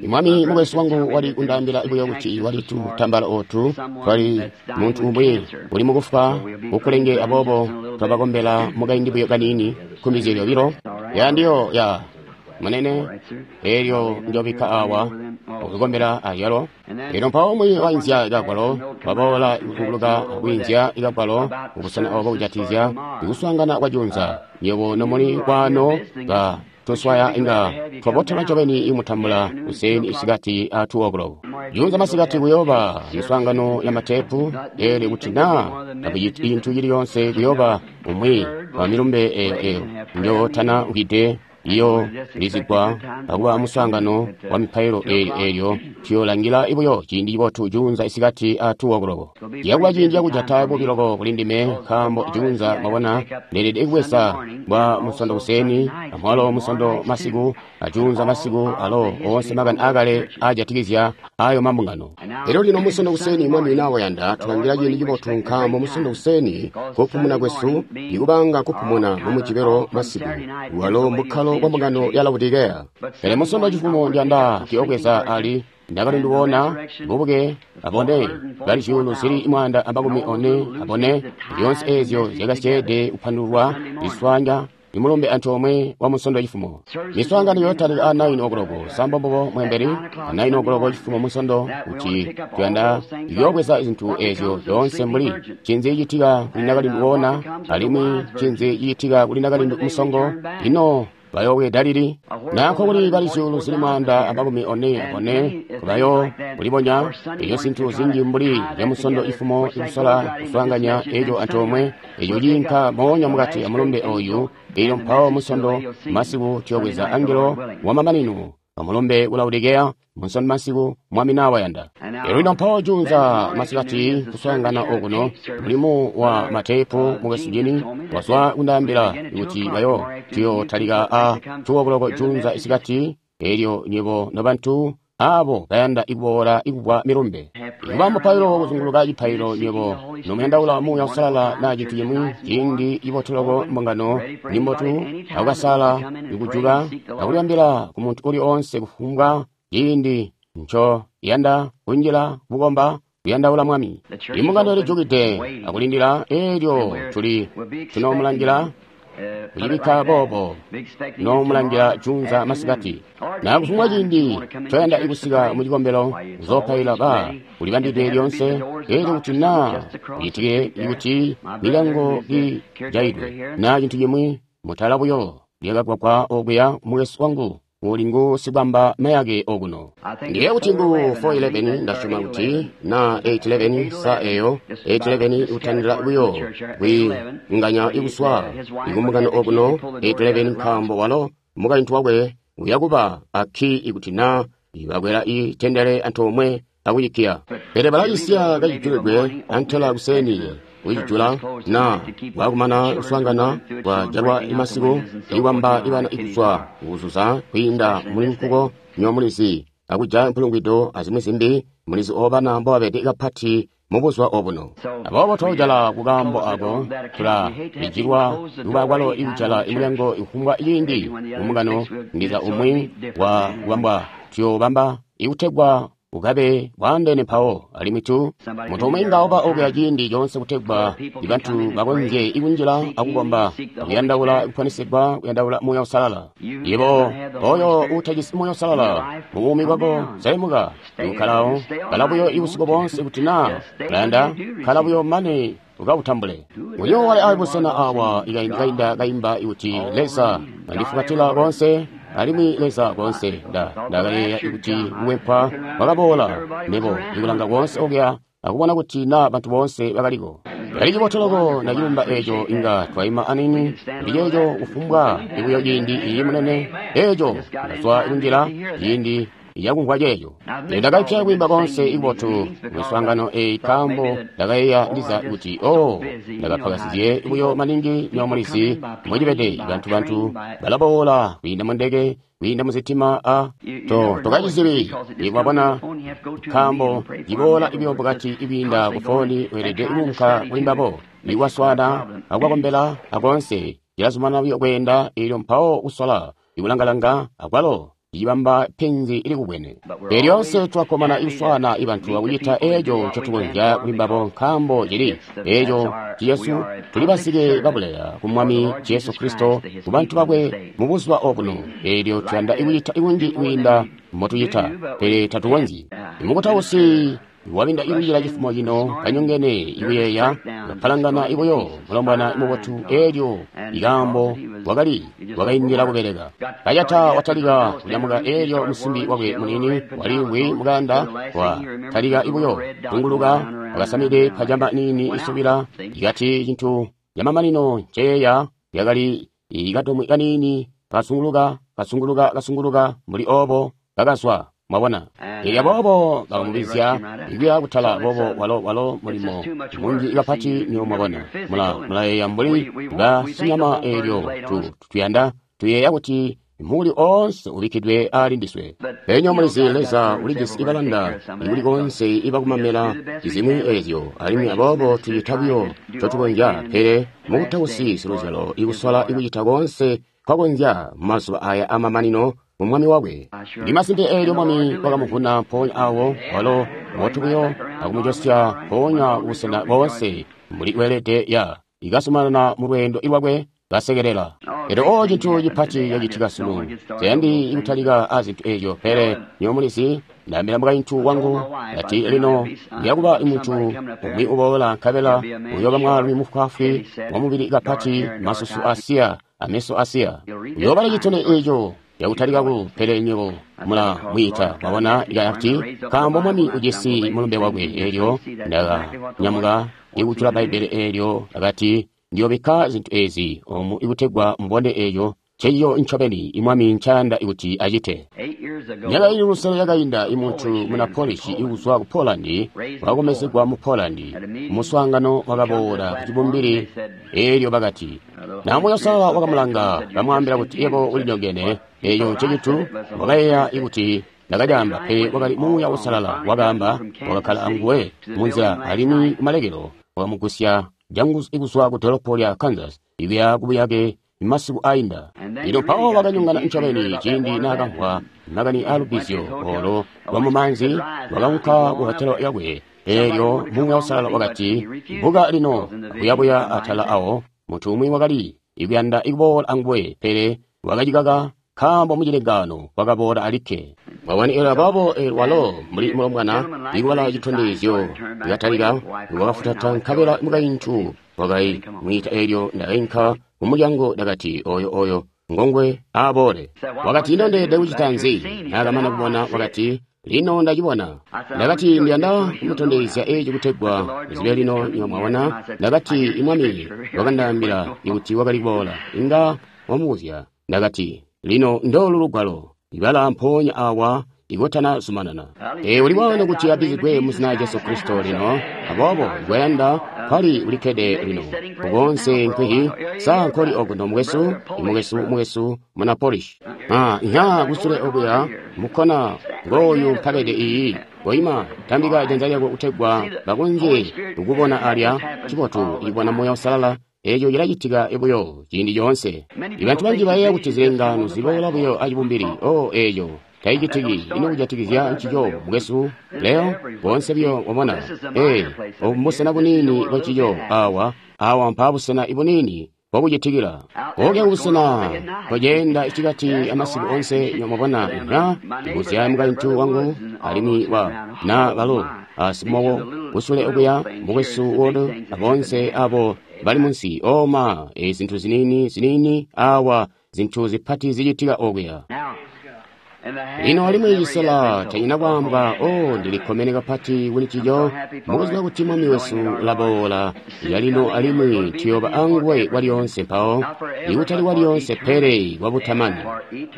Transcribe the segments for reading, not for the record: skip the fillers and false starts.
Mwami mukwesu wangu wali kundaambila buyo kuti wali tutambala otu twali muntu umwi uli mukufwa kukulenge, aboobo twabakombela mukaindi buyo kaniini nkumbi zyobilo. Ya ndiyo ya munene eelyo njobikka awa okukombela alyalo. Elyo mpawo umwi wainzya kagwalo waboola kuzunguluka kwiinzya kagwalo kubusena obo kujatizya ikuswaangana kwa junza. Nywebo nomuli kwano ba tuswaya inga twabotela ncobeni imutambula kuseeni isikati a 2 o'clock. Junza masikati kuyooba miswaangano ya matepu, eelyo kuti naa takuciti cintu cili yoonse kuyooba umwi wa milumbe eyo eyo njo tana ukide iyo lizigwa akuba muswaangano wa mipailo eelyo eelyo tuyolangila buyo ciindi cibotu junza isikati a 2 o'clock. Ciyakuba ciindi cakujata bubi loko kuli ndime nkaambo junza mwabona ndeelede kubweza bwa musondo kuseeni amwalo musondo masiku ajunza masiku alo oonse makani akale ajatikizya ayo mambungano. Elyo lino musondo kuseeni Mwami nawayanda tulangila ciindi cibotu nkaambo musondo kuseeni kupumuna kwesu ikubanga kupumuna mu Mujibelo masiku walo mbukkalo bwa mbungano ya Laodikea. Pele musondo cifumo ndiyanda kuyobweza ali ndakalindiwona bubuke abone bali zyuulu zili 144 abone zyoonse eezyo zyakasyeede kupandulwa liswanya imulumbe antoomwe wa musondo cifumo. Miswaangano yotalika a 9 o'clock sambombobo mwembeli a 9 o'clock cifumo musondo kuti tuyanda kuyobweza zintu eezyo zyoonse mbuli cinzi citika kuli nakalindu alimwi cinzi citika kuli nakalindu musongo. Ino bayobweda lili nako kuli bali zyuulu zili 144 bayo kulibonya eyo zintu zinji mbuli ya musondo ifumo ikusola kuswaanganya eco antoomwe eco ciinka moonya mukati amulumbe oyu. Elyo mpawo musondo masiku tuyobweza angelo wamamanino amulumbe ku Laodikea musondo masiku Mwami nawayanda. Elyo lino mpawo junza masikati kuswaangana okuno mulimu wa matepu mukwesu Jini wazwa kundaambila kuti bayo tuyotalika a 2 o'clock junza isikati. Elyo nywebo nobantu abo bayanda ikuboola ikubwa milumbe ikuba mupailo kuzunguluka cipailo nywebo nomuyandaula Muuya Uusalala na cintu cimwi ciindi cibotu loko mbungano nimbotu akukasala ikujuka akulyambila ku muntu uli oonse kufumbwa ciindi nco yanda kunjila kukomba kuyandaula Mwami. Imbungano ilijukide akulindila eelyo tuli tunomulangila kucibikka boobo nomulangila junza masikati na kufumbwa ciindi coyanda ikusika mu cikombelo kuzopaila ba kulibambidwe lyonse. Eelyo kuti naa kucitike ikuti milyango ijaidwe na cintu cimwi mutala buyo lyakagwagwa okuya mukwesu wangu uli ngu sibamba mayake okuno. Ndiye kuti ngu 4:11 ndasyoma kuti na 8:11 sa eyo 8:11 utandila buyo kwinganya ikuswa ikumbungano okuno 8:11 nkaambo walo mukaintu wakwe uyakuba akki ikuti na ibakwela itendele antoomwe akucikiya. Pele balacisiya kacijulidwe antela kuseeni kucijula na bwakumana kuswaangana bwajalwa imasiku ikwamba ibana ikuswa kuzuza kwiinda muli nkuko nyomulizi akujaya mpulungwido azimwi zimbi mulizi obana mbobabede kapati mubuzuba obuno. Aboobo twajala kukaambo ako tulalijilwa kuba kwalo ikujala imulyango ikufumbwa ciindi kumbungano ndiza umwi wa kubambwa tuyobamba ikutegwa ukabe bwaandeene mpawo alimwi tu muntu umwi inga uba okuya ciindi coonse kutegwa ibantu bakonzye ikunjila akukomba akuyandaula kuponisigwa kuyandaula Muuya Uusalala. Yebo oyo uutajisi Muuya Uusalala mu buumi bwako selemuka ikukkalawo kala buyo ibusiku boonse kuti naa ulayanda kala buyo mane ukawutambule. Uyo wali abusena awa ikainda kaimba ikuti Leza andifukatila konse alimwi Leza konse ndakayeeya kuti kuwempwa wakaboola nebo ikulanga konse okuya akubona kuti na bantu boonse bakaliko. Kali cibotu loko ndacilumba eco inga twaima anini ndi ceeco kufumbwa ikuyo ciindi iyi munene eco ndazwa kunjila ciindi yakumvwa ceeco. Ndakapya kwiimba konse ikubotu miswaangano eyi nkaambo ndakayeeya ndiza kuti o ndakapakasizye buyo maningi nyomulizi mwecibede bantu balaboola kwiinda mu ndeke kwiinda muzitima a to tokacizibi ikwabona nkaambo ciboola ibyo bukati ikwiinda ku foni weelede kuunka kuli mbabo ikwaswana akwakombela akonse cilazumanana buyo kweenda eelyo mpawo kusola ikulangalanga akwalo cicibamba penzi ilikubwene. Pele lyoonse twakkomana ikuswaana ibantu akucita eeco ncotukonzya kuli mbabo, nkaambo cili eeco ciyesu tuli basike babuleya ku Mwami Jesu Kristo ku bantu bakwe mu buzuba obuno. Eelyo tuyanda ikucita ikunji kwiinda mbotucita, pele tatukonzyi. Imukutausi wabinda ikunjila cifumo cino kanyongene ikuyeeya kapalangana ibuyo mulombwana mubotu, eelyo ikaambo wakali wakaindila kubeleka. Kacata watalika kunyamuka, eelyo musimbi wakwe muniini waliimvwi mukanda wa talika ibuyo tunguluka wakasamide pajama niini isubila. Ikati cintu yamamanino nceyeeya yakali ikadomwi kaniini kasunguluka kasunguluka kasunguluka mbuli obo kakazwa. Mwabona, elyo aboobo bakamubizya ikuya kutala boobo walo walo mulimo munji kapati nyo mwabona. Mulayeeya mbuli basinyama eelyo tuyanda tuyeeya kuti muli oonse ubikkidwe ali ndiswe. Pele mulizi Leza ulijisi ibalanda ikuli koonse ibakumamela zimwi eezyo, alimwi aboobo tucita buyo ncotukonzya, pele mukutausi siluzyalo ikusola ikucita koonse kwakonzya mumazuba aya amamanino mu Mwami wakwe. Ndi masimpe eelyo Mwami wakamuvuna mpoonya awo walo motu buyo akumujosya mpoonya kubusena boonse mbuli weelede ya ikazumanana mu lweendo lwakwe kasekelela. Elyo o cintu cipati cacitika sunu. Tayandi ikutalika a zintu eezyo, pele nyo mulizi ndaambila mukaintu wangu ati lino ndiyakuba muntu umwi uboola nkabela uyooba mwaalumi mufwaafwi wamubili kapati, masusu asiya ameso asiya. Uyoobala citone eeco yakutalika ku, pele nywebo mula mwiita. Mwabona ikati nkaambo Mwami ujisi mulumbe wakwe. Eelyo ndakanyamuka ikujula Bbaibbele eelyo akati ndiyobikka zintu eezi omu ikutegwa mubone eeco nceciyo ncobeni imwami ncayanda kuti acite. Myaka ili lusele yakainda imuntu muna Polish ikuzwa ku Poland wakakomezegwa mu Poland muswaangano wakaboola ku cibumbili. Eelyo bakati na Muuya Uusalala wakamulanga bamwaambila kuti yebo ulinyongene. Eeco ncecitu wakayeeya ikuti ndakacaamba, pele wakali Muuya Uusalala wakaamba, wakakkala anguwe munzila alimwi kumalekelo wakamugusya jangu ikuzwa ku dolopo lya Kansas ikuya kubuyake masiku ainda. Lino mpawo wakanyongana ncobeni ciindi naakamvwa makani aalubbizyo olo lwamumaanzi, wakaunka ku hotelo yakwe. Eelyo Muuya Uusalala wakati, buka lino akuyabuya atala awo. Muntu umwi wakali ikuyanda ikuboola anguwe, pele wakacikaka nkaambo mucilengaano wakaboola alikke. Mwabona, eelyo aboobo walo mbuli mulombwana ikubala citondezyo ikatalika wakafutata, nkabela mukaintu wakamwiita. Eelyo ndakainka mumulyango ndakati oyo oyo ngongwe aaboole. Wakati ino ndeelede kucita nzi? Naakamana kubona wakati lino ndacibona. Ndakati ndiyanda kumutondezya eeci kutegwa muzibe lino nyo mwabona. Ndakati imwami wakandaambila ikuti wakali kuboola inga wamubuzya. Ndakati lino ndoolu lugwalo ibala mpoonya awa ikutana zumanana. Uli bwana kuti abbizigwe mu zina Jesu Kristo lino, aboobo ikwayanda kwali ulikkede lino. Kukonse nkwihi sa nkoli okuno mukwesu, imukwesu mukwesu muna Polish. Nya kusule okuya mukkona ngooyu mpabede iyi. Koima tambika janza lyako kutegwa bakonzye kukubona alya. Cibotu ikubona Muuya Uusalala. Eeco cilacitika buyo ciindi coonse. Ibantu banji bayeeya kuti zilengaano ziboola buyo acibumbili. Oh, eeco taicitiki. Ino kujatikizya ncico mukwesu Leo? Boonse buyo wabona. Obu mbusena buniini bwancico awa. Awa mpaabusena ibuniini bwakucitikila. Oke kubusena koceenda icikati amasiku onse nyomubona nya ndibuzya mukaintu wangu alimwi wa na balo asimowo kusule okuya mukwesu wodo abonse abo bali munsi oma e zintu zinini zinini awa zintu zipati zicitika okuya. Lino alimwi cisela tanyina kwaamba, oh, ndilikkomene kapati kuli ncico mukuziba kuti Mwami wesu ulaboola yalino alimwi tuyooba anguwe kwalyoonse mpawo, ikutali kwalyoonse pele kwabutamani,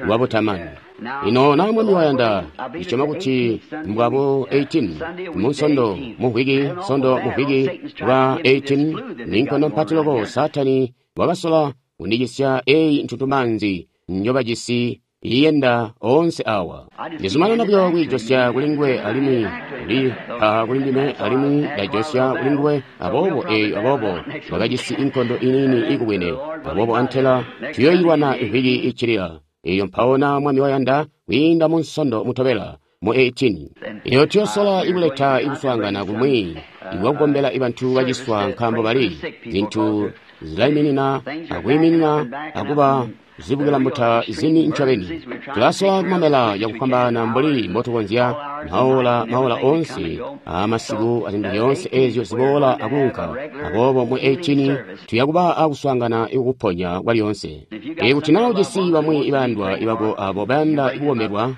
kwabutamani. Lino na Mwami wayanda, ndisyoma kuti mbwabo 18 munsondo mumvwiki, sondo mumvwiki bwa 18 ninkondo mpati loko Saatani wakasola kundicisya eyi ntuntumaanzi njobajisi iyenda onse awa. Ndizumanana buyo kwiijosya kuli nguwe alimwi uli kuli ndime alimwi ndajosya kuli nguwe, aboobo eyo aboobo wakajisi inkondo inini ikubwene, aboobo antela tuyoyilwana imvwiki iccilila. Elyo mpawo na Mwami wayanda, kwiinda mu Nsondo mutobela, mu 18. Elyo tuyosola ikuleta ikuswaangana kumwi ikwakukombela bantu baciswa, nkaambo bali zintu zilaiminina akwiiminina akuba zibukila mbuta zini ncobeni. Tulasola kumamela cakufwambaana mbuli mbotukonzya, maola maola oonse aamasiku azintu zyoonse eezyo ziboola akuunka. Aboobo mu 18 tuya kuba akuswaangana ikukuponya kwalyoonse. Ikuti naa ujisi bamwi ibayandwa ibako abo bayanda kukombelwa,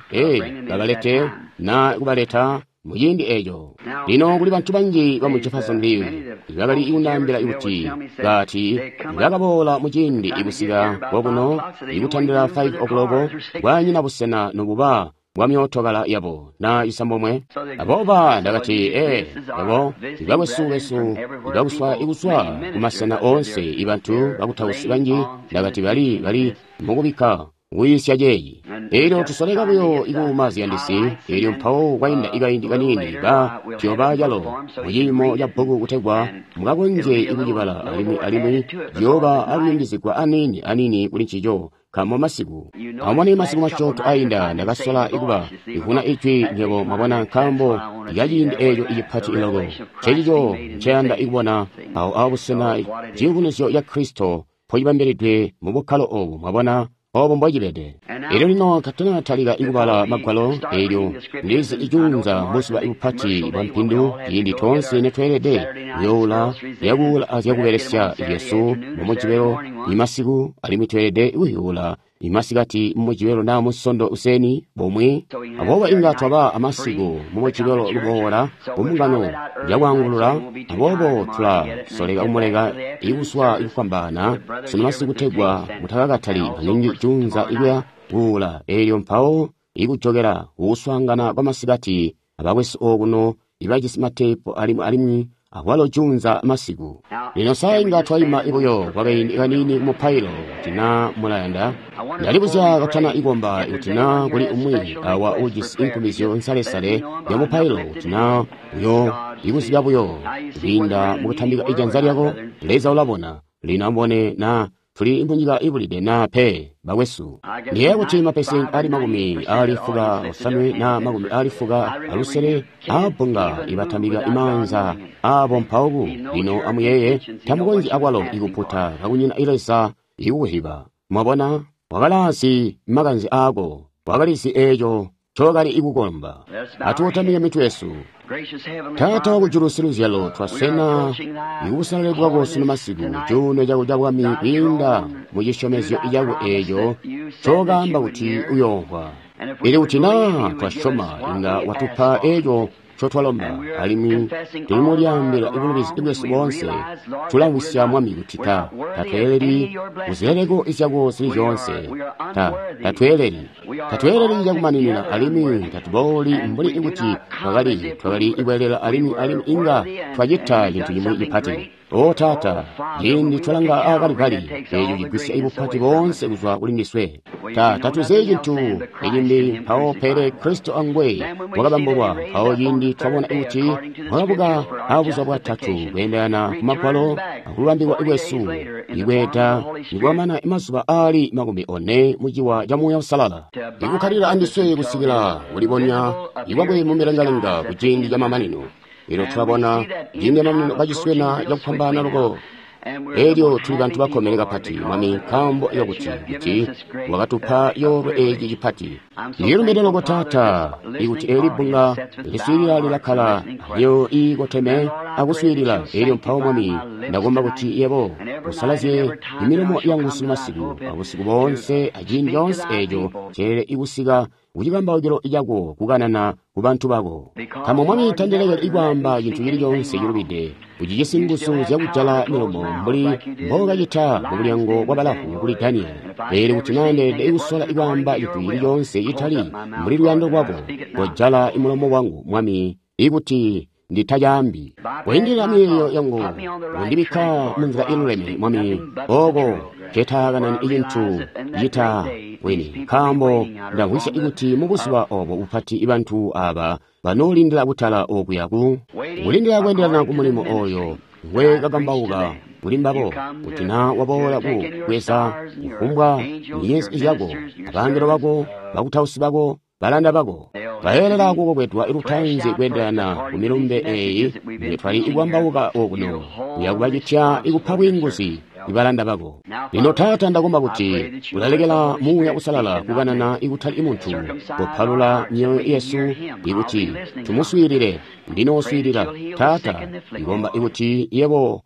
babalete na kubaleta muciindi eco. Lino kuli bantu banji bamu Jeffersonville bakali kundaambila kuti bati bakaboola muciindi ikusika kokuno ikutandila 5 o'clock kwanyina busena nobuba bwa myootokala yabo na isambomwe. Abooba ndakati abo ibakwesu besu ibakuswa ikuswa kumasena oonse ibantu bakutausi banji, ndakati bali mukubikka kuyisya ceeyi. Elyo tusoleka buyo ikuuma ziyandisi, elyo mpawo kwainda ikaindi kaniini ba tuyoba calo muciimo ca bbuku kutegwa mukakonzye ikucibala, alimwi ciyooba akuyungizigwa aniini aniini kuli ncico nkaambo masiku. Amubone masiku masyoonto ainda ndakasola ikuba ivuna ijwi nywebo mwabona, nkaambo ikaciindi eeco icipati loko. Ncecico nceyanda ikubona awo abusena ciyubunuzyo ca Kristo mpocibambilidwe mu bukkalo obu, mwabona obo mbocibede. Elyo lino katanatalika ikubala magwalo, elyo ndizi icuunza buzuba ibupati bwa mpindu, ciindi toonse netweelede kuyoula zyakuula azyakubelesya zyesu mu Mujibelo imasiku, alimwi tweelede kuyuula imasikati mu Mujibelo naa mu Nsondo useni bomwe. Aboobo inga twaba amasiku mu Mujibelo luboola kumbungano yakwaangulula. Aboobo tulasoleka kumuleka ikuswa ikufwambaana sunu masiku kutegwa mutakakatali maningi cuunza ikuya kuula, elyo mpawo ikujokela kukuswaangana kwamasikati abakwesu okuno ibajisi mateepu alimwi akwalo cuunza masiku. Lino sa inga twaima ibuyo kwakaindi kaniini kumupailo kuti naa mulayanda. Ndalibuzya katana ikomba kuti naa kuli umwi awa ujisi inkumizyo nsalesale ya mupailo, kuti naa uyo ikuziba buyo kwiinda mukutambika ijanza lyako. Leza ulabona. Lino amubone naa tuli munyika ibulide naa pe, bakwesu. Ndiyeeya kuti mapesenti ali 65 na 60 aabbunga ibatambika imaanza aabo mpawo. Lino amuyeeye, tamukonzyi akwalo ikuputa kakunyina Leza ikukuhiba. Mwabona, wakalazi makanze aako, wakalizi eeco ncokali ikukomba. Atuutamike mitwe yesu. Taata wakujulu siluzyalo, twaswena ikubusalale bwako sunu masiku, cuuno cako ca bwami kwiinda mu cisyomezyo cako eeco ncokaamba kuti uyoomvwa. Ili kuti naa twasyoma, inga watupa eeco ncotwalomba, alimwi tulimulyaambila ibulubizi bwesu boonse. Tulamvwisya Mwami kuti tatweeleli kuzileleko zyako zili zyoonse. Tatweeleli cakumaninina, alimwi tatubooli mbuli kuti twakali ikweelela, alimwi inga twacita cintu cimwi cipati. O Taata, ciindi twalanga aakali-kali, eeco cigwisya ibupati boonse kuzwa kuli ndiswe. Tatuzi cintu icimbi mpawo pele Kristo angwe wakabambulwa. Mpawo ciindi twabona kuti wakabuka abuzuba bwatatu kweendelana ku magwalo akululambikwa kwesu, ikweeta nikwamana mazuba aali 40 muciwa ca Muuya Uusalala, ikukkalila andiswe kusikila kulibonya ikwakwe mumilengalenga kuciindi camamanino. Elyo tulabona ciindi camamanino kaciswena cakufwambaana loko. Elyo tuli bantu bakkomene kapati, Mwami, nkaambo kakuti kuti wakatupa coolwe eeci cipati. Ndilumbide loko, Taata, ikuti eeli bbunga liswiilila lilakkala alyo iikoteme akuswiilila. Elyo mpawo, Mwami, ndakomba kuti yebo usalazye imilomo yangu sunu masiku abusiku boonse aciindi coonse eeco ceelele ikusika kucikambaukilo cako kukanana ku bantu bako. Nkaambo, Mwami, tandilekeli ikwaamba cintu cili coonse cilubide. Ucijisi nguzu zyakujala milomo mbuli mbookacita mubulyango bwa balavu kuli Daniyeli. Pele kuti naa ndeelede ikusola ikwaamba cintu cili coonse citali mbuli luyando lwako, kojala imulomo wangu, Mwami, ikuti nditacaambi. Koindilila miyeeyo yangu, kundibikka munzila iluleme, Mwami, ooko ncetaakanani icintu cita wini. Nkaambo ndamvwisya kuti mubuzuba obo bupati bantu aaba banoolindila kutala okuya ku kulindila kweendelana ku mulimo oyo ngwe kakambauka kuli mbabo, kuti na waboola ku bweza kufumbwa nyenyezi zyako, abangelo bako, bakutausi bako, balanda bako, bayelela kukokwedwa lutaanzi kweendelana ku milumbe eyi nge twali ikwambauka okuno, uya kubacitya ikupa bwiinguzi ibalanda bako. Lino Taata, ndakomba kuti ulalekela Muuya Uusalala kukanana ikutali muntu, kupalula myoyo yesu ikuti tumuswiilile. Ndinooswiilila Taata, ndikomba ikuti yebo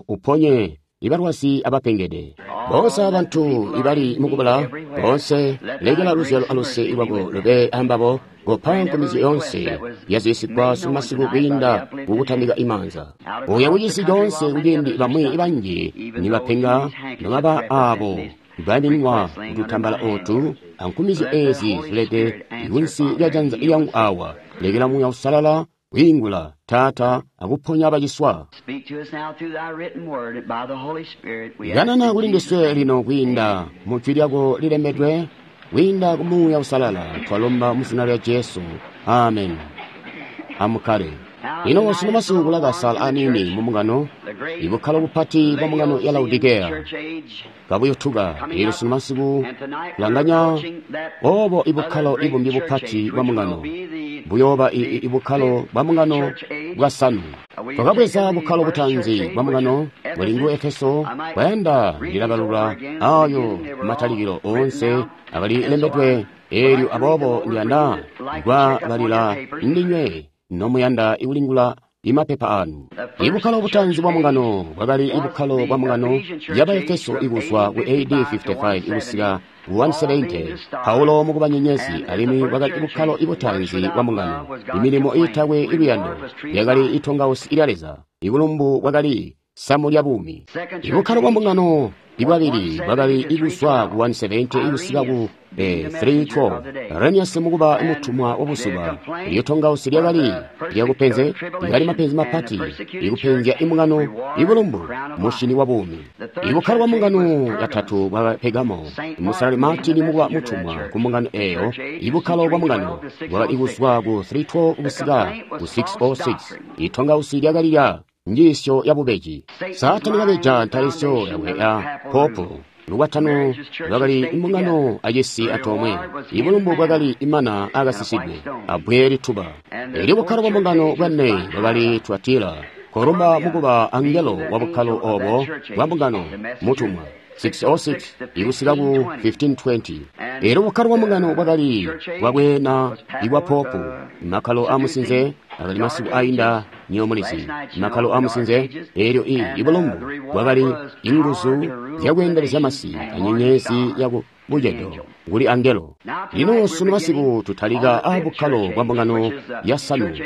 uponye ibalwazi abapengede, boonse abantu ibali mukubula, boonse lekela luzyalo aluse lwako lube ambabo. Kopa nkomezyo yoonse yazisigwa sumasiku kwiinda kukutambika imaanza uya kucisi coonse, kuciindi bamwi banji nibapenga, nobaba aabo baminwa kututambala otu ankumizyo ezi zilede kunsi lya janza lyangu awa. Lekela Muuya Uusalala kwiingula, Taata, akuponya baciswa. Kanana kuli ndiswe lino kwiinda mu jwi lyako lilembedwe, kwiinda ku Muuya Uusalala, twalomba mu zina lya Jesu. Amen. Amukkale. Lino sunu masiku kulakasala aniini mu mbungano, ibukkalo bupati bwa mbungano ya Laodikeya kabuyotuka. Elyo sunu masiku kulanganya obo ibukkalo ibumbi bupati bwa mbungano buyooba ibukkalo bwa mbungano bwasanu. Twakabweza bukkalo butaanzi bwa mbungano buli ngu Efeso. Kwayanda ndilabalula ayo matalikilo oonse akali lembedwe. Elyo aboobo ndiyanda kwabalila ndinywe nomuyanda ikulingula imapepa anu. Ibukkalo butanzi bwa mbungano bwakali ibukkalo bwa mbungano yaba Efeso ikuzwa ku AD 55 ikusika 170, Paulo mukuba nyenyezi, alimwi bwakali ibukkalo ibutanzi bwa mbungano. Imilimo iitakwe iluyando yakali itongausi ilya Leza. Ibulumbu bwakali samu lya buumi. Ibukkalo bwa mbungano ibwabili bwakali ikuzwa ku 170 ikusika ku 312, Irenaeus mukuba mutumwa wabuzuba. Ilyo tongausi lyakali lyakupenze, lyakali mapenzi mapati ikupenzya imbungano. Ibulumbu mushini wa buumi. Ibukkalo bwa mbungano yatatu bwa Pergamo, Musalali Martin mukuba mutumwa ku mbungano eyo. Ibukkalo bwa mbungano bwakali kuzwa ku 312 kusika ku 606. Itongausi lyakali lya njiisyo ya bubeji. Saatani kabeja ntalisyo yakwe ya popu. Lukwatano lwakali imbungano acisi atoomwe. Ibulumbu bwakali imana akasisidwe abbwe lituba. Elyo bukkalo bwa mbungano bwane bwakali Tuatira, Kolumba mukuba angelo wa bukkalo obo bwa mbungano mutumwa, 606 ikusika ku 1520. Elyo bukkalo bwa mbungano bwakali bwabwena ibwa popu. Makkalo amusinze akali masiku ainda nyomulizi, makkalo amusinze. Elyo ibulumbu bwakali inguzu zyakweendelezya masi anyenyezi yaku bucedo kuli angelo. Lino sunu masiku tutalika a bukkalo bwa mbungano ya sanu,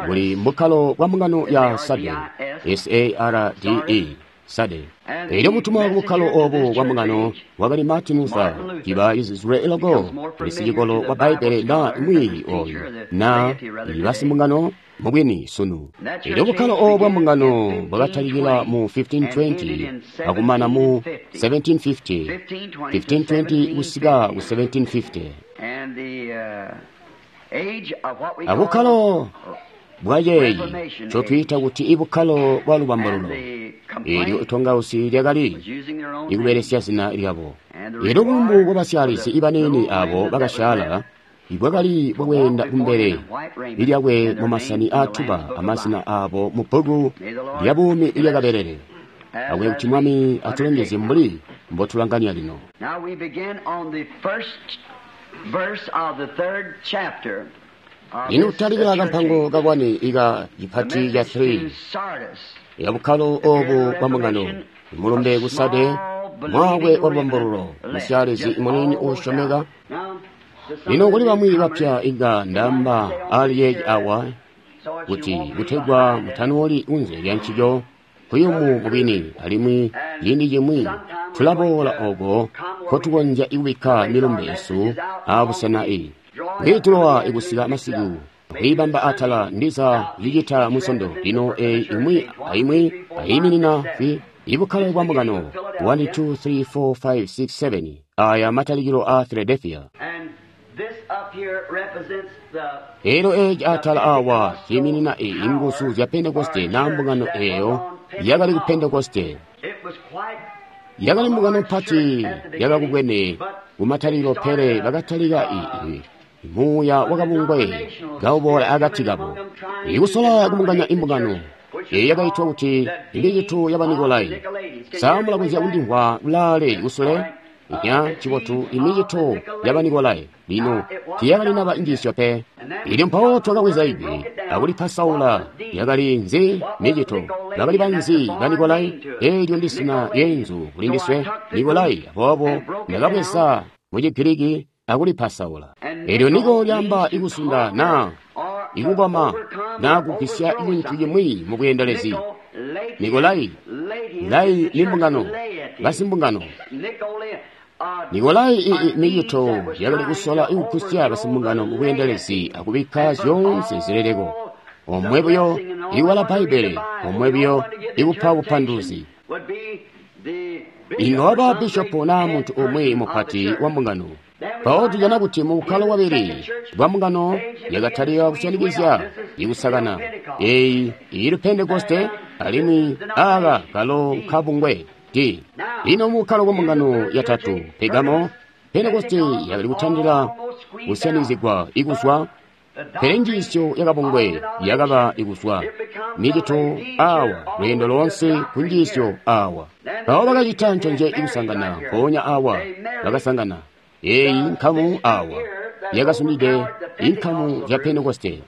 buli mbukkalo bwa mbungano ya Sade, S-A-R-D-E, Sade. Elyo mutumwa ku bukkalo obu bwa mbungano wakali Martin Luther, ciba Israel logo lisicikolo wa Bbaibbele na mwiiyi oyu na basimbungano mubwini sunu. Elyo bukkalo obu bwa mbungano bwakatalikila mu 1520 akumana mu 1750, 1520 kusika ku 1750. Abukkalo bwayeeyi ncotwiita kuti ibukkalo bwa lubambululo. Elyo itongausi lyakali ikubelesya zina lyabo. Elyo bulumbu bwabasyalizi ibaniini abo bakasyaala ibwakali bwakweenda kumbele ilyakwe mumasani aatuba amazina aabo mu bbuku lya buumi ilyakabelele. Akube kuti Mwami atulongezye mbuli mbotulanganya lino. Lino kutalikila kampango kakwane ika cipati ca 3 ya bukkalo obu bwa mbungano, mulumbe ku Sade, mwaakwe wa lubambululo, musyalizi muniini uusyomeka. Lino kuli bamwi bapya inga ndamba ali yeeci awa kuti kutegwa mutanooli kunze lya ncico kuyumu mubwini, alimwi ciindi cimwi tulaboola oko nkotukonzya ikubikka milumbe yesu abusena i kwiitulowa ikusika masiku kwiibamba atala ndiza cicita musondo. Lino eyi imwi aimwi ayiminina fi ibukkalo bwa mbungano 1 2 3 4 5 6 7 aya matalikilo a Philadelphia. Elyo eci atala awa ciiminina inguzu zya Pentekoste na mbungano eyo yakali ku Pentekoste. Yakali mbungano mpati yakakubwene kumatalikilo, pele bakatalika muuya wakabungwe kauboola akati kabo, ikusola kubunganya imbungano eyi yakaitwa kuti imicito ya Banikolai. Sa mulakonzya kundimvwa kulaale kusule? Nya cibotu, imicito ya Banikolai. Lino tiyakalinaba njiisyo pe. Ilyo mpawo twakabweza ijwi akulipasaula. Yakali nzi micito? Bakali banzi Banikolai? Eelyo ndisina lyeenzu kulindiswe Nikolai. Aboobo ndakabweza mu Chigiriki akulipasaula. Eelyo niko lyaamba ikusunda na ikukoma na kugwisya cintu cimwi mu bweendelezi. Nikolai, lai ni mbungano, basimbungano. Nikolai micito yakali kusola ikugwisya basimbungano mu bweendelezi akubikka zyoonse zileleko. Omwe buyo iwala Bbaibbele, omwe buyo ikupa bupanduluzi. Inga waba bishopo naa muntu umwi mupati wa mbungano. Mpawo tujana kuti mu bukkalo bwabili bwa mbungano yakatalika kusyanikizya ikusakana. Eyi ili Pentekoste alimwi aka kalo nkabungwe D. Lino mu bukkalo bwa mbungano yatatu, Pergamo, Pentekoste yakali kutandila kusyanikizigwa ikuzwa, pele njiisyo yakabungwe yakaba ikuzwa micito awa lweendo loonse ku njiisyo awa. Mpawo bakacita nconje ikusangana mpoonya awa bakasangana eyi nkamu awa yakasumide inkamu ya Pentekoste.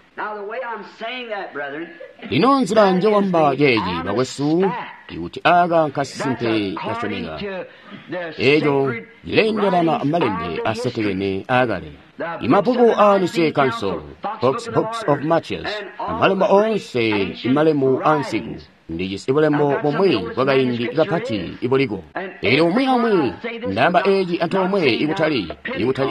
Lino nzila njewamba ceeci bakwesu, ikuti aka nkasimpe kasyomeka, eco cileendelana amalembe asetekene aakale. Imabbuku aa Nicene Council, Books of Martyrs, amalembo oonse imalemu aansiku, ndijisi bulembo bumwi bwakaindi kapati ibuliko. Eelyo umwi aumwi ndaamba eci antoomwe ikutali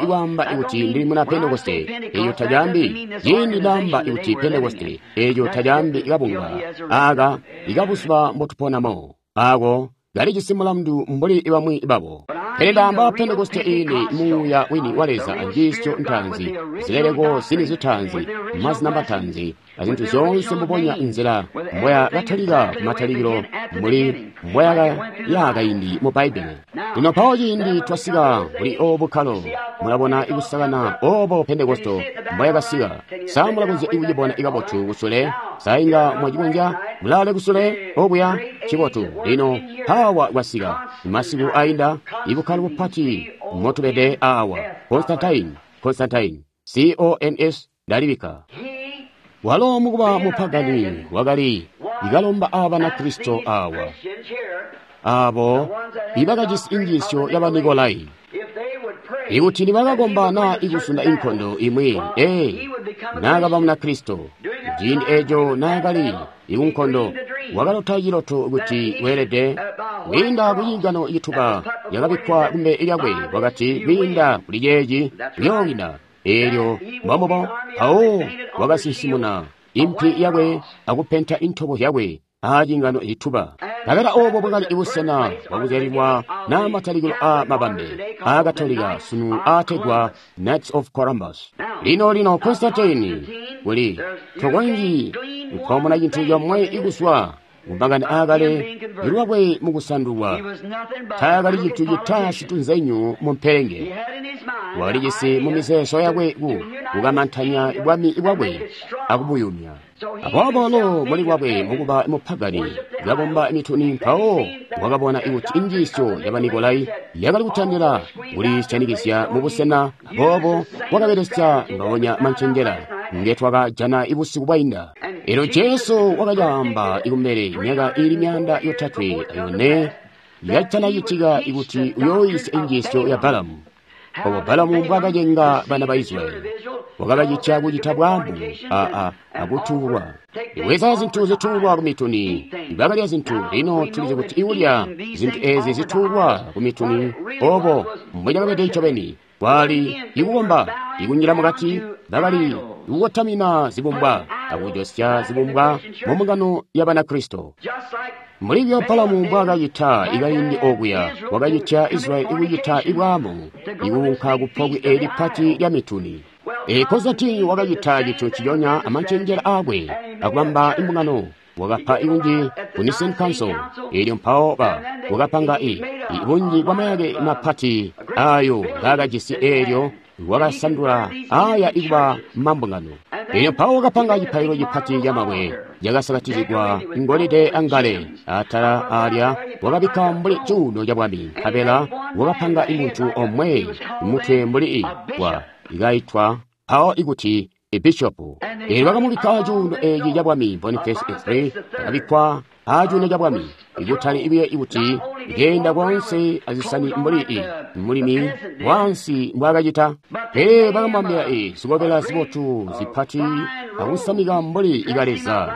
ikwaamba ikuti ndili muna Pentekoste, eco tacaambi. Ciindi ndaamba ikuti Pentekoste, eco tacaambi kabunga aka ikabuzuba mbotuponamo, ako kalijisi mulandu mbuli bamwi babo. Pele ndaamba Pentekoste iini muuya wini wa Leza anjiisyo ntaanzi, zileleko zini zitaanzi, mazina mataanzi, azintu zyoonse mbubonya nzila mboya katalika kumatalikilo mbuli mboya yakaindi mu Bbaibbele. Lino mpawo ciindi twasika kuli obu bukkalo, mulabona ikusakana obo Pentekoste mboyakasika. Sa mulakonzya ikucibona ikabotu kusule? Sa inga mwacikonzya mulaale kusule okuya? Cibotu. Lino mpawa kwasika masiku ainda ibukkalo bupati motubede awa. Constantine, C-O-N-S ndalibika. Walo mukuba mupagani wakali ikalomba Abanakristo awa, abo ibakajisi injiisyo ya Banikolai, ikuti nibakakomba na ikusunda inkondo imwi, naakaba Munakristo. Ciindi eco naakali ikunkondo, wakalota ciloto kuti weelede kwiinda kuciingano cituba yakabikkwa kumbele lyakwe, wakati kwiinda kuli ceeci uyoowina. Eelyo mbombubo mpawo wakasinsimuna impi yakwe akupenta intobo yakwe aciingano cituba. Nkabela obo bwakali busena bwakuzyalilwa na matalikilo a mabambe a Katolika sunu aategwa Knights of Columbus. Lino Constantine kuli tokonzyi kukomona cintu comwe ikuzwa kumakani aakale ilwakwe mukusandulwa. Taakali cintu cita citunzenyu mu mpelenge. Walijisi mu mizeezo yakwe kukamantanya bwami bwakwe akubuyumya. Aboobo lo muli lwakwe mukuba mupagani kakomba mituni, mpawo wakabona ikuti injiisyo ya Banikolai yakali kutandila kulisyanikizya mubusena. Aboobo wakabelesya ngaonya mancenjela ngetwakajana ibusiku bwainda. Elyo Jesu wakacaamba ikumbele myaka iili 304 yacitanacitika ikuti uyooyisya injiisyo ya Balamu. Obo Balamu mbwaakacenga bana ba Israyeli, wakabacitya kucita bwaamu akutuulwa. Ibweza zintu zituulwa kumituni, bakalya zintu. Lino tulizi kuti ikulya zintu ezi zituulwa kumituni obo mbwecakabede ncobeni. Kwali ikukomba ikunjila mukati, bakali ikukotamina zibumbwa akujosya zibumbwa mu mbungano ya Banakristo. Mulibyo Balamu mbwaakacita ikaindi okuya, wakacitya Israyeli ikucita ibwaamu, ikuunka kupobwe eli pati lya mituni. Konstantini wakacita cintu nciconya amancenjela aakwe akubamba imbungano. Wakapa ibunji ku Nicene Council, elyo mpawo wakapanga bunji bwa mayake mapati ayo ngaakajisi, elyo wakasandula aya ikuba mambungano. Elyo mpawo wakapanga cipaililo cipati camabwe cakasakatizigwa ngolide angale. Atala alya wakabikka mbuli cuuno cabwami, nkabela wakapanga imuntu omwe mutwe mbuli wa ikaitwa mpawo ikuti ebishopu. Elyo bakamubikka cuuno eci cabwami. Boniface III akabikkwa acuuno cabwami, ikutali ibuye ikuti ikeenda konse azisani mbuli mulimi wansi mbwaakacita, pele bakamwambila zikobela zibotu zipati akusamika mbuli ikaleza,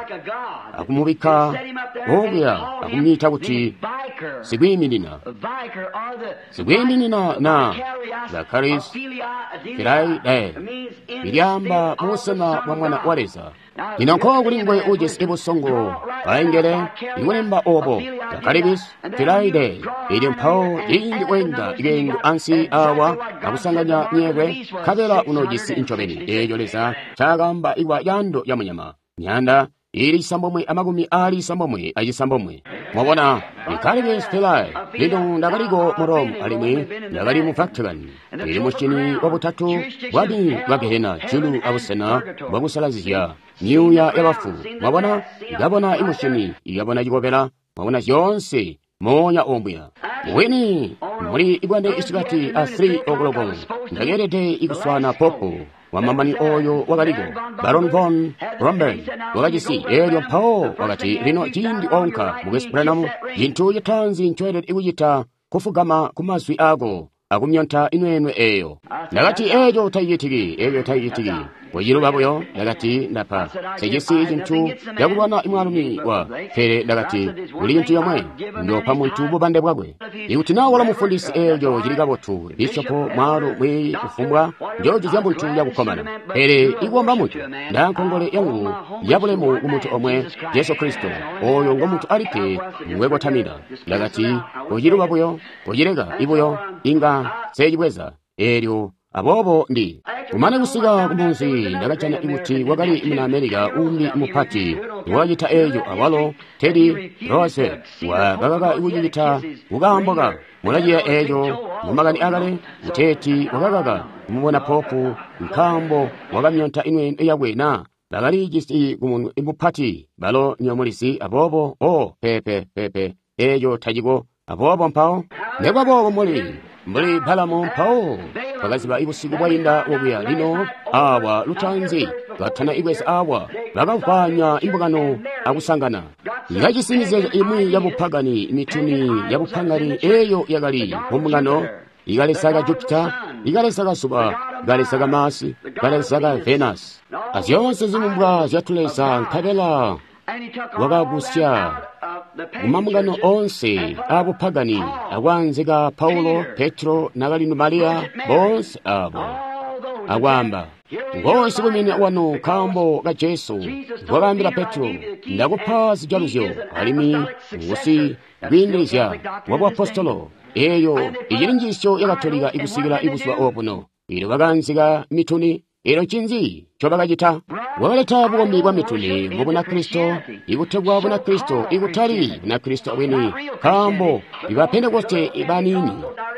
akumubikka okuya akumwiita kuti sikwiiminina. Sikwiiminina na Vicarius Filii, ilyaamba mubusena bwa Mwana wa Leza. Lino nko kuli nguwe ujisi busongo baengele ikulemba obo Vicarius Filii. Elyo mpawo ciindi weenda ikeengo ansi awa akusanganya nyekwe, nkabela unoojisi ncobeni eeco Leza ncaakaamba ikuba caando ca munyama, myaanda ili 969. Mwabona, Vicarius Filii. Lino ndakaliko mu Rome alimwi ndakali mu Vatican, ili musyini wabutatu bwami bwa Gehena, julu abusena bwakusalazizya myuuya yabafu. Mwabona, ikabona imusyini, ikabona cikobela, mwabona zyoonse moonya ombuya. Wini muli ibwande isikati a 3 o'clock ndakeelede ikuswana popu wamamani oyo wakaliko Baron von Bromberg wakajisi. Elyo mpawo wakati, lino ciindi onka Mukwesu Branham, cintu citaanzi ncoelede kucita kufugama ku mazwi ako akumyonta inwenwe eyo. Ndakati, eeco tacicitiki, eeco tacicitiki. Kuciluba buyo, ndakati, ndapa sejisi cintu cakulwana mwaalumi wa, pele ndakati, kuli cintu yomwe, ndopa muntu bubande bwakwe. Ikuti naa wala mufundisi, eeco cili kabotu, bishopo, mwaalu, mwiiyi, kufumbwa, njoojuzya muntu yakukkomana. Pele ikuomba muntu, ndankongole yangu yabulemu ku muntu omwe, Jesu Kristo, oyo ngo muntu alikke ngwekotamina. Ndakati, kuciluba buyo, kucileka ibuyo, inga secibweza. Elyo aboobo ndi kumane kusika kumunzi, ndakajana kuti wakali muna Amerika umbi mupati wakacita eeco awalo, Teddy Roosevelt wakakaka kucicita kukaambo ka mulaciya eeco mumakani akale, kuteeti wakakaka kumubona popu nkaambo wakamyonta inwenwe yakwe na bakalijisi kumunwe mupati balo nyomulizi. Aboobo o pepe pepe eeco taciko. Aboobo mpawo nekubaboobo mbuli Balamu, mpawo bakaziba ibusiku bwainda wokuya. Lino awa lutanzi batana ibweza awa bakavwanya imbungano akusangana ngajisi mizeezo imwi yabupagani, mituni yabupagani eyo yakali mumbungano, ikaleza ka Jupiter, ikaleza ka zuba, ikaleza ka Mars, ikaleza ka Venus, azyoonse zibumbwa zyatuleza. Nkabela wakagusya mumambungano onse abupagani akwaanzika Paulo, Petro, nakalino Mariya, bonse abo akwaamba, ngonse kumene wanu nkaambo ka Jesu wakaambila Petro, ndakupa zijaluzyo alimwi ngusi kwiindilizya wa buapostolo. Eyo icili njiisyo ya Katolika ikusikila ibuzuba obuno. Elyo bakaanzika mituni. Elyo ncinzi ncobakacita? Wakaleta bukombi bwa mituni mu Bunakristo, ikutegwa Bunakristo ikutali Bunakristo bwini, nkaambo iba Pentekoste baniini.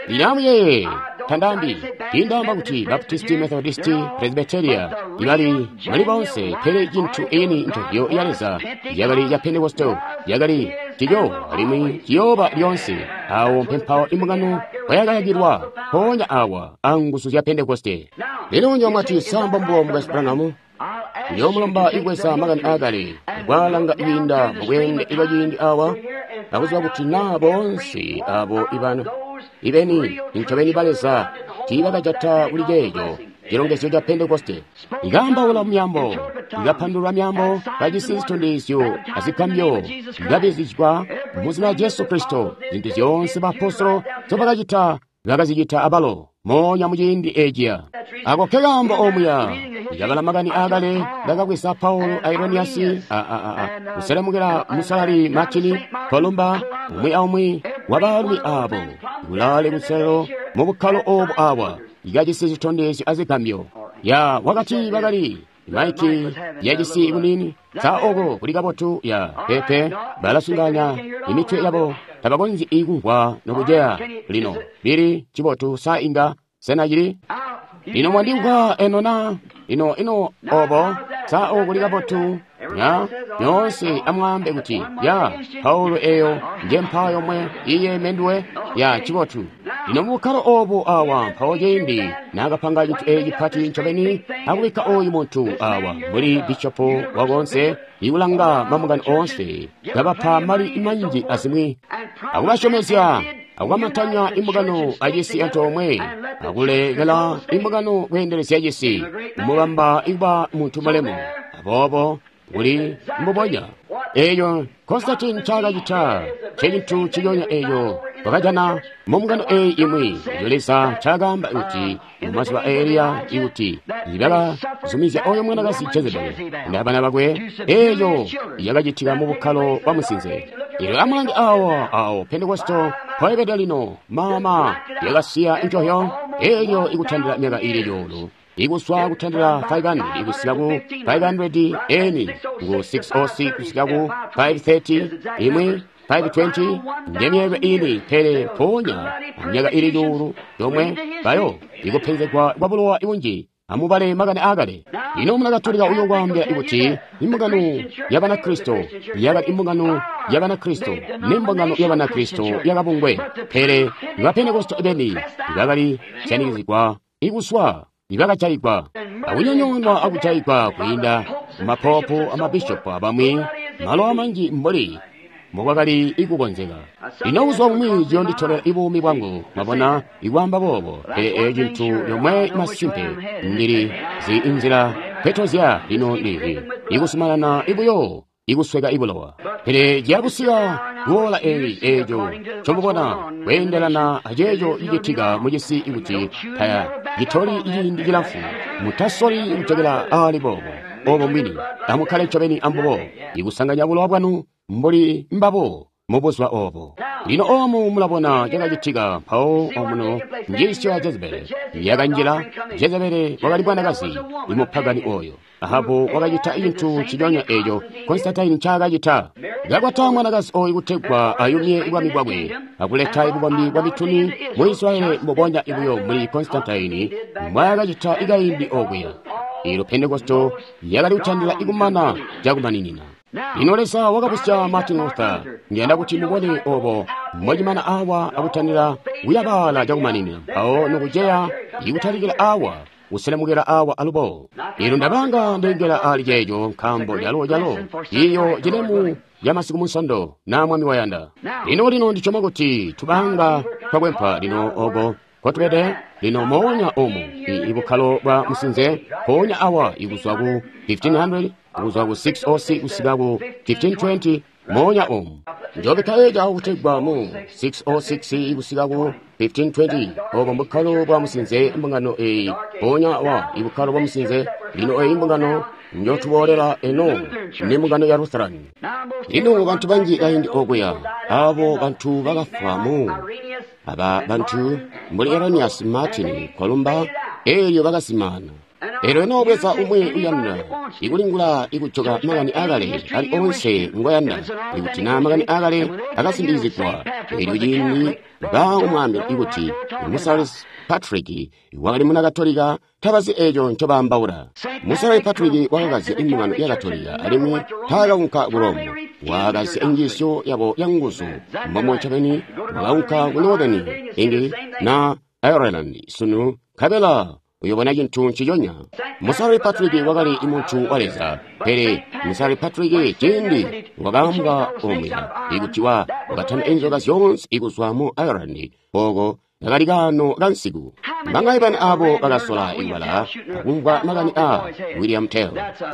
Lino amuyeeye, tandaambi tiindaamba kuti Baptisti, Methodisti, Presbyteria ibali muli bonse, pele cintu ini ntobyo ya Leza yakali ya Pentekoste, yakali ciyo alimwi ciyooba lyonse. Awo mpempawo imbungano kwayakayakilwa mpoonya awa anguzu zya Pentekoste. Lino nyomwati sambo mbubo Mukwesu Branham, nyoomulomba ikweza makani aakale kwaalanga kwiinda mubweende bwa ciindi awa akuziba kuti naa boonse abo ibana ibeni ncobeni ba Leza tiibakajata kuli ceeco cilongezyo ca Pentekoste. Ikaambaula myaambo, ikapandulula myaambo, kajisi zitondezyo azigambyo, ikabizigwa mu zina lya Jesu Kristo. Zintu zyoonse baapostolo nzobakacita bakazicita abalo moonya muciindi eciya. Ako nkekaambo omuya ndakabala makani aakale ndakabweza Paulo a Ireniyasi kuselemukila musalali Martini Columba, umwi aumwi wa baalumi aabo kulaale kuselelo mu bukkalo oobu awa ikajisi zitondezyo azigambyo. Ya wakati bakali maiki yajisi bunini. Sa oko kuli kabotu? Ya pepe balasunganya imitwe yabo, tabakonzyi ikumvwa nokujeya. Lino lili cibotu. Sa inga sena cili lino mwandimvwa eno na ino ino obo? Sa oko kuli kabotu? Ya nyoonse amwaambe kuti ya Paulo eyo nje mpaa yomwe iye menduwe. Ya cibotu. Lino mubukkalo obu awa mpawo ciindi naakapanga cintu eeci cipati ncobeni akubikka oyu muntu awa mbuli bishopo wakoonse ikulanga mambungano oonse, kabapa mali manji azimwi, akubasyomezya akukamatanya imbungano acisi antoomwe, akulekela imbungano kweendelezya cisi, kumubamba ikuba muntu mulemu. Aboobo kuli mbubonya eeyo Konstantini ncaakacita ncecintu nciconya eeyo twakajana mumbungano eeyi imwi. Eeyo Leza ncaakaamba kuti mumazuba a Eliya ikuti bakazumizya oyo mwanakazi Jezebeli abana bakwe, eeyo yakacitika mu bukkalo bwa musinze. Eelyo amulange awa awo Pentekosto mpoibede lino, mama yakasiya njohyo eelyo ikutandila myaka iili cuulu. Ikuswa kutandila 500 ikusika ku 500 eni ku 606 kusika ku 530 imwi 520 njemyelwe ini, pele mpoonya myaka ili cuulu yomwe bayo ikupenzegwa kwa bulowa ibunji. Amubale makani aakale. Lino Munakatolika uyo kwaambila ikuti imbungano ya Banakristo yakali imbungano ya Banakristo nembungano ya Banakristo yakabungwe, pele ba Pentekosto beni bakali syanikizigwa ikuswa ibakajayigwa akunyonyoonwa akujayigwa kwiinda mapopu amabishopu abamwi malo amanji mbuli mbokwakali ikukonzeka. Lino kuzwa bumwi ciyonditolela ibuumi bwangu, mwabona, ikwaamba boobo, pele eeyo cintu yomwe masimpe ndili zi inzila petozya lino ndili ikusumanana ibuyo ikusweka ibulowa. Pele ciyakusika kuola eyi eeco ncomubona kweendelana aceeco cicitika mucisi ikuti taya citoli ciindi cilamfu. Mutasoli kucekela aali boobo obo mbwini. Amukkale ncobeni ambubo ikusanganya bulowa bwanu mbuli mbabo mubuzuba obo. Lino omu mulabona cakacitika mpawo omuno njiisyo ya Jezebeli yakanjila. Jezebeli wakali mwanakazi imupagani oyo. Ahabu wakacita cintu nciconya eeco Konstantini ncaakacita. Kakwata mwanakazi oyu kutegwa ayumye bwami bwakwe akuleta bukombi bwa mituni mu Israeli mbubonya ibuyo mbuli Konstantini mbwaakacita ikaindi okuya. Ilo Pentekosto yakali kutandila ikumana cakumaninina. Lino Leza wakabusya Martin Luther. Ndiyanda kuti mubone obo mbocimana awa akutandila kuyabaala cakumaninina, mpawo nokuceya ikutalikila awa kuselemukila awa alubo. Lino ndabanga ndengela ali ceeco nkaambo calo calo iyo cilemu ya masiku munsondo na Mwami wayanda. Lino lino ndisyoma kuti tubanga twakwempa lino oko kotubede lino moonya omu ibukkalo bwa musinze mpoonya awa ikuzwa ku 1500 kuzwa ku 606 kusika ku 1520 moonya omu. Njobikka eco kutegwa mu 606 kusika ku 1520 obo mbukkalo bwa musinze mbungano eyi mpoonya awa ibukkalo bwa musinze. Lino eyi mbungano njotuboolela eno ni mbungano ya Lutheran. Lino bantu banji kaindi okuya abo bantu bakafwa mu aba bantu mbuli Eranias Martin Kolumba eelyo bakasimana. Eelyo noobweza umwi uyanda ikulingula ikujoka makani aakale ali onse ngoyanda, ikuti naa makani aakale akasindikizigwa, eelyo ciindi baumwaambila ikuti Musalesi Patrick wakali muna Katolika, tabazi eeco ncobaambaula. Musalali Patrick wakakazya imbungano ya Katolika alimwi taakaunka ku Rome. Wakakazya njiisyo yabo yanguzu mbomo ncobeni wakaunka ku Northern England na Ireland sunu nkabela uyobona cintu nciconya. Musalali Patrick wakali muntu wa Leza, pele Musalali Patrick ciindi wakaambwa omuya ikuti wakatanda inzoka zyoonse ikuzwa mu Ireland oko kakali kaano kansiku. Mbangaye bani abo bakasola ikubala akumvwa makani a William Tell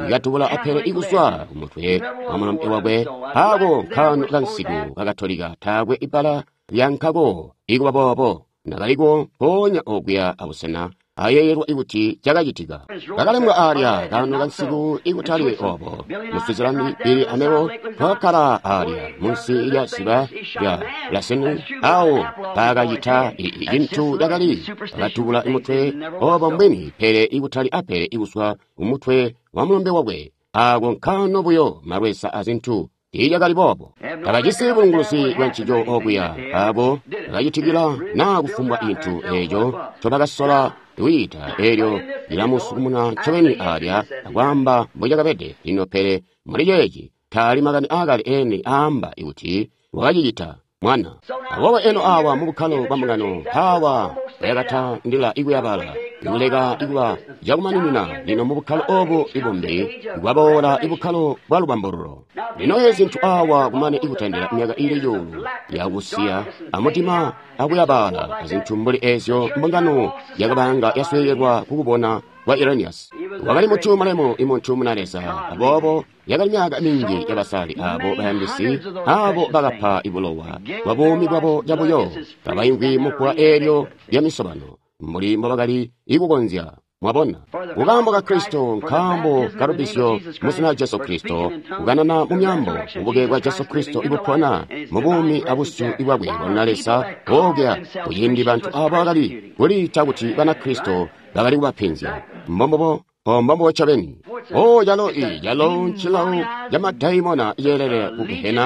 ikatubula apele ikuzwa kumutwe wa mulombe wakwe. Ako nkaano kansiku kakatolika taakwe ibbala lyankako ikuba boobo nakaliko mpoonya okuya abusena ayeeyelwa kuti cakacitika. Kakalembwa aalya kaano kansiku ikutali obo. Mu Switzerland, Billy amebo twakakkala aalya munsi lya ziba lya Lassen, awo paakacita cintu cakali bakatubula mutwe obo mbwini, pele ikutali apele ikuswa umutwe wa mulombe wakwe. Aako nkaano buyo malweza azintu tiilyakali boobo. Tabajisi bulunguluzi bwa ncico okuya aabo bakacitikila naa kufumbwa cintu eeco ncobakasola kwiita eelyo lilamusukumuna ncobeni aalya akwaamba mbocakabede. Lino pele muli ceeci taali makani aakale eni aamba kuti wakacicita mwana. Aboobo eno awa mu bukkalo bwa mbungano mpaawa bayakatandila ikuyabala ikuleka ikuba cakumaninina. Lino mu bukkalo obu ibumbi bwaboola ibukkalo bwa lubambululo. Lino ezi zintu awa kumane ikutandila myaka ili cuulu yakusiya amutima akuyabala azintu mbuli ezyo mbungano yakabanga yasweekelwa kukubona kwa Irenaeus. Wakali muntu mulemu, imuntu muna Leza. Aboobo yakali myaka minji yabasali abo bayandisi abo bakapa ibulowa bwa buumi bwabo cabuyo kabaimvwi mubbwa eelyo lya misobano mbuli mbobakali ikukonzya. Mwabona, kukaambo ka Kristo, nkaambo ka lubisyo mu zina Jesu Kristo, kukanana mu myambo, bubuke bwa Jesu Kristo ibupona mu buumi abusyu bwakwe bwa Leza boobya. Kuciindi bantu abo bakali kuliita kuti bana Kristo bakali kubapenzya. Mbombobo mbombobo ncobeni. O calo calo ncilawo ca madaimona ceelele ku Gehena,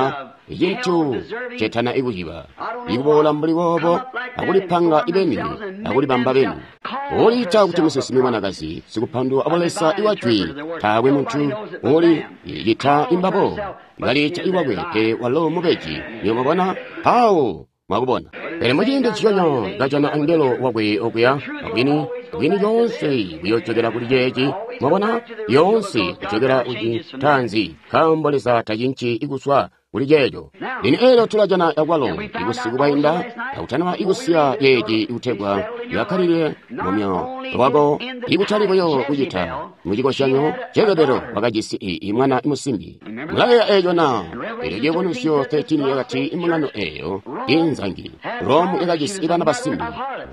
icintu cetana ikuciba ikuboola mbuli boobo akulipanga ibeni akulibamba beni. Uliita kuti musinsimi mwanakazi sikupandulwa abulesa iwajwi, taakwe muntu uli cita imbabo baliita iwakwe, pele walo mubeji. Niyo mwabona mpawo mwakubona. Pele muciindi nciconya kajana angelo wakwe okuya bwini bwini yoonse buyojokera kuli ceeci. Mwabona, yoonse kujokera kucitanzi, nkaambo Leza tacinci ikuswa kuli ceeco. Lino eelyo tulajana akwalo ibusiku bwainda akutanaba ikusiya yeeci ikutegwa yakkalile mumyoyo wako, ikutali buyo kucita mucikozyanyo. Jezebelo wakajisi imwana musimbi. Mulayeeya eeco na? Eelyo Ciyubunuzyo 13 yakati imbungano eeyo inzangi Romu yakajisi ibana basimbi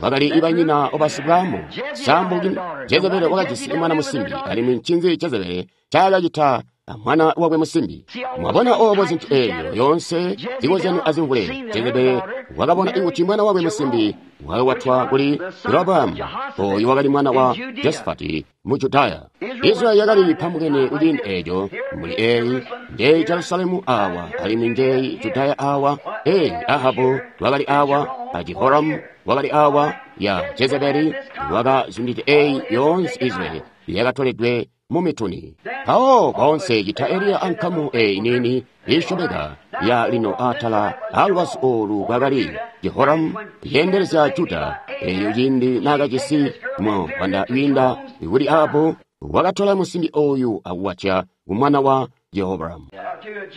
bakali ibanyina obasibwamu sambuki. Jezebelo wakajisi imwana musimbi, alimwi ncinzi Jezebelo ncaakacita mwana wakwe musimbi? Mwabona obo zintu eelyo yoonse zikozyanyo azimvule. Jezebelo wakabona ikuti mwana wakwe musimbi wakakwatwa kuli Jeroboamu, oyu wakali mwana wa Josafati mu Judaya. Israeli yakali pambukene kuciindi eeco, mbuli eeyi njeyi Jerusalemu awa, alimwi njeyi Judaya awa. Eyi Ahabu wakali awa, a Jehoramu wakali awa, ya Jezebeli wakazundide eyi yoonse Israeli yakatoledwe mu mituni. Mpawo boonse cita Eliya ankamu eyi niini iisyomeka ya lino atala alubazu olu kwakali Jehoramu yeendelezya Juda. Eyo ciindi naakajisi mwanda wiinda kuli Ahabu, wakatola musimbi oyu akuwatya kumwana wa Jehoramu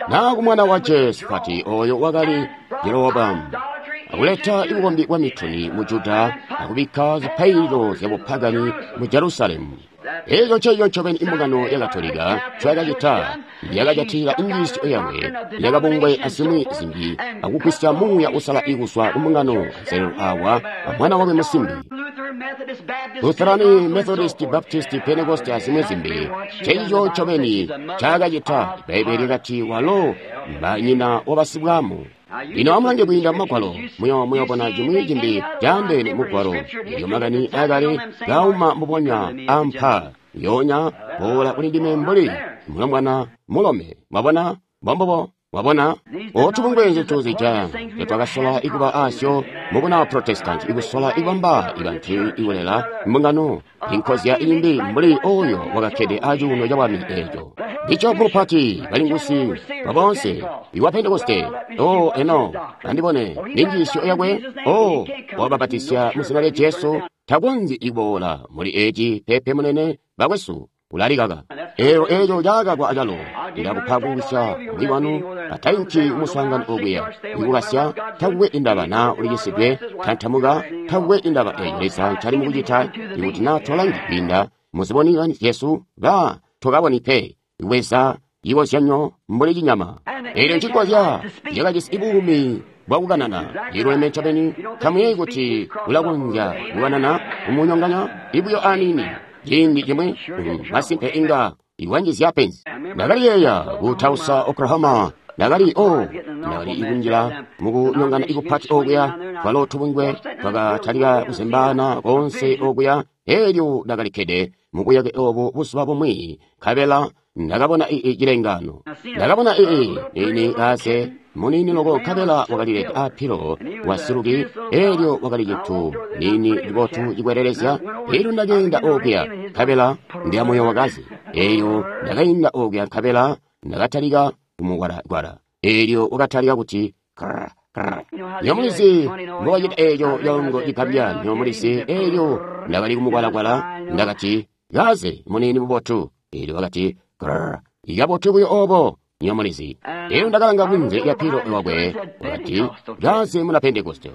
naa kumwana wa Jehosafati, oyo wakali Jeroboamu, akuleta ibukombi bwa mituni mu Juda akubikka zipaililo zyabupagani mu Jerusalemu. Eeco nceeco ncobeni imbungano ya Katolika ncoyakacita, yakajatila injiisyo yakwe yakabungwe azimwi zimbi akugwisya muuya usala ikuzwa kumbungano anselelo awa amwana wakwe musimbi. Lutherani, Methodist, Baptist, Pentecost azimwi zimbi, nceeco ncobeni ncaakacita. Bbaibbele lyakati walo mbanyina wabasibwamu. Lino amulange kwiinda mumagwalo, muyoobona cimwi cimbi caandeene mugwalo. Elyo makani akale kauma mbubonya ampa yoonya boola kuli ndime mbuli mulombwana mulome. Mwabona mbombobo. Mwabona otubungwe nzintu zija twakasola ikuba asyo mubuna Protestant, ikusola ikubamba ibantu ikulela mbungano inkozya imbi mbuli oyo wakakkede acuuno cabwami eeco. Bishopu mupati balingusi baboonse iwa Pentekoste. O eno andibone ninjiisyo yakwe. O wababatisya mu zina lya Jesu takonzyi ikuboola muli eci pepe munene bakwesu ulalikaka. Eelo eeco cakakwa acalo ndakupa kuwisya muli wanu atainki kumuswaangano okuya ikukasya takukwe indaba naa ulikisidwe tantamuka takukwe indaba eeyo Leza ncali mukucita ikuti naa tolangi kwiinda muziboni Jesu ba tokaboni pe iweza ikozyanyo mbuli cinyama. Eelyo ncikozya yakajisi buumi bwakukanana. Iluleme ncobeni. Tamuyeeyi kuti ulakonzya kukanana kumunyonganya ibuyo aniini ciindi cimwi, masimpe inga iwanjizya penzi. Ndakaliyeeya ku Tulsa, Oklahoma. Ndakali ndakali ikunjila mukunyongana ikupati okuya, twalo tubungwe twakatalika kuzembaana konse okuya. Elyo ndakalikkede mubuyake obu buzuba bumwi, nkabela ndakabona cilengano. Ndakabona ini kaze muniini loko, nkabela wakalilede apilo wasiluki. Elyo wakali cintu niini cibotu cikwelelezya. Elyo ndakeenda okuya, nkabela ndyamoyo wakaze. Elyo ndakainda okuya, nkabela ndakatalika kumugwalagwala. Elyo wakatalika kuti krr, krr. Nyomulizi mbobacita eeco calongo cigambya, nyomulizi. Elyo ndakali kumugwalagwala, ndakati, kaze muniini mubotu. Elyo wakati krr, ikabotu buyo obo, nyomulizi. Elyo ndakalanga kunze lya pilo wakwe, wakati, kaze muna Pentekoste.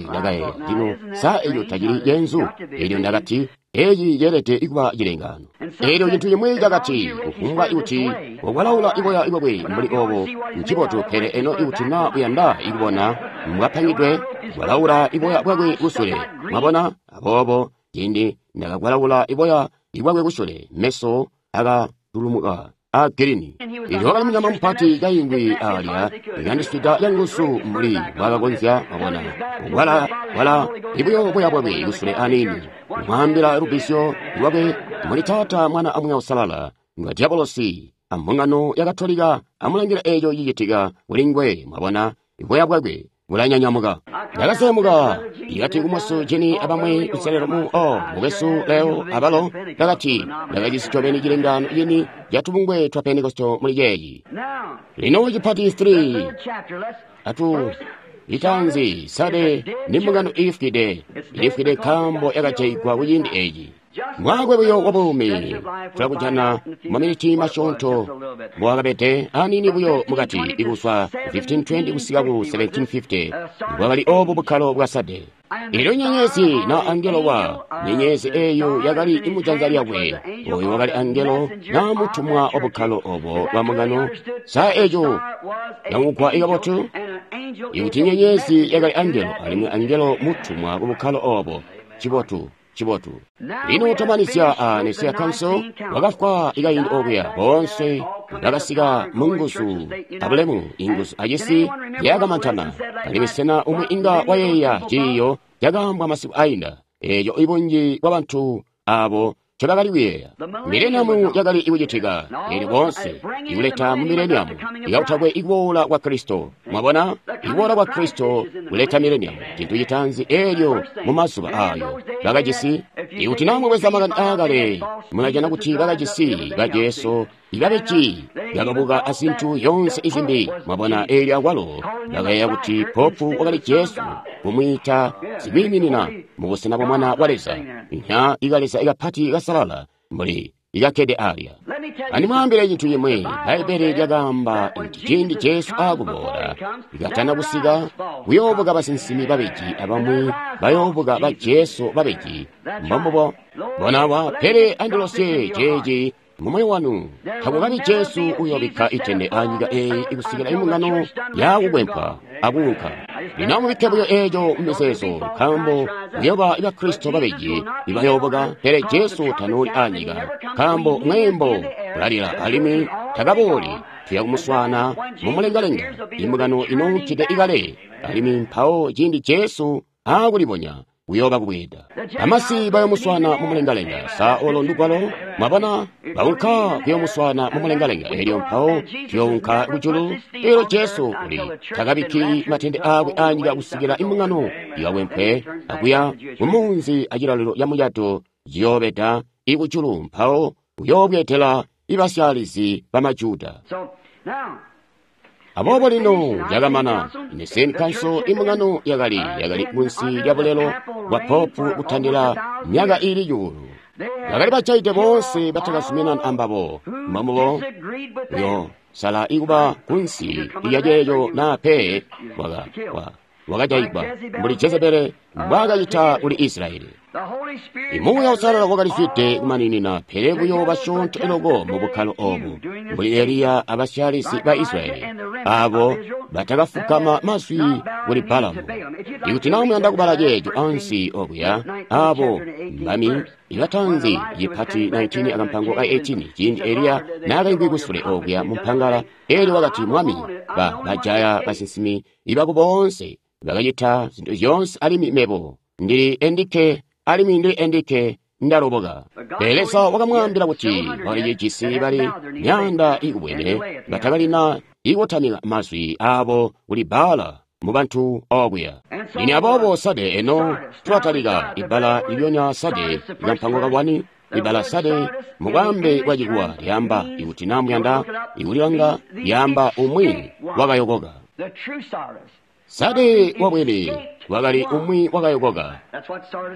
Ndakayeeya, lino sa eco tacili cenzu? Elyo ndakati, eci ceelede kuba cilengano. Elyo cintu cimwi cakati, kufumbwa ikuti wakwalaula iboya bwakwe mbuli obo, ncibotu, pele eno ikuti na uyanda ikubona mbwapangidwe, kwalaula iboya bwakwe kusule. Mwabona? Aboobo ciindi ndakakwalaula iboya bwakwe kusule, meso akatulumuka a girini. Elyo wakali munyama mupati kaingwi alya, ikandiswida canguzu mbuli mbwakakonzya. Mwabona, wala ibuyo boya bwakwe kusule aniini, kumwaambila lubisyo lwakwe muli Taata, Mwana, a Muuya Uusalala, nga diabolosi ambungano ya Katolika. Amulangila eco cicitika kuli ngwe. Mwabona, boya bwakwe bulanyanyamuka. Ndakasemuka ikati kumusu jini abamwi kuselelo mu mukwesu Leo abalo. Ndakati ndakajisi ncobeni cilengano cini ca tubungwe twa Pentekoste muli ceeci. Lino cipati 3 atu itanzi sade ni mbungano iifwide, iifwide nkaambo yakajaigwa kuciindi eci. Mwakwe buyo wa buumi tulakujana maminiti masyoonto mbowakabede aniini buyo mukati, ikuzwa 1520 kusika ku 1750 bwakali obu bukkalo bwa Sade. Elyo nyenyezi na angelo wa nyenyezi eyo yakali imujanza lyakwe, oyo wakali angelo na mutumwa wa bukkalo obo bwa mbungano. Sa eco yamugwa ikabotu? Ikuti nyenyezi yakali angelo, alimwi angelo mutumwa ku bukkalo obo, cibotu. Cibotu. Lino twamanizya a Nicaea Council, wakafwa ikaindi okuya. Boonse bakasika munguzu abulemu, inguzu acisi zyakamantana. Alimwi sena umwi inga wayeeya ciiyo cakaambwa masiku ainda, eeco ibunji bwabantu abo ncobakali kuyeeya? Mileniamu yakali ikucitika, elyo boonse ikuleta mu mileniamu ikakutakwe ikuboola kwa Kristo. Mwabona, ikuboola kwa Kristo kuleta mileniamu, cintu citaanzi. Elyo mu mazuba ayo bakajisi, ikuti na mubweza makani aakale, mulajana kuti bakajisi ba Jesu ibabeji bakabuka azintu yonse izimbi. Mwabona, elyo akwalo bakayeeya kuti popu wakali Jesu, kumwiita sikwiiminina mubusena bwa Mwana wa Leza, nya ikaleza ikapati kasalala mbuli ikakkede alya. Andimwaambile cintu cimwi, Bbaibbele lyakaamba kuti ciindi Jesu aakuboola, ikatana kusika, kuyoobuka basinsimi babeji abamwi bayoobuka ba Jesu babeji. Mbombubo. Bonawa, pele andilosye ceeci mumoyo wanu, takukabi Jesu uyoobikka itende anyika eeyi ikusikila imbungano yakukwempwa akuunka. Lino amubikke buyo eeco mumizeezo, nkaambo kuyooba Bakristo babeji ibayoobuka, pele Jesu tanooli anyika, nkaambo mweembo ulalila alimwi takabooli. Tuya kumuswaana mumulengalenga, imbungano inounkide ikale, alimwi mpawo ciindi Jesu aakulibonya kuyooba kubweeda. Bamasi bayomuswaana mumulengalenga. Sa olo ndugwalo? Mwabona, baunka kuyomuswaana mumulengalenga. Elyo mpawo tuyounka kujulu. Elyo Jesu uli takabikki matende aakwe anyika kusikila imbungano ikakwempwe akuya kumunzi acilalilo ca mucato ciyoobeda ikujulu, mpawo uyoobweedela ibasyaalizi bamajuda. Aboobo lino yakamana Nicene Council, imbungano yakali kunsi lya bulelo bwa popu kutandila myaka iili 100. Bakali bajaide boonse batakazuminana ambabo. Mbombubo uyo sala ikuba kunsi lya ceeco na pe wakajaigwa mbuli Jezebele mbwaakacita kuli Israyeli. Imuuya Uusalala wakalizwide kumaninina, pele buyo basyoonto loko mu bukkalo obu, mbuli Eliya abasyaalisi ba Israyeli. Abo batakafukama mazwi kuli Balamu. Ikuti na muyanda kubala ceeco ansi okuya, abo mbami ibatanzi cipati 19 akampango ka 18, ciindi Eliya naakaimvwi kusule okuya mu mpangala, elyo wakati, Mwami, bajaya basinsimi ibako boonse, bakacita zintu zyoonse, alimwi mebo ndili endikke, alimwi ndili endikke ndaloboka. Pele Leza wakamwaambila kuti walicijisi bali myaanda ikubwene batakalina ikutamika mazwi abo kuli Baala mu bantu okuya. Lino aboobo Sade eno tulatalika ibbala lilyonya Sade ikampango ka 1, ibbala Sade mu bwaambe bwa Chikuwa lyaamba, ikuti na muyanda ikulilanga, lyaamba umwi wakayokoka. Sade wabwene wakali umwi wakayokoka.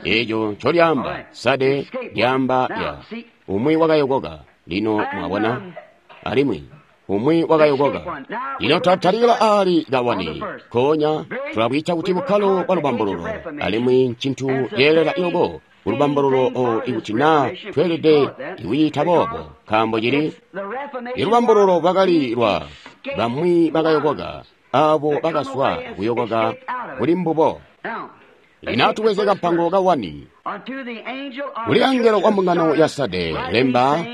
Eco ncolyaamba Sade lyaamba ya umwi wakayokoka. Lino mwabona, alimwi umwi wakayokoka. Lino twatalika aali kawani konya tulabwiita kuti bukkalo bwa lubambululo, alimwi ncintu ceelela iloko kulubambululo o ikuti na tweelede ikuyiita boobo, nkaambo cili ilubambululo lwakali lwa bamwi bakayokoka, abo bakazwa kuyokoka kuli mbubo. Lino atubweze kampango ka 1. Kuli angelo wa mbungano ya Sade lemba,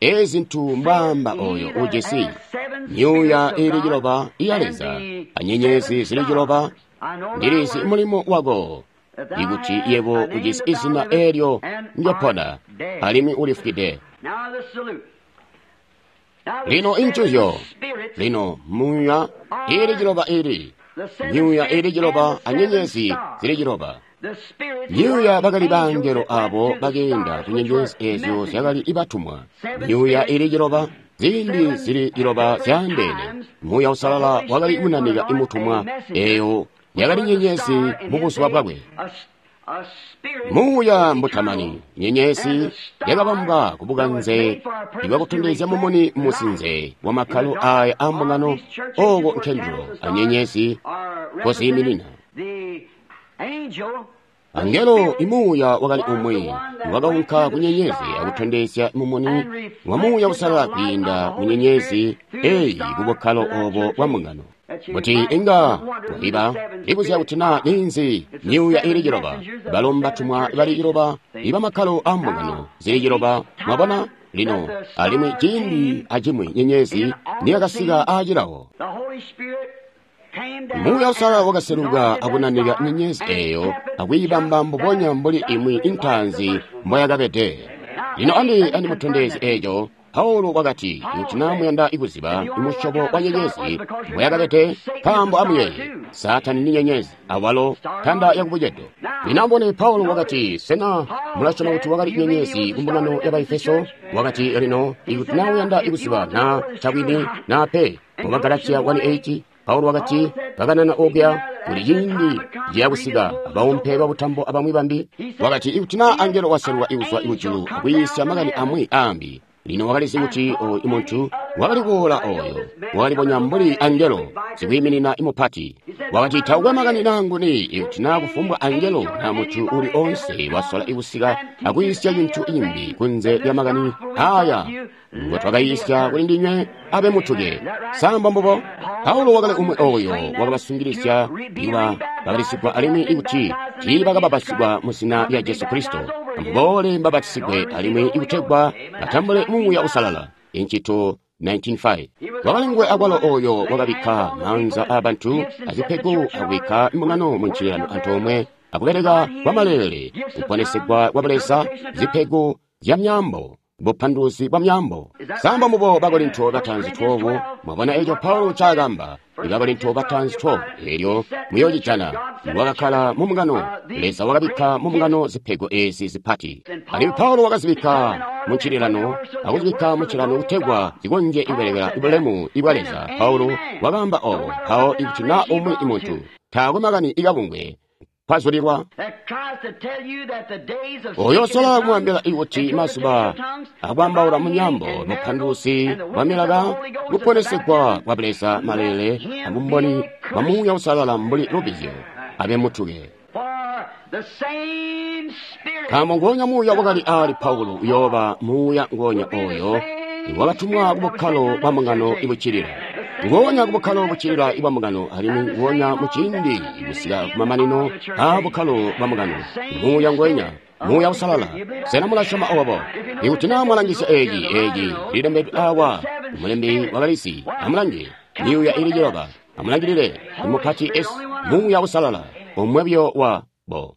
ezi zintu mbwaamba oyo ujisi myuuya iili ciloba iya Leza anyenyezi zili ciloba. Ndilizi mulimo wako, ikuti yebo ujisi izina eelyo njopona, alimwi ulifwide. Lino incuzyo, lino myuuya iili ciloba ili myuuya iili ciloba anyenyezi zili ciloba. Myuuya bakali bangelo abo bakeenda ku nyenyezi ezyo zyakali ibatumwa. Myuuya iili ciloba, ziindi zili ciloba zyaandeene. Muuya Usalala wakali kunanika imutumwa, eyo yakali nyenyezi mu buzuba bwakwe. Muuya mbutamani, nyenyezi yakabambwa kubukanze ibwakutondezya mumuni musinze wa makkalo aya a mbungano, oko nkendulo anyenyezi koziiminina. Angelo imuuya wakali umwi wakaunka ku nyenyezi akutondezya mumuni wa Muuya Usalala kwiinda mu nyenyezi eyi kubukkalo obo bwa mbungano. Kuti inga wabiba libuzya kuti na ninzi myuuya iili ciloba, balomba tumwa bali ciloba iba makkalo a mbungano zili ciloba. Mwabona lino, alimwi ciindi acimwi nyenyezi niyakasika aacilawo, Muuya Usalala wakaseluka akunanika nyenyezi eyo akwiibamba mbubonya mbuli imwi intaanzi mboyakabede. Lino andimutondezye eco. Paulo wakati, kuti na muyanda ikuziba imusyobo wa nyenyezi mboyakabede, nkaambo amuyeeye, Saatani ni nyenyezi, awalo ntanda yakubucedo. Lino ambone Paulo wakati, sena mulasyoma kuti wakali nyenyezi ku mbungano ya Baefeso? Wakati, lino ikuti na uyanda ikuziba na cabwini na pe, mu Bagalatia 1:8, Paulo wakati, bakanana okuya kuli ciindi ciyakusika abaumpe babutambo abamwi bambi. Wakati, ikuti na angelo waseluka ikuzwa ikujulu akwiisya makani amwi aambi. Lino wakalizi kuti oyu muntu wakali kuboola oyo wakalibonya mbuli angelo sikwiiminina imupati. Wakati, taukwe makani nanguni ikuti na kufumbwa angelo na muntu uli onse wasola ikusika akwiisya cintu imbi kunze lya makani aya ngo twakayiisya kuli ndinywe abe mutuke. Samba mbubo. Paulo wakali umwi oyo wakabasungilizya iba bakalisigwa alimwi ikuti tiibakababasigwa mu zina lya Jesu Kristo, amuboole mbabatisigwe alimwi ikutegwa batambule Muuya Usalala. Incito 19:5. Wakali nguwe akwalo oyo wakabikka maanza aabantu azipego akubikka mbungano mu ncililano antoomwe akubeleka kwa maleele, kuponesegwa kwa Buleza, zipego zya myaambo, bupanduluzi bwa myaambo. Samba mubo Bakorinto batanzi 12, mwabona eco Paulo ncaakamba. Bakorinto batanzi 12, elyo muyocijana. Wakakkala mu mbungano, Leza wakabikka mu mbungano zipego ezi zipati. Alimwi Paulo wakazibikka mu ncililano, akuzibikka mu ncililano kutegwa zikonzye kubelekela bulemu ibwa Leza. Paulo wakaamba obo, mpawo ikuti na umwi muntu taakwe makani ikabungwe kwazulilwa oyo sola kumwambila ikuti mazuba akwambaula munyambo mupanduluzi bwa milaka kuponesegwa kwa Buleza malele abumboni bwa Muuya Usalala mbuli lubizyo abe mutuke. Nkaambo ngonya Muuya wakali ali Paulo uyooba Muuya ngonya oyo iwakatumwa ku bukkalo bwa mbungano ibucilila. Nguonya kubukkalo buccilila ibwa mbungano, alimwi nguonya muciindi kusika kumamanino aa bukkalo bwa mbungano. Muuya nguwenya, Muuya Uusalala. Sena mulasyoma obo? Ikuti naa mwalangisya eci, eci lilembedwe awa, mulembi wakalizi. Amulange, myuuya ili ciloba. Amulangilile, mupati S, Muuya Uusalala, omwe buyo wa bo.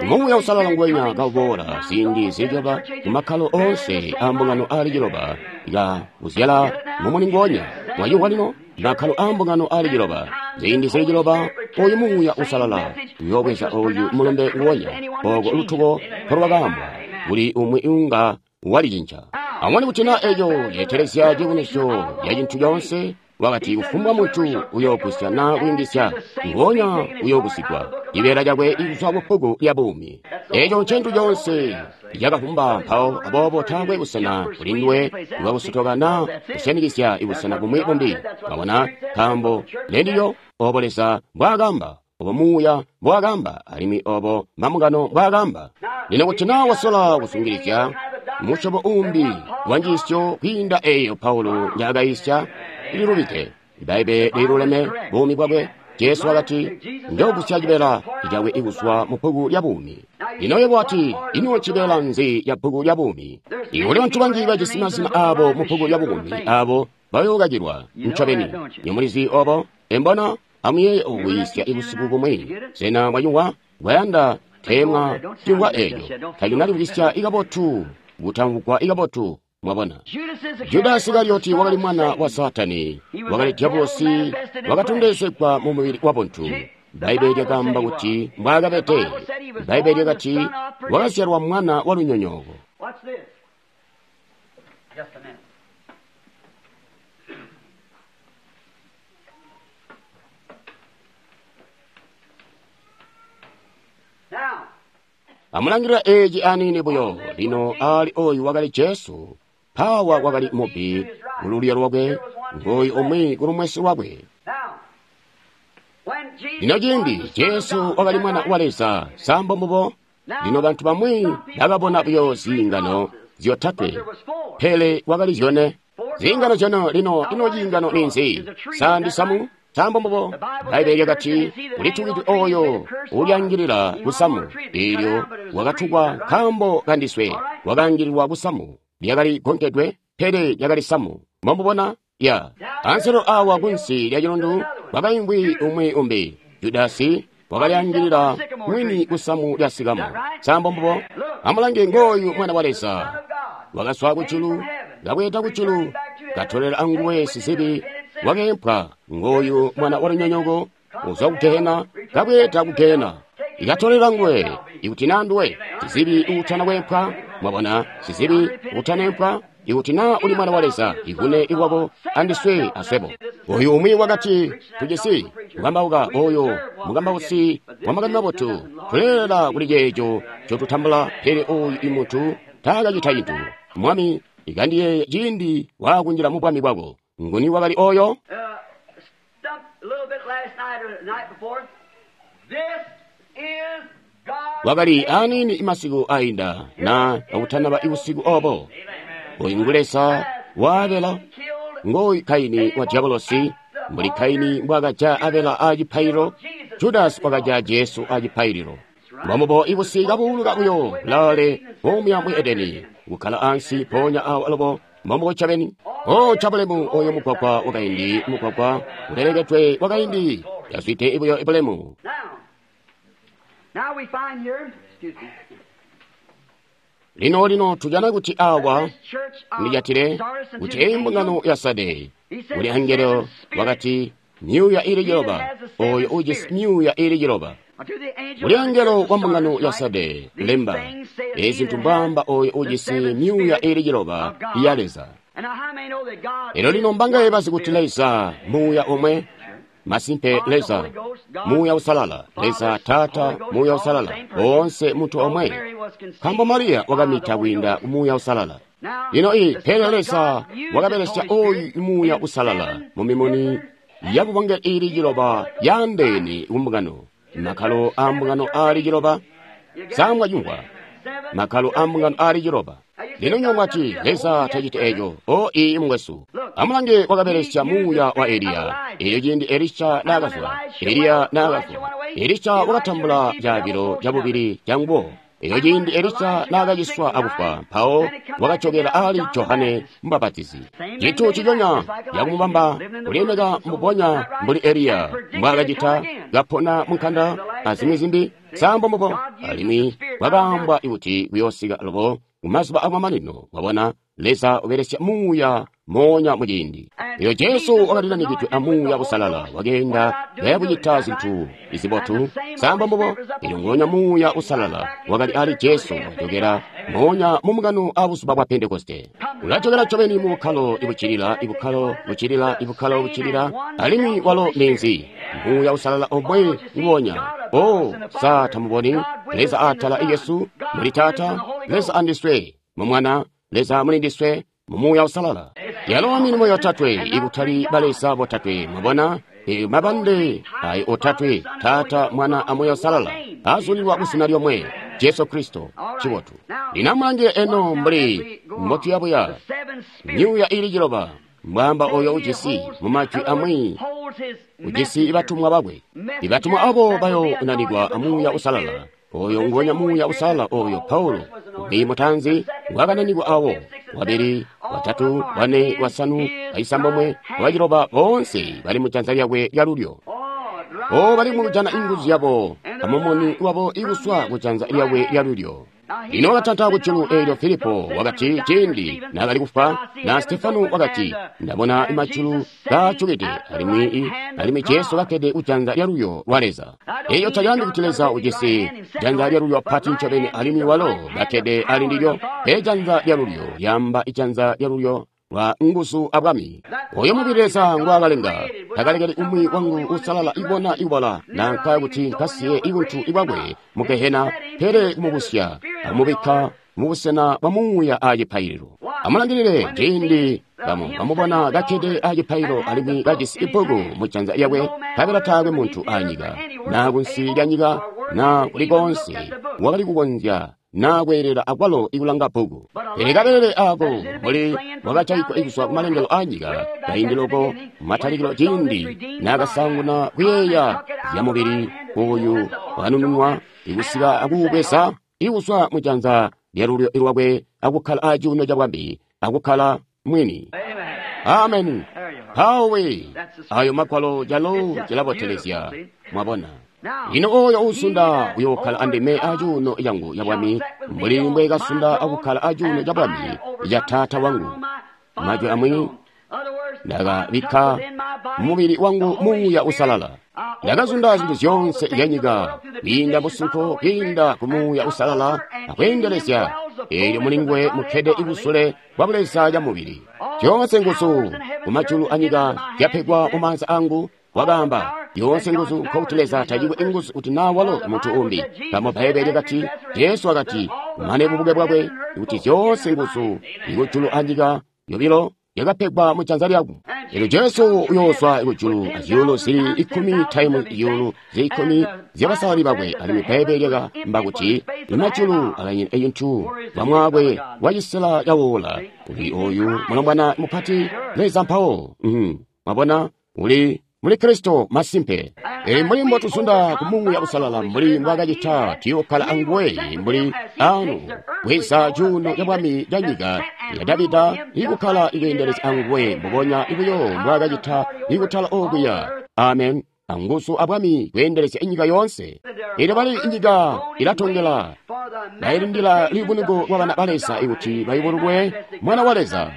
Muuya Uusalala nguwenya kauboola ziindi zili ciloba kumakkalo oonse aa mbungano aali ciloba, ka uzyala mumuni nguonya. Mwayumvwa lino? Makkalo aa mbungano aali ciloba, ziindi zili ciloba, oyu Muuya Uusalala uyoobweza oyu mulumbe nguonya, oko lutuko mpolwakaambwa, kuli umwi unga walicinca. Amubone kuti naa eco ceetelezya ciyubunuzyo ya cintu coonse. Wakati kufumbwa muntu uyoogusya naa kuyungizya, nguonya uyoogusigwa cibeela cakwe kuzwa ku bbuku lya buumi. Eco ncintu coonse cakavumba mpawo, aboobo taakwe busena kuli nduwe bwakusotoka naa kusyanikizya ibusena bumwi bumbi. Mwabona, nkaambo ndendilyo obo Leza mbwaakamba, obo Muuya mbwaakamba, alimwi obo mambungano mbwaakamba. Lino kuti naa wasola kusungilizya musyobo umbi wa njiisyo kwiinda eeyo Paulo njaakayisya, ililubide. Bbaibbele liluleme buumi bwakwe. Jesu wakati, njoogusya cibeela cakwe kuzwa mu bbuku lya buumi. Lino yebo wati, ino cibeela nzi ca bbuku lya buumi? Kuli bantu banji bajisi mazina aabo mu bbuku lya buumi, aabo bayookakilwa ncobeni. Nyomulizi obo? Embona? Amuyeeye okuyisya busiku bumwi. Sena mwayumvwa? Mwayanda teemwa cimvwa eeco. Tacinalimvwisya ikabotu, kutamvwugwa ikabotu. Mwabona, Judasi Isikarioti wakali mwana wa Saatani, wakali dyabulosi, wakatondezegwa mu mubili wa buntu. Bbaibbele lyakaamba kuti mbwaakabede. Bbaibbele lyakati wakazyalwa mwana wa lunyonyooko. Amulangilila eeci aniini buyo. Lino aali oyu wakali Jesu. Mpawa wakali mubbi kululyo lwakwe, ngooyu umwi kulumwesi lwakwe. Lino ciindi Jesu wakali mwana wa Leza, sambo mbubo. Lino bantu bamwi bakabona buyo ziingano zyotatwe, pele wakali zyone. Ziingano zyone. Lino ino ciingano ninzi? Sa ndisamu? Sambo mbubo. Bbaibbele lyakati ulitukidwe oyo ulyaangilila kusamu, eelyo wakatukwa nkaambo kandiswe, wakaangililwa kusamu. Lyakali gonkedwe, pele lyakali samu. Mwamubona? Ya. Anselo awa kunsi lya cilundu kwakaimvwi umwi umbi. Judasi wakalyaangilila mwini kusamu lya sikamo. Sambo mbubo. Amulange, ngooyu mwana wa Leza. Wakazwa kujulu, kabweeda kujulu, katolela anguwe sizibi, wakeempwa. Ngooyu mwana wa lunyonyooko, uzwa ku gehena, kabweeda ku gehena. Ikatolela nguwe, ikuti naa nduwe sizibi uutana kweempwa. Mwabona, sizibi uutaneempwa. Ikuti naa uli mwana wa Leza, ivune iwako andiswe aswebo. Oyu umwi wakati, tujisi mukambauka oyo mukambausi wa makani mabotu, tuleelela kuli ceeco ncotutambula, pele oyu imuntu taakacita cintu. Mwami, ikandiyeeye ciindi waakunjila mu bwami bwako. Nguni wakali oyo? Wakali aniini imasiku ainda na akutanaba ibusiku obo. Oyu ngu Leza wa Abela, ngoyu Kaini wa diabolosi. Mbuli Kaini mbwaakaja Abela a cipaililo, Judasi wakaja Jesu a cipaililo. Mbomubo ibusi kabuuluka buyo laale bomuya mu Edeni, kukkala ansi mpoonya awo alubo. Mbomubo ncobeni. O cabulemu oyo mugwagwa wakaindi, mugwagwa ulelekedwe wakaindi, yazwide buyo ibulemu. Lino lino tujana kuti awa ndijatile kuti eyi mbungano ya Sade kuli angelo wakati myuuya ili ciloba, oyo ujisi myuuya ili ciloba. Kuli angelo wa mbungano ya Sade lemba, ezi zintu mbwaamba oyo ujisi myuuya ili ciloba ya Leza. Elo lino mbangaye bazi kuti Leza muuya omwe? Masimpe, Leza Muuya Usalala, Leza Taata, Muuya Usalala, boonse muntu omwe. Nkaambo Mariya wakamita kwiinda ku Muuya Usalala. Lino pele Leza wakabelesya oyu Muuya Usalala mu mimuni yabubonge ili ciloba yaandeene ku mbungano, makkalo a mbungano aali ciloba. Samwa cimvwa, makkalo a mbungano aali ciloba. Lino nywebo mwati, Leza taciti eco. O ii mukwesu. Amulange, wakabelesya muuya wa Eliya. Elyo ciindi Elisha naakazwa, Eliya naakafwa, Elisha wakatambula caabilo cabubili canguwo. Elyo ciindi Elisha naakaciswa akufwa, mpawo wakajokela ali Johane Mubapatizi. Cintu ciconya yakumubamba kulilemeka mbubonya mbuli Eliya mbwaakacita, kapona mu nkanda azimwi zimbi, sambo mbubo, alimwi kwakaambwa kuti kuyoosika lubo kumazuba akumamanino. Mwabona, Leza ubelesya muuya moonya muciindi. Elyo Jesu wakalilanikidwe amuuya usalala, wakeenda kaya kucita zintu izibotu, sambo mbubo. Elyo nguonya muuya usalala wakali ali Jesu wajokela moonya mu mukano a buzuba bwa Pentekoste. Ulajokela ncobeni mu bukkalo ibuccilila, ibukkalo buccilila, ibukkalo buccilila, alimwi walo ninzi? Muuya usalala omwe nguonya. O, sa tamuboni Leza atala Yesu muli Taata, Leza andiswe mu Mwana, Leza muli ndiswe mu Muuya Usalala. Yalo milimo yotatwe, ikutali baleza botatwe, mwabona, eyo mabande ayo otatwe, Taata, Mwana, a Muuya Usalala, azulilwa kuzina lyomwe, Jesu Kristo. Cibotu. Lino amulange eno mbuli mbotuyabuya myuuya ili ciloba, mbwaamba oyo ujisi mu majwi amwi ujisi batumwa bakwe. Ibatumwa abo bayo nanikwa amuuya usalala. Oyo nguonya muuya usalala oyo Paulo umwi mutanzi ngwakananikwa awo, wabili, watatu, wane, wasanu, waisambomwe, waciloba, boonse bali mujanza lyakwe lyalulyo. O, bali mukujana inguzu zyabo amumuni wabo ikuswa kujanza lyakwe lyalulyo. Lino wakatanta kujulu eelyo Filipo wakati ciindi naakali kufwa, na Stefano wakati, ndabona majulu kaajukide alimwi Jesu kakkede kujanza lyalulyo lwa Leza. Eyo talyaambi kuti Leza ujisi janza lyalulyo pati ncobeni alimwi walo kakkede ali ndilyo, pele janza lyalulyo lyaamba ijanza lyalulyo lwa nguzu abwami. Oyo mubili Leza ngwaakalenga, takalekeli umwi wangu usalala ibona ibola, nanka kuti nkasiye ibuntu ibwakwe mu gehena, pele kumubusya amubikka mubusena bwa muuya a cipaililo. Amulangilile ciindi bamubona kakkede a cipaililo alimwi kajisi ibbuku mu janza lyakwe, nkabela taakwe muntu anyika, na kunsi lya nyika, na kuli koonse wakali kukonzya na kweelela akwalo ikulanga bbuku. Pele kabelele ako mbuli wakacayigwa ikuzwa kumalengelo a nyika kaindi loko matalikilo ciindi naakasanguna kuyeeya zya mubili oyu wanununwa ikusika akuubweza ikuzwa mujanza lyalulyo lwakwe akukkala acuuno cabwami akukkala mwini. Amen. Mpawe ayo magwalo calo cilabotelezya, mwabona. Lino oyo uusunda uyookkala andime acuuno cangu cabwami, mbuli mbwekasunda akukkala acuuno cabwami ca Taata wangu. Majwi amwi, ndakabikka mubili wangu muuya usalala. Ndakazunda zintu zyoonse zyanyika kwiinda musunko, kwiinda ku muuya usalala akweendelezya. Eelyo mulinguwe mukkede ibusule bwa buleza ca mubili. Zyoonse nguzu kumajulu anyika zyapegwa mumaanza angu, wakaamba. Yoonse nguzu, nkokuti Leza tacikwe inguzu kuti naa walo muntu umbi. Nkaambo Bbaibbele lyakati, Jesu wakati, mane bubuke bwakwe, kuti zyoonse nguzu ikujulu anyika yobilo yakapegwa mujanza lyakwe. Elyo Jesu uyoozwa kujulu azyuulu zili 10 taimu zyuulu zili 10 zyabasalali bakwe, alimwi Bbaibbele lyakaamba kuti imajulu alanyina eyintu bamwakwe wacisela cawoola. Uli oyu mulombwana mupati Leza mpawo. Mwabona, uli muli Kristo masimpe. Eli mbuli mbotuzunda ku muuya usalala mbuli mbwaakacita, tuyookkala anguwe mbuli anu bweza cuuno cabwami ca nyika ya Davida ikukkala ikweendelezya anguwe mbubonya buyo mbwaakacita ikutala okuya. Amen. Anguzu abwami kweendelezya inyika yoonse. Elyo bali inyika ilatongela, bailindila liyubuniko lwa bana ba Leza ikuti bayubululwe Mwana wa Leza.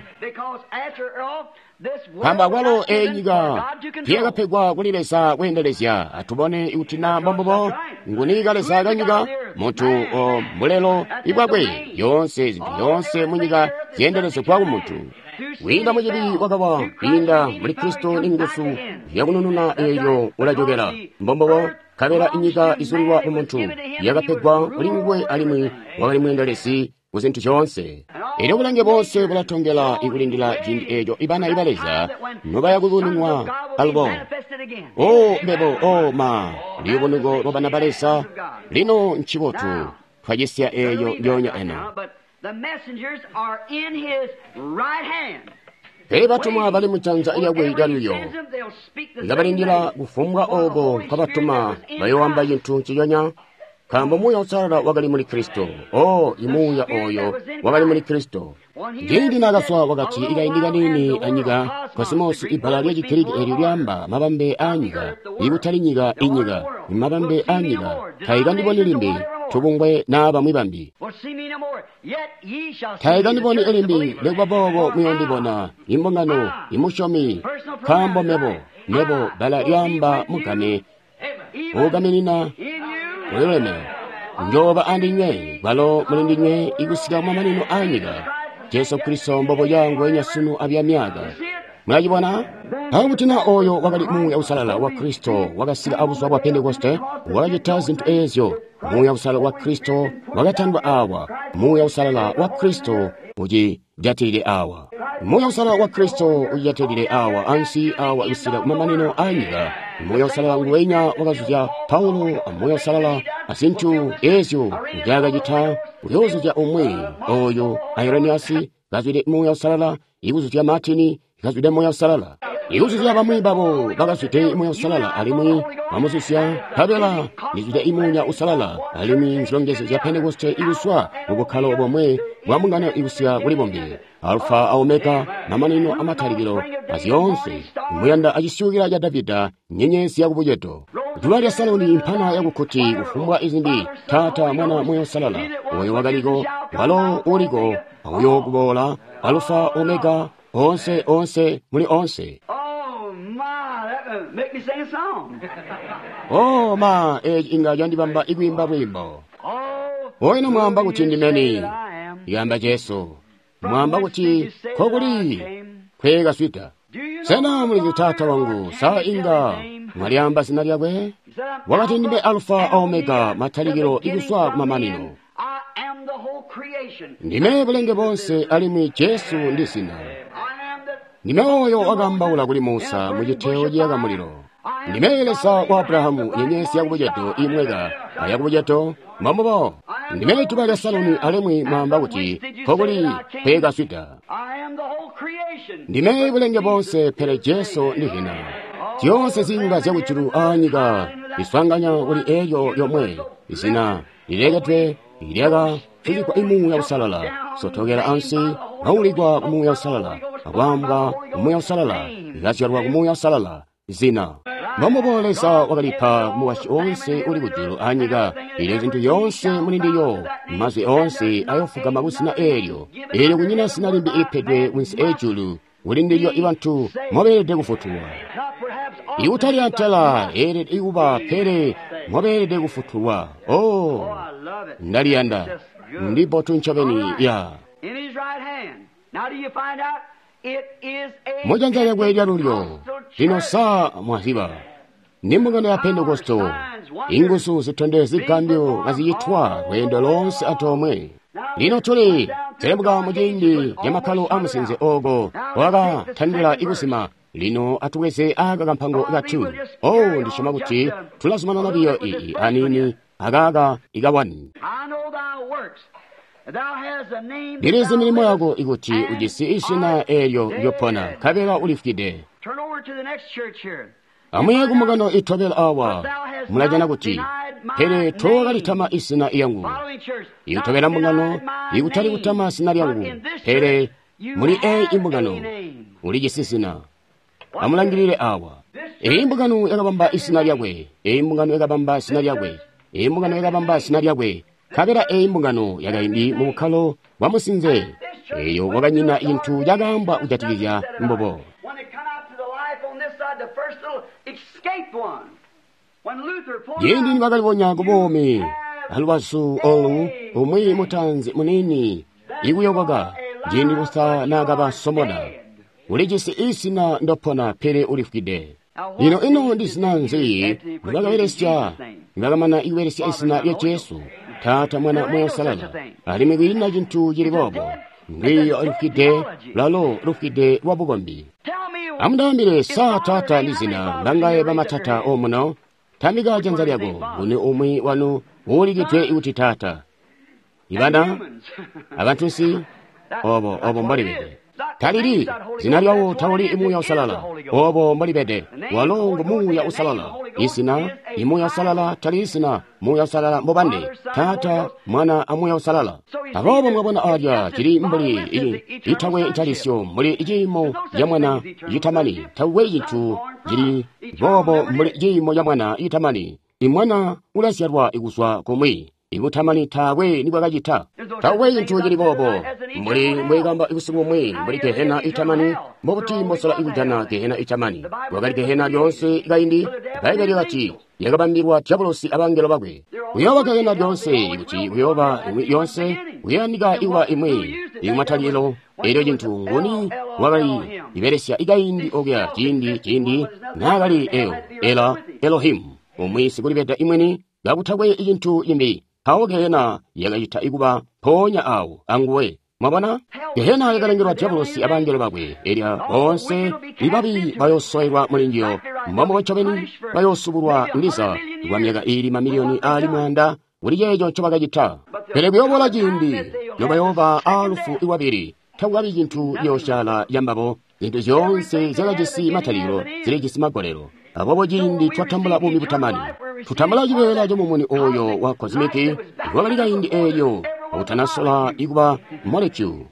Nkaambo akwalo eyi nyika tiyakapegwa kuli Leza kweendelezya. Atubone ikuti na mbombubo nguni kaleza kanyika, muntu o mbulelo ibwakwe. Yoonse zintu zyoonse munyika zyeendelezegwa ku muntu. Kwiinda mucibi wakawa, kwiinda muli Kristo ni nguzu zyakunununa eelyo ulajokela. Mbombubo, nkabela inyika izulilwa ku muntu yakapegwa kuli nguwe alimwi wakali mweendelezi ku zintu zyoonse. Elyo bulange boonse bulatongela ikulindila ciindi eeco ibana iba Leza nobaya kuyubununwa alubo. O mbebo, o ma, luyubunuko lwa bana ba Leza lino ncibotu twacisya eeyo lyoonya eno. Pele batumwa bali mujanza lyakwe lyalulyo, kabalindila kufumbwa ooko nkabatuma bayooamba cintu nciconya, nkaambo Muuya Uusalala wakali muli Kristo. Oh, imuuya oyo wakali muli Kristo. Ciindi naakazwa wakati ikaindi kaniini anyika, kosimosi, ibbala lya Chigiriki eelyo lyaamba mabambe aanyika, ikutali nyika inyika, mabambe aanyika, taikandiboni limbi tubungwe naa bamwi bambi. Taikandiboni limbi, nikuba boobo muyoondibona, imbungano, imusyomi, nkaambo mebo, mebo bbala lyaamba mugame, uugaminina ulileme, njooba andinywe, kwalo muli ndinywe ikusika kumamanino aanyika. Jesu Kristo mbobuya nguwenya sunu abya myaka. Mulacibona? Awo kuti na oyo wakali Muuya Uusalala wa Kristo wakasika abuzuba bwa Pentekoste, wakacita zintu eezyo. Muuya Uusalala wa Kristo wakatandwa awa. Muuya Uusalala wa Kristo ucijatilile awa. Muuya Uusalala wa Kristo ucijatilile awa, ansi awa kusika kumamanino aanyika. Muuya Uusalala nguwenya wakazuzya Paulo a Muuya Uusalala azintu eezyo nzyaakacita uyoozuzya umwi oyo Ireniyasi kazwide Muuya Uusalala, ikuzuzya Martini kazwide Muuya Uusalala, ikuzuzya bamwi babo bakazwide Muuya Uusalala, alimwi bamuzuzya nkabela ndizwide Muuya Uusalala, alimwi nzilongezyo zya Pentekoste ikuzwa mu bukkalo bomwe bwa mbungano ikusika kuli bumbi, Alfa a Omega, mamanino amatalikilo azyoonse, muyanda acisyukila ca Davida, nyenyezi yakubucedo, duba lya Saloni, impana yakukuti, kufumbwa izimbi, Taata, Mwana, Muuya Uusalala, oyo wakaliko, walo uliko, uyo kuboola, Alfa, Omega, onse, onse, muli onse. Oh ma, eci inga candibamba ikwiimba lwiimbo. Oino mwamba kuti ndimeni, yamba Jesu. Mwamba kuti kokuli kwekaswida. Sena mulizi Taata wangu, sa inga mwalyamba zina lyakwe? Wakati ndime Alfa Omega, matalikilo ikuswa kumamanino. Ndime bulenge bonse, alimwi Jesu ndi zina. Ndime oyo wakaambaula kuli Musa mu citeo ciyaka mulilo. Ndime Leza wa Abrahamu, nyenyezi yakubucedo imweka ayakubucedo, mbombubo. Ndime duba lya Saloni, alimwi mwamba kuti kokuli kwekaswida. Ndime bulenge bonse, pele Jesu ndi zina. Zyoonse zinga zyakujulu aanyika liswanganya kuli elyo lyomwe izina lilekedwe lyaka tulikwa imuuya Uusalala, sotokela ansi, naulikwa ku Muuya Uusalala, akwaambwa ku Muuya Uusalala, likazyalwa ku Muuya Uusalala, zina. Mbombubo Leza wakalipa mukwasyi onse uli kujulu aanyika, eelyo zintu zyoonse muli ndiyo, mazwi oonse ayofugama ku zina eelyo. Eelyo kunyina zina limbi lipedwe kunsi ejulu, kuli ndilyo ibantu mobeelede kufutulwa. Ikutali antela eelede ikuba, pele mobeelede kufutulwa. Oh, ndaliyanda. Ndibotu ncobeni ya. Mujanza lyakwe lyalulyo, lino sa mwaziba, ndi mbungano ya Pentekosto, inguzu zitondezya zigambyo kazicitwa lweendo lonse antoomwe. Lino tuli selemuka muciindi ca makkalo amusinze ooko wakatandila ikusima. Lino atubweze aka kampango katu. Oh, ndisyoma kuti tulazumanana biyo iyi anini akaka ikawani. Ndilizi milimo yako ikuti ujisi izina eelyo lyopona, nkabela ulifwide. Amuye kumbungano itobela awa, mulajana kuti, pele tookalitama izina lyangu. Ikutobela mbungano, ikutali kutama zina lyangu, pele muli eyi imbungano ulijisi zina. Amulangilile awa. Eyi mbungano yakabamba izina lyakwe, eyi mbungano yakabamba zina lyakwe, eyi mbungano yakabamba zina lyakwe. Nkabela eyi mbungano yakaindi mu bukkalo bwa musinze, eyo wakanyina cintu cakaambwa kujatikizya mbubo. Ciindi nibakalibonya kubuumi alubazu olu, umwi mutaanzi muniini ikuyokoka, ciindi Luther naakabasomona, ulijisi izina ndopona, pele ulifwide. Lino ino ndi zina nzi nibakabelesya nibakamana ikubelesya izina lya Jesu, Taata, Mwana, Muuya Uusalala, alimwi kwiina cintu cili boobo. Ndwiiyo lufwide, lwalo lufwide lwa bukombi. Amundaambile, sa Taata ndi zina mbangaye bamatata omuno? Tambika janza lyako, nguni umwi wanu uulikidwe kuti Taata? Ibana abantunsi obo obo mbolibede. Talili zina lyawo tawuli Muuya Uusalala. Obo mbolibede. Walo ngu Muuya Uusalala. Izina Muuya Uusalala tali zina Muuya Uusalala mbobande. Taata, Mwana a Muuya Uusalala. Aboobo mwabona alya cili mbuli itakwe ntalisyo mbuli ciimo ya Mwana citamani. Takwe cintu cili boobo mbuli ciimo ya Mwana citamani. Imwana ulazyalwa kuzwa kumwi. Ibutamani taakwe nibwakacita. Taakwe cintu cili boobo. Mbuli mbwekamba busiku bumwi mbuli gehena itamani, mbobuti mbosola ikujana gehena itamani. Wakali gehena lyoonse kaindi, Bbaibbele lyakati yakabambilwa diabolosi abangelo bakwe. Kuyooba gehena lyoonse, kuti kuyooba imwi yoonse, kuyandika ikuba imwi ikumatalikilo. Elyo cintu nguni wakali ibelesya ikaindi okuya ciindi naakali eyo ela Elohimu umwi sikulibeda imweni kakutakwe cintu cimbi. Mpawo gehena yakacita ikuba mpoonya awo anguwe. Mwabona? Gehena yakalengelwa diabolosi abangelo bakwe. Elya boonse ibabi bayoosowelwa muli njiyo. Mbombubo ncobeni bayoosubulwa ndiza kwa myaka iili mamiliyoni aali 100 kuli ceeco ncobakacita. Pele kuyoobola ciindi nobayooba aalufu lwabili, takukabi cintu ciyoosyaala cambabo. Zintu zyoonse zyakajisi matalikilo zilijisi magolelo. Aboobo ciindi twatambula buumi butamani, tutambula cibeela camumuni oyo wa kozimiki wakali kaindi eelyo akutanasola ikuba molecule.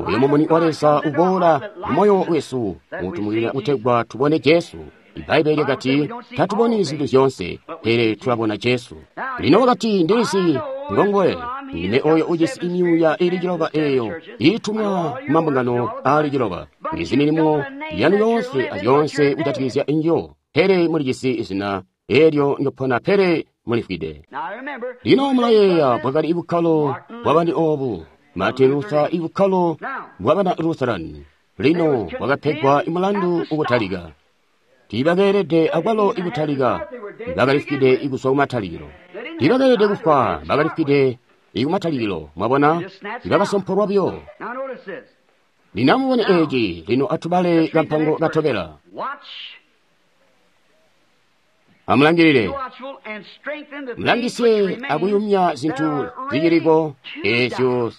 Oyo mumuni wa Leza uboola mumoyo wesu utumukila kutegwa tubone Jesu. Ibbaibbele lyakati tatuboni zintu zyoonse, pele tulabona Jesu. Lino wakati ndilizi ngongoye ndime oyo ujisi imyuuya ili 9 eyo iitumwa kumambungano aali 9. Ndizi milimo yanu yoonse azyoonse kujatikizya injo, pele mulijisi izina elyo ndopona, pele mulifwide. Lino mulayeeya bwakali bukkalo bwabani obu Martin Luther, ibukkalo bwabana Lutheran. Lino bwakapegwa imulandu ukutalika. Tiibakeelede akwalo ikutalika, bakalifwide ikuzwa kumatalikilo. Tiibakeelede kufwa, bakalifwide ikumatalikilo. Mwabona, bakasomporwa buyo. Lino amubone eeci. Lino atubale kampango katobela. Amulangilile, mulangisye akuyumya zintu ziciliko eezyo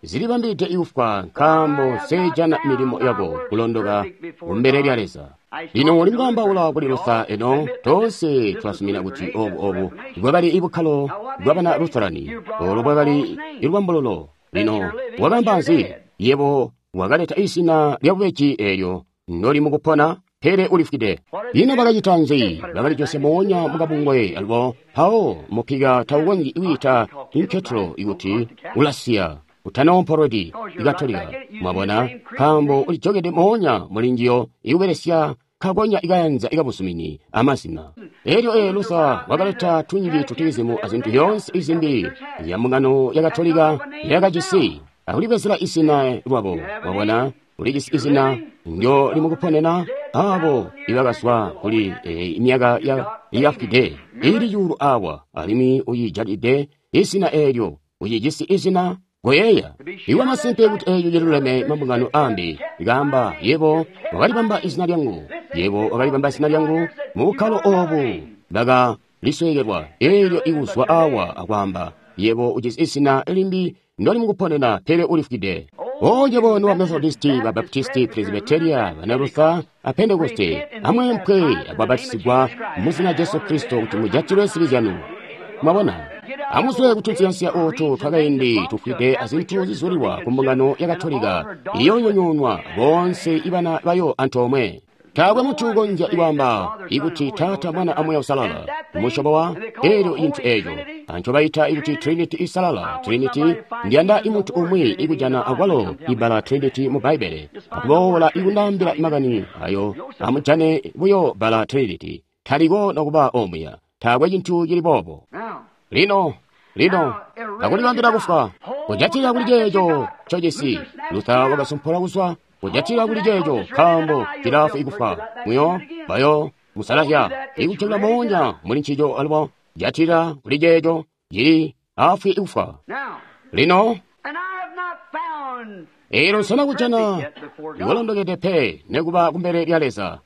zilibambide ikufwa, nkaambo nsejana milimo yako kulondoka kumbele lya Leza. Lino uli mukwaambaula kuli Luther eno, toonse twasumina kuti obu bwakali ibukkalo bwabana Lutherani, olo bwakali ilubambululo. Lino wakaamba nzi? Yebo wakaleta izina lya bubeji eelyo ndoli mukupona, pele ulifwide. Lino bakacita nzi? Bakalijosya moonya mukabungwe alubo. Mpawo mupika taukonzyi kwiita inketelo ikuti ulasiya utanoomporodi ikatolika. Mwabona, nkaambo ulijokede moonya muli njiyo ikubelesya kakonya ikayanza ikabuzumini amazina. Elyo Luther wakaleta tunji tutilizimu azintu zyoonse izimbi zya mbungano ya Katolika yakajisi akulibwezela izina lwabo. Mwabona, ulijisi izina ndyo limukuponena abo ibakazwa kuli imyaka yafwide ili cuulu awa, alimwi uyijalide izina eelyo, ucijisi izina. Goyeeya iwe masimpe kuti eeyo ciluleme mambungano ambi ikaamba, yebo wakalibamba izina lyangu, yebo wakalibamba izina lyangu mu bukkalo obu baka lisweekelwa. Eelyo ikuzwa awa akwaamba, yebo ujisi izina limbi ndoli mukuponena, pele ulifwide. O yebo nuwa Methodisti, ba Baptisti, Presbyteria, bana Luther, a Pentekoste, amweempwe akubapatisigwa mu zina Jesu Kristo kuti mujatilwe zibi zyanu. Mwabona, amuzwe kutunsiyansiya ootu twakaindi tufwide azintu zizulilwa ku mbungano ya Katolika iyoonyonyoonwa boonse ibana bayo antoomwe. Taakwe muntu ukonzya ikwaamba ikuti Taata, Mwana a Muuya Uusalala musyobo wa eelyo cintu eeco ancobayita ikuti Trinity isalala. Trinity, ndiyanda imuntu umwi ikujana akwalo ibbala Trinity mu Bbaibbele akuboola ikundaambila makani ayo. Amujane buyo bbala Trinity, taliko nokuba omuya. Taakwe cintu cili boobo. Lino, akulibambila kufwa, kujatilila kuli ceeco ncojisi. Luther wakasompola kuzwa, kujatilila kuli ceeco, nkaambo cilafwi ikufa. Muyo, bayo, musalazya, ikucela moonya muli ncico alubo, jatilila kuli ceeco, cili afwi ikufa. Lino, eelyo nsena kujana iwalondokede pe nekuba kumbele lya Leza.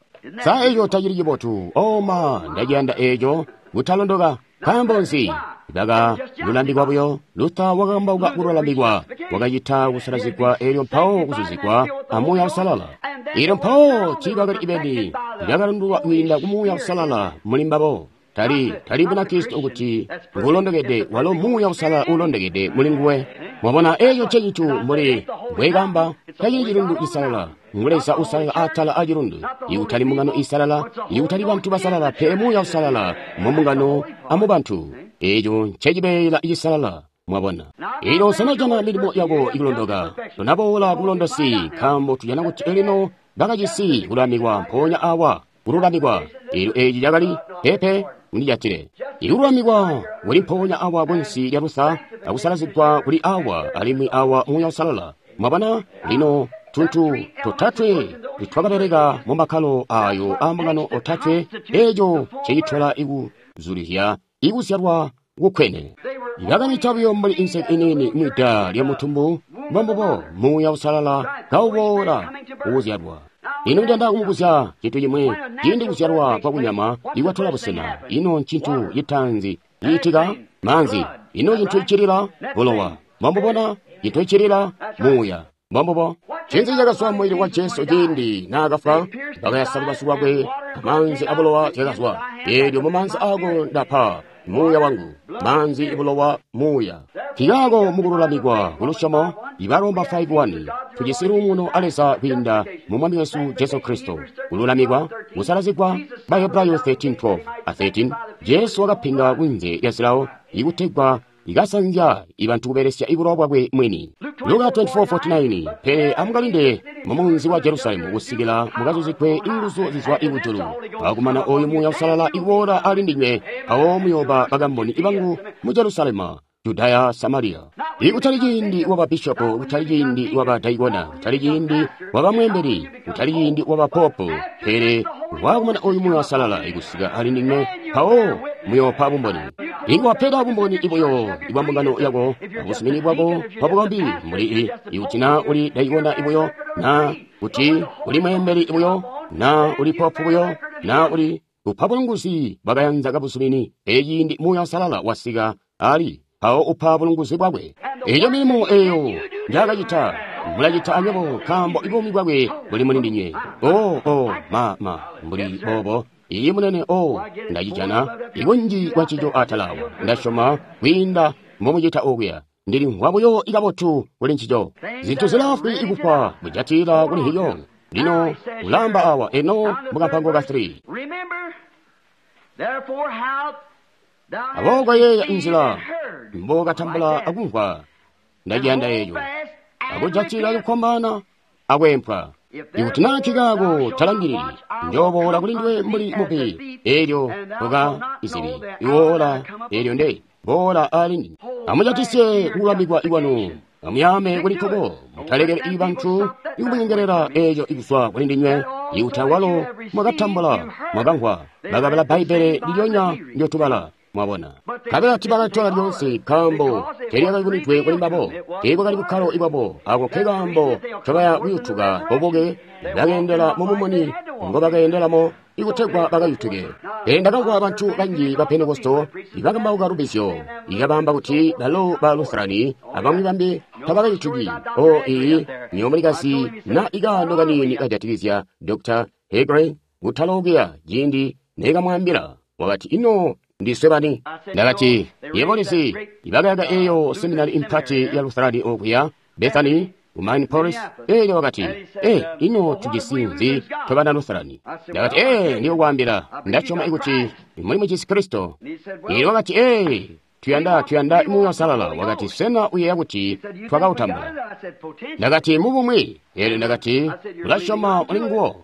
Sa eco tacili cibotu? Oma, ndaciyanda eeco kutalondoka. Nkaambo nzi? Baka lulamikwa buyo. Luther wakakambauka kululamikwa, wakacita kusalazigwa, elyo mpawo kuzuzigwa a Muuya Uusalala. Elyo mpawo tiibakali ibeni bakalundulwa kwiinda ku Muuya Uusalala muli mbabo. Tali Bunakristo kuti ngulondokede, walo Muuya Uusalala uulondokede muli nguwe. Mwabona, eco ncecintu mbuli mbwekamba, tacili cilundu cisalala, ngu Leza uusalala atala a cilundu. Ikutali mbungano iisalala, ikutali bantu basalala, pele Muuya Uusalala mu mbungano a mu bantu. Eco ncecibeela cisalala. Mwabona, elyo sanajana milimo yako ikulondoka, tonaboola kubulondosi, nkaambo tujana kuti elino bakajisi kululamikwa mpoonya awa, kululamikwa. Elyo eci cakali pepe mundijatile. Ikululamikwa kuli mpoonya awa kunsi lya Luther, akusalazigwa kuli awa, alimwi awa Muuya Uusalala. Mwabona, lino tuntu totatwe twakabeleka mu makkalo ayo a mbungano otatwe, eco ncecitola ikuzulizya ikuzyalwa kukwene. Bakamita buyo mbuli inseke iniini mwida lya mutumbu, mbombubo Muuya Uusalala kauboola kukuzyalwa. Ino ndiyanda kumubuzya cintu cimwi. Ciindi kuzyalwa kwa kunyama ikwatola busena, ino ncintu citaanzi ciitika? Maanzi. Ino cintu icilila? Bulowa. Mbambubona cintu icilila? Muuya. Mbambubo. Ncinzi cakazwa mubili wa Jesu ciindi naakafwa? Bakayasa lubazu lwakwe, amaanzi abulowa zyakazwa. Eelyo mumaanzi aako ndapa Muuya wangu. Maanzi, bulowa, Muuya. Nkaako mukululamikwa kulusyomo, Ibaroma 5:1, tujisi luumuno a Leza kwiinda mu Mwami wesu Jesu Kristo. Kululamikwa, kusalazigwa, Bahebrayo 13:12 a 13, Jesu wakapinga kunze lya zilawo ikutegwa ikasanzya ibantu kubelesya ibulowa bwakwe mwini. Luka 24:49, pele amukalinde mumunzi wa Jerusalemu kusikila mukazuzigwe inguzu zizwa ikujulu. Akumana oyu Muuya Uusalala ikuboola ali ndinywe, mpawo muyooba bakamboni ibangu mu Jerusalemu, Judaya, Samaria. Ikutali ciindi waba bishopo, kutali ciindi waba daikona, kutali ciindi waba mwembeli, kutali ciindi waba popo, pele wakumana oyu Muuya Uusalala ikusika ali ndinywe, mpawo muyoopa bumboni. Inga bumboni ibuyo ibwa mbungano yako, abusumini bwako bwabukombi mbuli ikuti na uli daikona ibuyo, na kuti uli mwembeli ibuyo, na uli popo buyo, na uli upa bulunguzi bwakayanza kabusumini. Pele ciindi Muuya Uusalala wasika ali mpawo upa bulunguzi bwakwe. Eyo milimo eyo njakacita mulacita anywebo, nkaambo ibuumi bwakwe buli muli ndinywe. Oh, ma mbuli bobo. Iyi munene, o ndacijana ikunji kwa ncico atalawa. Ndasyoma kwiinda mbomucita okuya. Ndilimvwa buyo ikabotu kuli ncico. Zintu zilafwi ikufwa mujatila kuli hiyo. Lino ulamba awa eno mukampango ka 3. Aboobo yeeya inzila mbokatambula akumvwa, ndaciyanda eco, akujatila kukombana akwempwa. Ikuti naa nkikaako talangilili, njooboola kuli ndiwe mbuli mubbi, eelyo toka izibi iwoola, eelyo nde boola ali ndime. Amujatisye kululamikwa ikwanu, amuyame kuli nkuko, mutalekele ibantu ikumunyengelela eeco ikuzwa kuli ndinywe. Ikuti awalo mwakatambula, mwakamvwa, bakabala Bbaibbele ndilyonya ndyotubala. Mwabona, kabela tibakalitola lyoonse, nkaambo teelyakayubunwidwe kuli mbabo, teekwakali bukkalo ibwabo. Ako nke kaambo ncobaya kuyutuka bobuke, bakeendela mumumuni ngobakeendelamo ikutegwa bakayutuke. Pele ndakamvwa bantu banji ba Pentekosto ibakambauka lubizyo, ikabaamba kuti balo ba Lutherani abamwi bambi tabakayutuki. O iyi nyoomulikazi na ikaano kaniini kajatikizya Dr. Hegre kutalokuya ciindi neekamwaambila, wakati ino ndiswe bani? Ndakati, yebo lizi, ibakayaka eyo seminari impati ya Lutherani okuya Bethany ku Minneapolis. Elyo wakati, ino tujisi nzi tobana Lutherani? Ndakati, ndiyokwaambila, ndasyoma ikuti muli mujisi Kristo. Elyo wakati, tuyanda Muuya Uusalala. Wakati, sena uyeeya kuti twakautambula? Ndakati, mubumwi. Elyo ndakati, ulasyoma muli nguwo?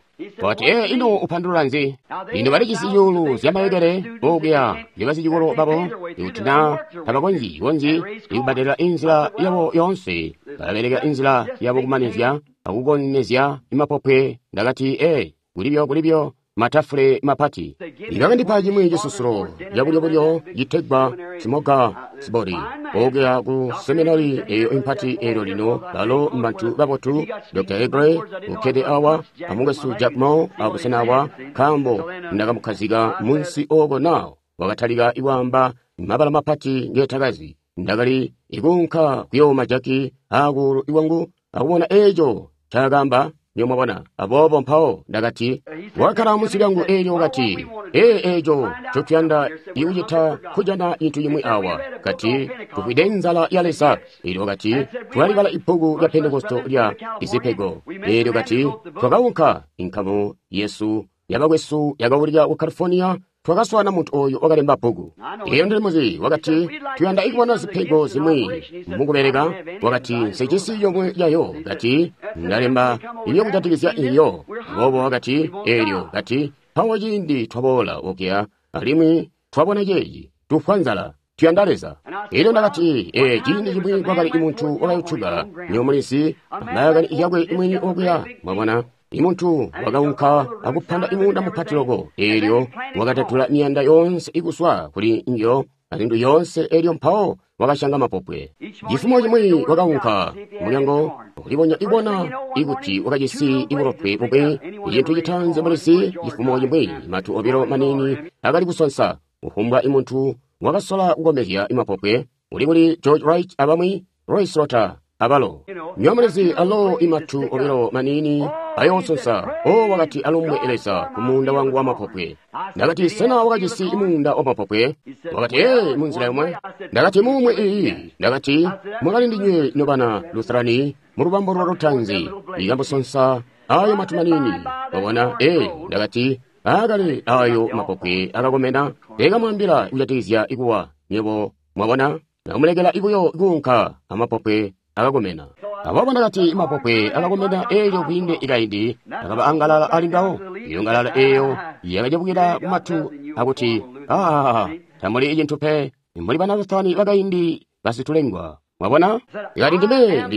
Wakati, ino upandulula nzi? Lino balijisi zyuulu zyamayekele okuya basicikolo babo, ikuti na tabakonzyi konzyi ikubbadelela inzila yabo yoonse, balabeleka inzila yabo kumanizya akukonezya imapopwe. Ndakati, kulibyo matafule mapati. Ibakandipa cimwi cisusulo cabulyobulyo citegwa simoga sibori okuya ku seminari eyo impati. Eelyo lino balo mbantu babotu. Dr. Egre ukkede awa, amukwesu Jack Moore abusena awa, nkaambo ndakamukhazika munsi oko nawo wakatalika ikwaamba mabala mapati ngetakazi. Ndakali ikuunka kuyooma jaki akuulu iwangu akubona eeco ncaakamba. Nyo mwabona. Aboobo mpawo ndakati, wakala munsi lyangu eelyo wakati, ee eeco ncotuyanda ikucita kujana cintu cimwi awa. Kati, tufwide nzala ya Leza. Eelyo wakati, twalibala ibbuku lya Pentekoste lya izipego. Eelyo kati, twakaunka inkamu yesu yabakwesu yakaulika ku California. Twakaswana muntu oyu wakalemba bbuku. Eyo ndili muzi. Wakati, tuyanda ikubona zipego zimwi mukubeleka. Wakati, nsejisi yomwe yayo. Kati, ndalemba iyo kujatikizya iyo. Aboobo wakati, eelyo kati, mpawo ciindi twaboola okuya, alimwi twabona ceeci, tufwa nzala, tuyanda Leza. Eelyo ndakati, ee, ciindi cimwi kwakali muntu wakayutuka, nyo mulizi, ambayakani yakwe mwini okuya, mwabona. Imuntu wakaunka akupanda imunda mupati loko, eelyo wakatatula miyanda yoonse ikuswa kuli njo azintu yoonse, eelyo mpawo wakashanga mapopwe. Cifumo cimwi wakaunka mulyango kulibonya ibona ikuti wakajisi ibulotwe bubwe. Icintu citanze mulisi, cifumo cimwi matu obilo manini akali kusonsa. Kufumbwa imuntu wakasola kukomezya imapopwe uli kuli George Wright abamwi, Roy Slaughter abalo. Nyomulizi alo imatu obilo manini ayoosonsa. O wakati alumbwe Leza ku muunda wangu wa mapopwe. Ndakati, sena wakajisi muunda wa mapopwe? Wakati, ee, munzila yomwe. Ndakati, mumwe iyi. Ndakati, mwakali ndinywe nobana Lutherani mu lubambo lwa lutanzi ikambusonsa ayo matu manini. Wabona, ee, ndakati, akali ayo mapopwe akakomena. Ekamwambila kujatikizya ikuwa. Nywebo mwabona, nakumulekela ikuyo kuunka amapopwe akakomena. Aboobo ndakati mapopwe akakomena eelyo kwiinde ikaindi akaba angalala ali ngawo. Iyo ngalala eeyo yakacebukila kumatu akuti, aa, tamuli icintu pe, muli bana Luthani bakaindi basitulengwa. Mwabona? Ikati ndime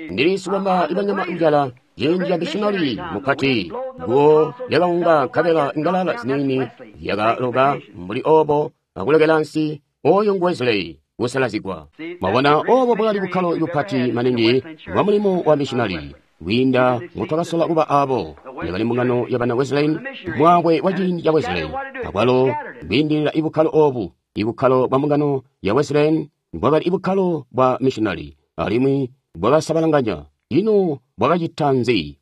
ndili sikwamba ibanyama njala ciindi ca missionari mupati guwo lyakaunga nkabela ngalala ziniini yakaloka mbuli obo akulekela nsi oyo ngu Wesley kusalazigwa. Mwabona, obo bwakali bukkalo bupati maningi bwa mulimo wa missionari kwiinda ngotwakasola kuba abo. Yakali mbungano ya bana Wesleyan, mwakwe wa ciindi ca Wesley. Akwalo kwiindilila ibukkalo obu, ibukkalo bwa mbungano ya Wesleyan bwakali ibukkalo bwa missionari, alimwi bwakasabalanganya. Ino bwakacita nzi?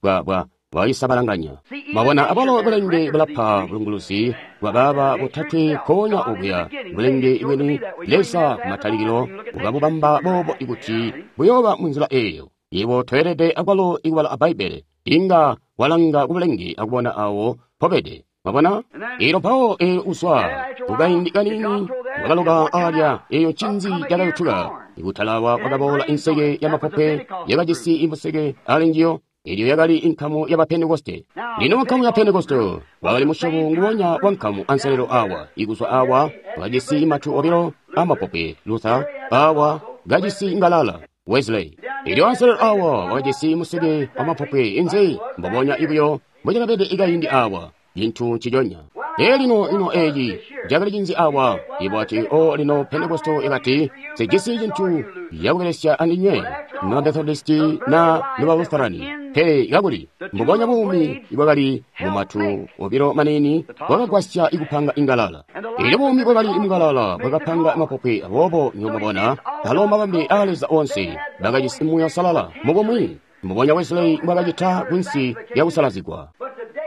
Bwakasabalanganya. Mwabona, abalo bulenge bulapa bulunguluzi bwa baaba botatwe konya okuya. Bulenge bweni Leza kumatalikilo bukabubamba boobo ikuti buyooba munzila eeyo. Yebo toyelede akwalo ikubala a Bbaibbele, inga walanga kubulenge akubona awo pobede. Mwabona? Eelyo mpawo eelyo uzwa kukaindi kanini wakaloka alya eyo ncinzi cakayutuka. Ikutalawa kwakaboola inseke ya mapopwe yakajisi imuseke ali njiyo. Elyo yakali inkamu ya Pentekoste. Lino nkamu ya Pentekoste wakali musyobo nguwonya wa nkamu anselelo awa. Ikuzwa awa wakajisi matu obilo amapopwe Luther, awa kajisi ngalala Wesley. Elyo anselelo awa wakajisi museke wa mapopwe inzi mbobonya ibuyo mbocakabede ikaindi awa. Cintu nciconya. Ee lino ino eeci cakali cinzi awa? Ibo ati, o lino Pentekoste yakati, sijisi cintu yakubelesya andinywe na Methodisti na nuba Lutherani. Pe kakuli mbubonya buumi bwakali mumatu obilo manini bwakagwasya ikupanga ingalala. Elyo buumi bwakali mungalala bwakapanga mapopwe. Aboobo nyomubona alo mabambe a Leza onse bakajisi Muuya Uusalala mubumwi mbubonya Wesley mbwakacita kunsi lyakusalazigwa.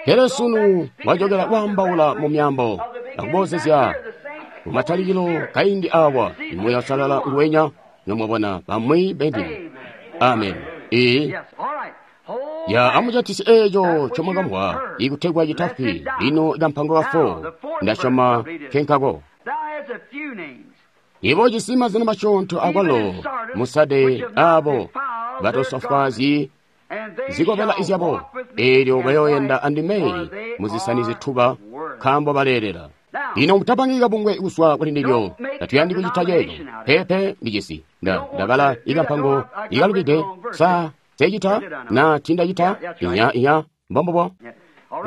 Pele sunu wajokela kwaambaula mu myambo akubozezya kumatalikilo kaindi awa Muuya Uusalala nguwenya. Nyomubona bamwi beni. Amen. Ee. Ya amujatisi eeco ncomwakamvwa ikutegwa citafwi. Lino kampango ka 4 ndasyoma kenkako. Ibo jisi mazina masyoonto akwalo musade abo batosofwaazyi zikobela izyabo, eelyo bayoyenda andime muzisani zituba, nkaambo baleelela. Lino mutapangi kabungwe kuswa kuli ndilyo, tatuyandi kucita ceeco. Pepe ndijisi ndabala ikampango ikalubide sa secita na tindacita inya inya mbombobo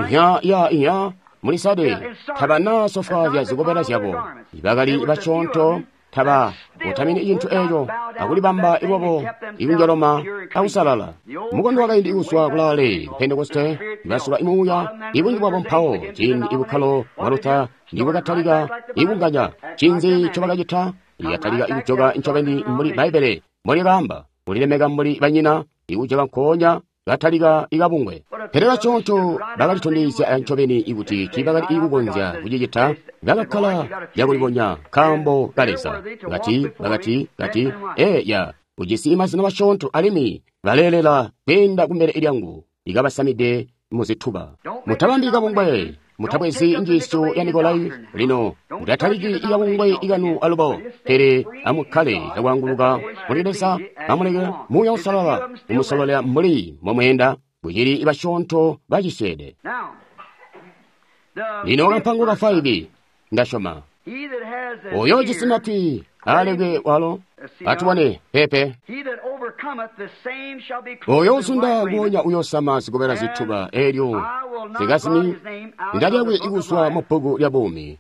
inya ya inya mulisade tabana sofwaazya zikobela zyabo. Bakali basyoonto taba utamini cintu eeco akulibamba ibobo ikunjoloma akusalala. Mukondo wakaindi ikuswa kulaale Pentekoste basula imuuya ibunji bwabo mpawo ciindi ibukkalo bwa Luther nibwakatalika ikunganya. Cinzi ncobakacita? Yatalika ikujoka ncobeni mbuli Bbaibbele mbolikaamba, kulilemeka mbuli banyina, ikujoka nkoonya katalika ikabungwe. Pele basyoonto bakalitondezya ncobeni ikuti tiibakali kukonzya kucicita, bakakkala cakulibonya nkaambo ka Leza. Kati, bakati, kati, ee, ya, ujisi mazina masyoonto alimwi baleelela kweenda kumbele lyangu, ikabasamide muzituba. Mutabambi kabungwe, mutabwezi njiisyo ya Nikolai. Lino mutataliki ikabungwe ikanu alubo, pele amukkale cakwaanguluka muli Leza, amuleke Muuya Uusalala kumusololela mbuli mbomweenda, kucili basyoonto bacisyeede. Lino kampango ka 5, ndasyoma. Oyo ujisi matwi alekwe walo atubone pepe. Oyo uzunda nguonya uyosama zikobela zituba elyo zikazimi zina lyakwe ikuzwa mu bbuku lya buumi.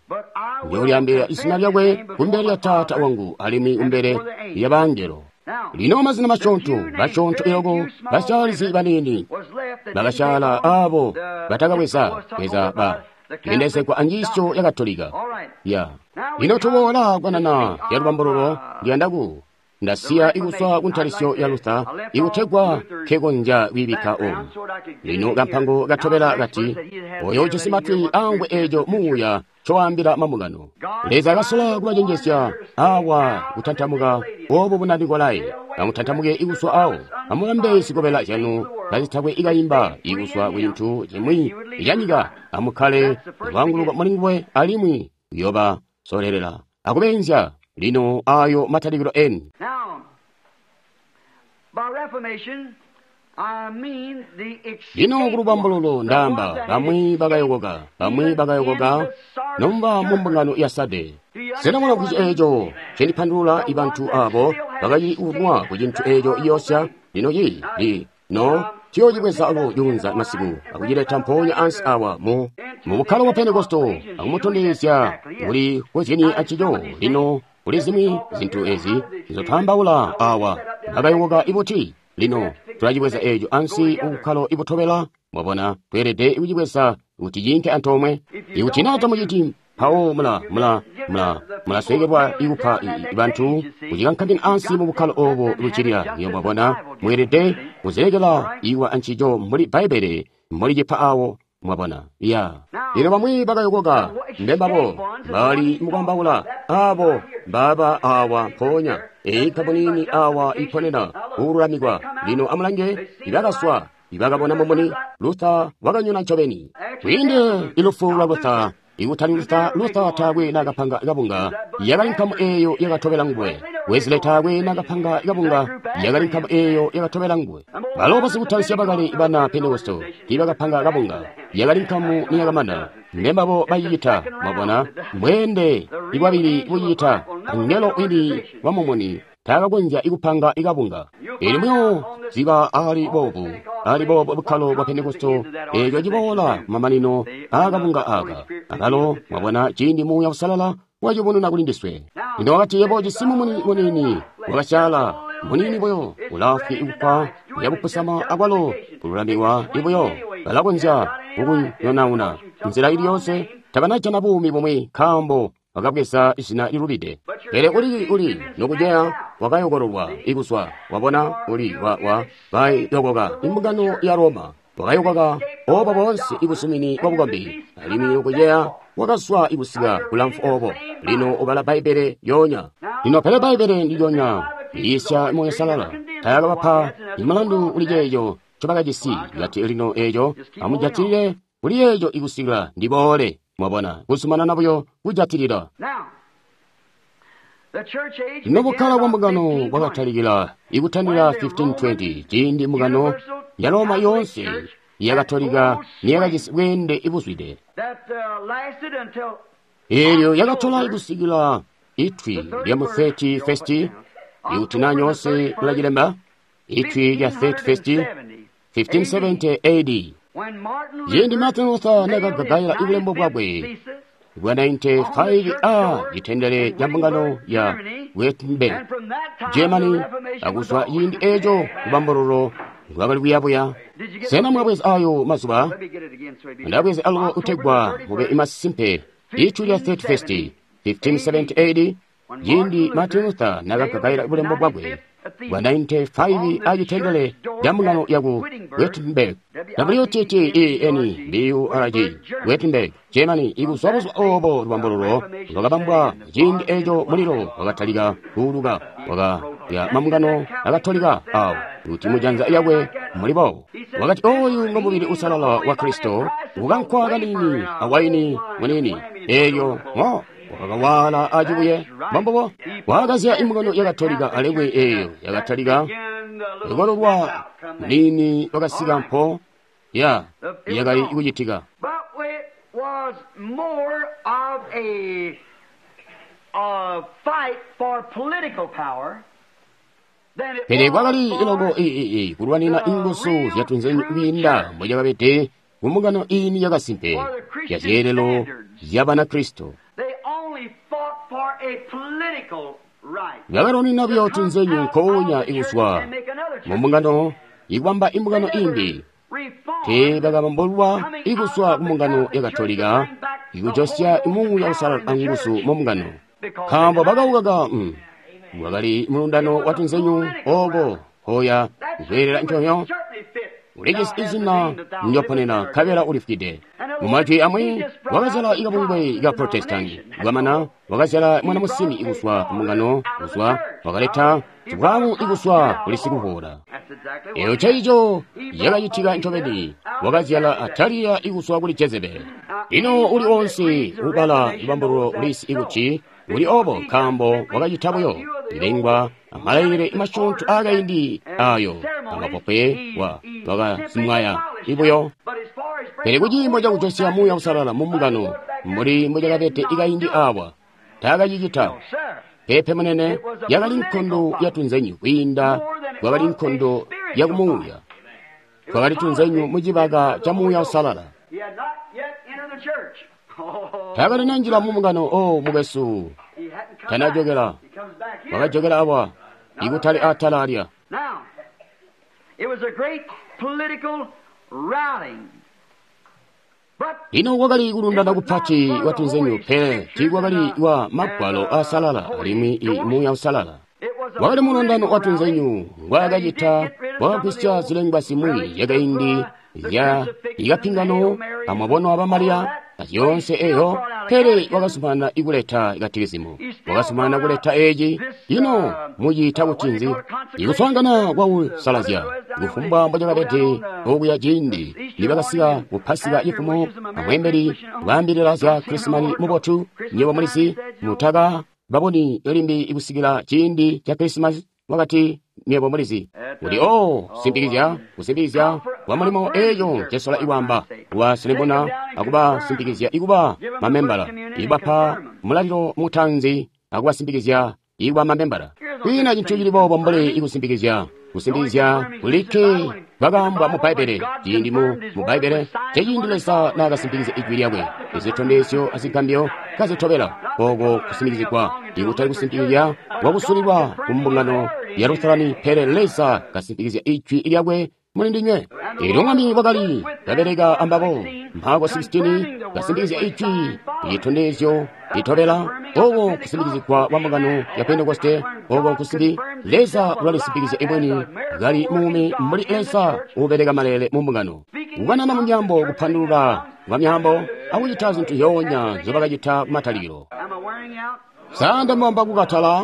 Njoolyaambila izina lyakwe kumbele lya Taata wangu alimwi kumbele lya bangelo. Lino mazina masyoonto, basyoonto iloko, basyaalizi baniini bakasyaala aabo batakabweza bweza ba yendezegwa anjiisyo ya Katolika. Ya lino tuboola kwanana ya lubambululo ndiyanda ku ndasiya ikuzwa ku ntalisyo ya Luther ikutegwa nkekonzya kwiibikka omu. Lino kampango katobela kati, oyo ujisi matwi amvwe eeco Muuya ncowaambila mambungano. Leza kasola kubacenjezya awa kutantamuka obu buna Nikolai. Amutantamuke ikuzwa awo, amulambe zikobela zyanu kazitakwe ikayimba ikuzwa ku cintu cimwi canyika. Amukkale lwaanguluko muli nguwe alimwi uyoba solelela akubeenzya. Lino ayo matalikilo eni. Lino kulubambululo ndaamba bamwi bakayokoka, bamwi bakayokoka nomba mu mbungano ya Sade. Sena mula kuti eeco cendipandulula ibantu abo bakacili kunwa ku cintu eeco iyosya? Lino ci lino ciyoocibweza alo juunza masiku akucileta mpoonya ansi awa mu bukkalo bwa Pentekosto akumutondezya kuli kozyeni ancico. Lino kuli zimwi zintu ezi nzotwaambaula awa bakayokoka ibuti. Lino tulacibweza eeco ansi kubukkalo ibutobela. Mwabona, tweelede kucibweza kuti ciinke antoomwe. Ikuti naa tamuciti, mpawo mulasweekelwa ikupa bantu kucikankamina ansi mu bukkalo oobo buccilila. Iyo mwabona, mweelede kuzilekela iwa ancico mbuli Bbaibbele mbulicipa awo. Mwabona, ya. Lino bamwi bakayokoka mbembabo bali mukwaambaula abo mbaba awa mpoonya eyi nkamu awa iponena kululamikwa. Lino amulange, ibakaswa ibakabona mumuni. Luther wakanyona ncobeni kwiinde ilufu lwa Luther. Ikutali Luther, Luther taakwe nakapanga kabunga, yakali nkamu eeyo yakatobela nguwe. Wesley taakwe nakapanga kabunga, yakali nkamu eeyo yakatobela nguwe. Balo basikutalisya bakali bana Pentekosto tiibakapanga kabunga, yakali nkamu niyakamana. Mbembabo bacicita. Mwabona, mbweende ibwabili bucicita. Mungelo wini wa mumuni taakakonzya ikupanga ikabunga. Eelyo muyo ziba ali boobu, ali boobu bukkalo bwa Pentekosto eeco ciboola kumamanino aakabunga aaka. Akalo mwabona ciindi Muuya Uusalala wacibonena kuli ndiswe. Lino wakati, yebo ujisi mumuni muniini wakasyaala, muniini buyo, ulaafwi ikufwa, uyabupusama akwalo kululamikwa ibuyo. Balakonzya kukunyonauna nzila ili yoonse, tabanajana buumi bumwi nkaambo wakabweza izina lilubide. Pele uli nokuceya wakayokololwa ikuzwa. Wabona, uli wa bayokoka imbungano ya Roma, wakayokoka obo boonse ibuzumini bwa bukombi, alimwi nokuceya wakazwa ikusika kulamfu obo. Lino ubala Bbaibbele yoonya. Lino pele Bbaibbele ndilyonya liisya Muuya Uusalala taakabapa imulandu kuli ceeco ncobakajisi. Kati lino eeco amujatilile kuli yeeco ikusikila ndiboole. Mwabona, kuzumanana buyo kujatilila. Lino bukkalo bwa mbungano bwakatalikila ikutandila 1520, ciindi mbungano ya Roma yoonse ya Katolika niyakajisi bweende ibuzwide. Eelyo yakatola ikusikila itwi lya mu 30 ikuti naa nyoonse mulacilemba, itwi lya 30 1570 AD. Ciindi Martin Luther nakagagaila ibulembo bwakwe bwa 95 a citendele ca mbungano ya Wittenberg, Germany, akuzwa ciindi eeco lubambululo lwakali kuyabuya. Sena mwabweza ayo mazuba? Ndabweza alubo utegwa mube masimpe. Itwi lya 31 1570 AD. Ciindi Martin Luther nakagagaila bulembo bwakwe bwa 95 acitendele ca mbungano yaku Wittenberg, W-T-T-E-N-B-U-R-G, Wittenberg, Germany, ikuzwa buzuba obo lubambululo lwakabambwa. Ciindi eco mulilo wakatalika kuuluka wakaya mambungano akatolika awo kuti mujanza yakwe muli boobo. Wakati oyu ngo mubili usalala wa Kristo, ukankwa kanini awaini munini, eelyo ngo wakakawala acibuye. Mbambubo wakazya imbungano ya Katolika alimwi eeyo yakatalika lukololwa nini wakasika mpo ya yakali kucitika. But it was more of a fight for political power than it Pele was kwakali for iloko iii kulwanina inguzu zyatunzenyu kwiinda mbocakabede kumbungano ini yakasimpe ya zyeelelo zya Banakristo. They only fought for a political right. Bakalwanina buyo tunzenyu nkoonya ikuzwa mumbungano ikubamba imbungano imbi. Teebakabambulwa ikuzwa kumbungano ya Katolika ikujosya imuuya usalala anguzu mumbungano, nkaambo bakaukaka wakali mulundano wa tunzenyu oko hoya kweelela nconyo ulijisi izina njoponena nkabela ulifwide. Mumajwi amwi wakazyala ikabungwe ka Protestanti, kwamana wakazyala mwana musimbi ikuzwa kumbungano kuzwa wakaleta sibwamu ikuzwa kuli sikuvuula. That's exactly Eyo what ceico yakacitika ncobeni, wakazyala Ataliya ikuzwa kuli Jezebeli. Lino uli onse ubala lubambululo ulisi ikuti uli obo nkaambo wakacita buyo ilengwa amalailile masyoonto aakaindi ayo amapopwe wa wakazimwaya ibuyo. But as far as Pele kuciimo cakujosya muuya usalala mu mbungano mbuli mbocakabede ikaindi awa taakacicita. sir, Pepe munene yakali nkondo ya tunzenyu kwiinda kwakali nkondo ya kumuuya. Kwakali tunzenyu mucibaka ca muuya usalala. he had not yet entered the church. Oh, Taakali nanjila mu mbungano o mukwesu he hadn't come tanajokela. back. He comes back here. Wakajokela awa ikutali atala alya. Now, it was a great political rallying. But Lino kwakali kulundana kupati kwa tunzenyu, pele tiikwakali kwa magwalo asalala alimwi i muuya usalala. it was a Wakali mulundano wa political rally. tunzenyu ngwaakacita wakagwisya zilengwa zimwi zyakaindi zya ikapingano amwabono aba Mariya azyoonse eyo, pele wakasumana ikuleta ikatikisimu, wakasumana kuleta eci. Ino muciita kuti nzi? Ikuswaangana kwakusalazya kufumbwa mbocakabede okuya ciindi nibakasika ku Pasika cifumo amweembeli kwaambilila zya Krisimani mubotu, nywebo mulizi mutaka baboni limbi ikusikila ciindi ca Krisimasi. Wakati nywebo mulizi kuti o simpikizya kusimpikizya kwa mulimo eeco ncesola ikwamba kubasilembona akubasimpikizya ikuba mamembala ibapa mulalilo mutanzi akubasimpikizya ikuba mamembala. Kwiina cintu cili boobo mbuli ikusimpikizya kusimpikizya kulikke kwakaambwa mu Bbaibbele. Ciindi mu Bbaibbele ceciindi Leza naakasimpikizya ijwi lyakwe, izitondezyo azigambyo kazitobela oko kusimpikizigwa, ikutali kusimpikizya kwakusulilwa ku mbungano ya Lutherani, pele Leza kasimpikizya ijwi lyakwe muli ndinywe. Eelyo Mwami wakali kabeleka ambabo Marko 16 kasimpikizya ijwi, itondezyo litobela oko kusimpikizigwa kwa mbungano ya Pentekoste, oko kusimbi Leza ulalisimpikizya imweni kali muumi mbuli Leza ubeleka malele mu mbungano, kukanana mu myambo, kupandulula kwa myambo, akucita zintu zyoonya nzobakacita kumatalikilo. Am I wearing out? Sanda mwamba kukatala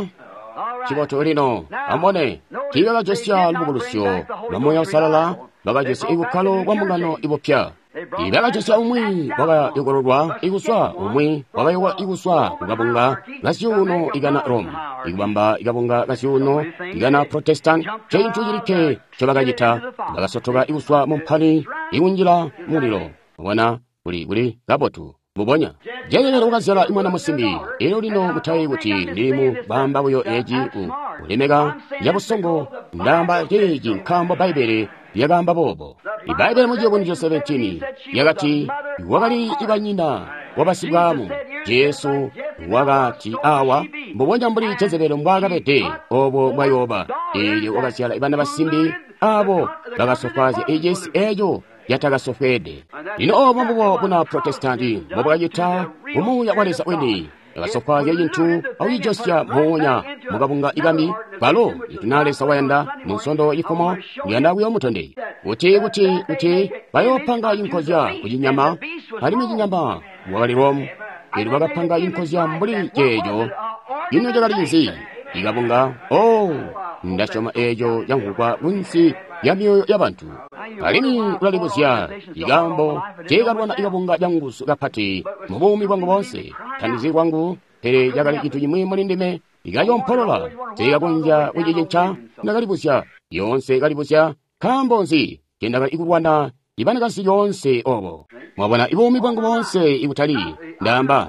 All right. cibotu lino amubone tiibakajosya lubukulusyo lwa muuya usalala, bakajosya ibukkalo bwa mbungano ibupya. Bakajosya umwi wakayokololwa ikuswa, umwi wakayokola ikuswa kukabunga kazyuuno ikana Roma, ikubamba ikabunga kazyuuno ikana Protestant. Cintu cilikke ncobakacita, bakasotoka ikuswa mu mpani ikunjila mulilo. Mubona kuli kabotu mbubonya Jezebeli wakazyala mwana musimbi. Elyo lino mutayi kuti ndili mu bamba buyo eci ku kulemeka yabusongo, ndaamba ceeci nkaambo Bbaibbele lyakaamba boobo. Ibbaibbele mu Ciyubunuzyo 17 lyakati wakali ibanyina wabasibwaamu. Jesu wakati awa mbubonya mbuli Jezebeli mbwaakabede obo mbwayooba. Eelyo wakazyala bana basimbi abo bakasofwaazya icisi eco yatakasofweede. Lino obo mbubo buna Protestanti mbobwakacita kumuuya wa Leza wini. Yakasofwaazya cintu akucijosya moonya mukabunga ikambi kalo ikuti na Leza wayanda mu Nsondo cifumo ndiyanda kuyoomutondezya kuti bayoopanga cinkozya ku cinyama, alimwi cinyama wakali Rome. Elyo bakapanga cinkozya mbuli ceeco. Ino cakali nzi? Ikabunga. Oh, ndasyoma eeco camvwugwa kunsi ya myoyo ya bantu. Alimwi ulalibuzya ikaambo teekalwana ikabunga canguzu kapati mu buumi bwangu boonse. Tandizi kwangu, pele cakali cintu cimwi muli ndime ikayompolola teekakonzya kucicinca. Ndakalibuzya yoonse kalibuzya nkaambo nzi cendakali kulwana ibanakazi lyoonse obo. Mwabona, ibuumi bwangu boonse ikutali ndaamba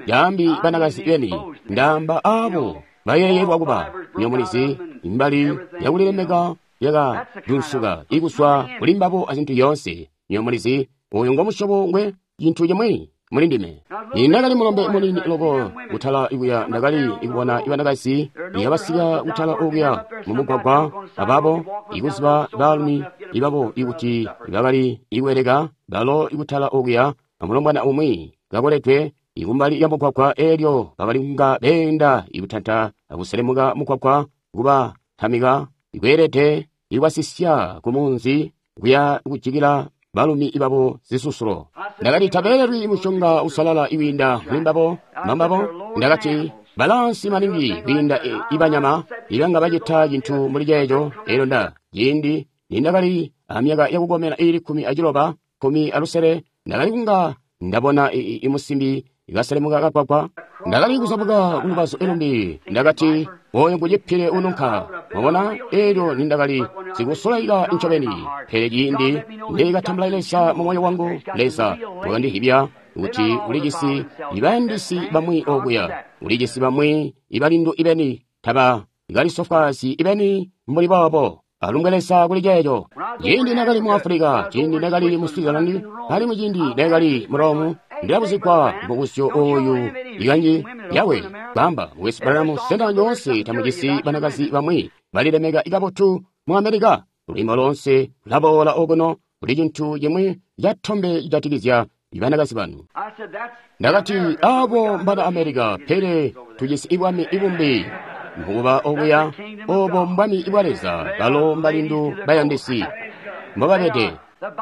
yaambi banakazi beni, ndaamba aabo bayeeyelwa kuba nyomulizi imbali yakulilemeka yakadunsuka ikuswa kuli mbabo azintu yoonse. Nyomulizi uyu ngo musyobo ngwe cintu cimwi muli ndime. Ndakali mulombe munini loko kutala ikuya, ndakali ikubona ibanakazi ibasika kutala okuya mumugwagwa ababo ikuziba baalumi ibabo ikuti bakali ikubeleka balo ikutala okuya amulombwana umwi kakoledwe ikumbali ya mugwagwa, elyo bakali kunga beenda ikutanta akuselemuka mugwagwa kuba tamika ikweelede ikwasisya kumunzi kuya kujikila balumi ibabo zisusulo. Ndakati tabeelelwi musyonga usalala iwiinda muli mbabo mbambabo. Ndakati balansi maningi kwiinda ibanyama ibanga bacita cintu mbuli ceeco. Elyo nda ciindi nindakali amyaka yakukomena iili 16, 16, ndakali kunga ndabona imusimbi ikaselemuka kagwagwa. Ndakali kuzabuka kulubazu lumbi. Ndakati oyo ngucipile ununka. Mwabona, elyo nindakali sikusulaika ncobeni. Pele ciindi ndikatambula Leza mu moyo wangu, Leza wakandihibya kuti ulijisi ibayandisi bamwi okuya, ulijisi bamwi ibalindu ibeni, taba kalisofwaazyi ibeni mbuli boobo. Alumbwe Leza kuli ceeco. Ciindi nakali mu Africa, ciindi nakali mu Switzerland, alimwi ciindi nakali mu Rome, ndilabuzigwa mubuzyo oyu ikanji yawe kwamba Mukwesu Branham, sena nyoonse tamujisi banakazi bamwi balilemeka ikabotu mu America? Lwiimbo loonse lulaboola okuno kuli cintu cimwi catombe cijatikizya banakazi banu. Ndakati abo mbana America, pele tujisi ibwami ibumbi mukuba okuya, obo mbwami bwa Leza, balo mbalindu bayandisi mbobabede.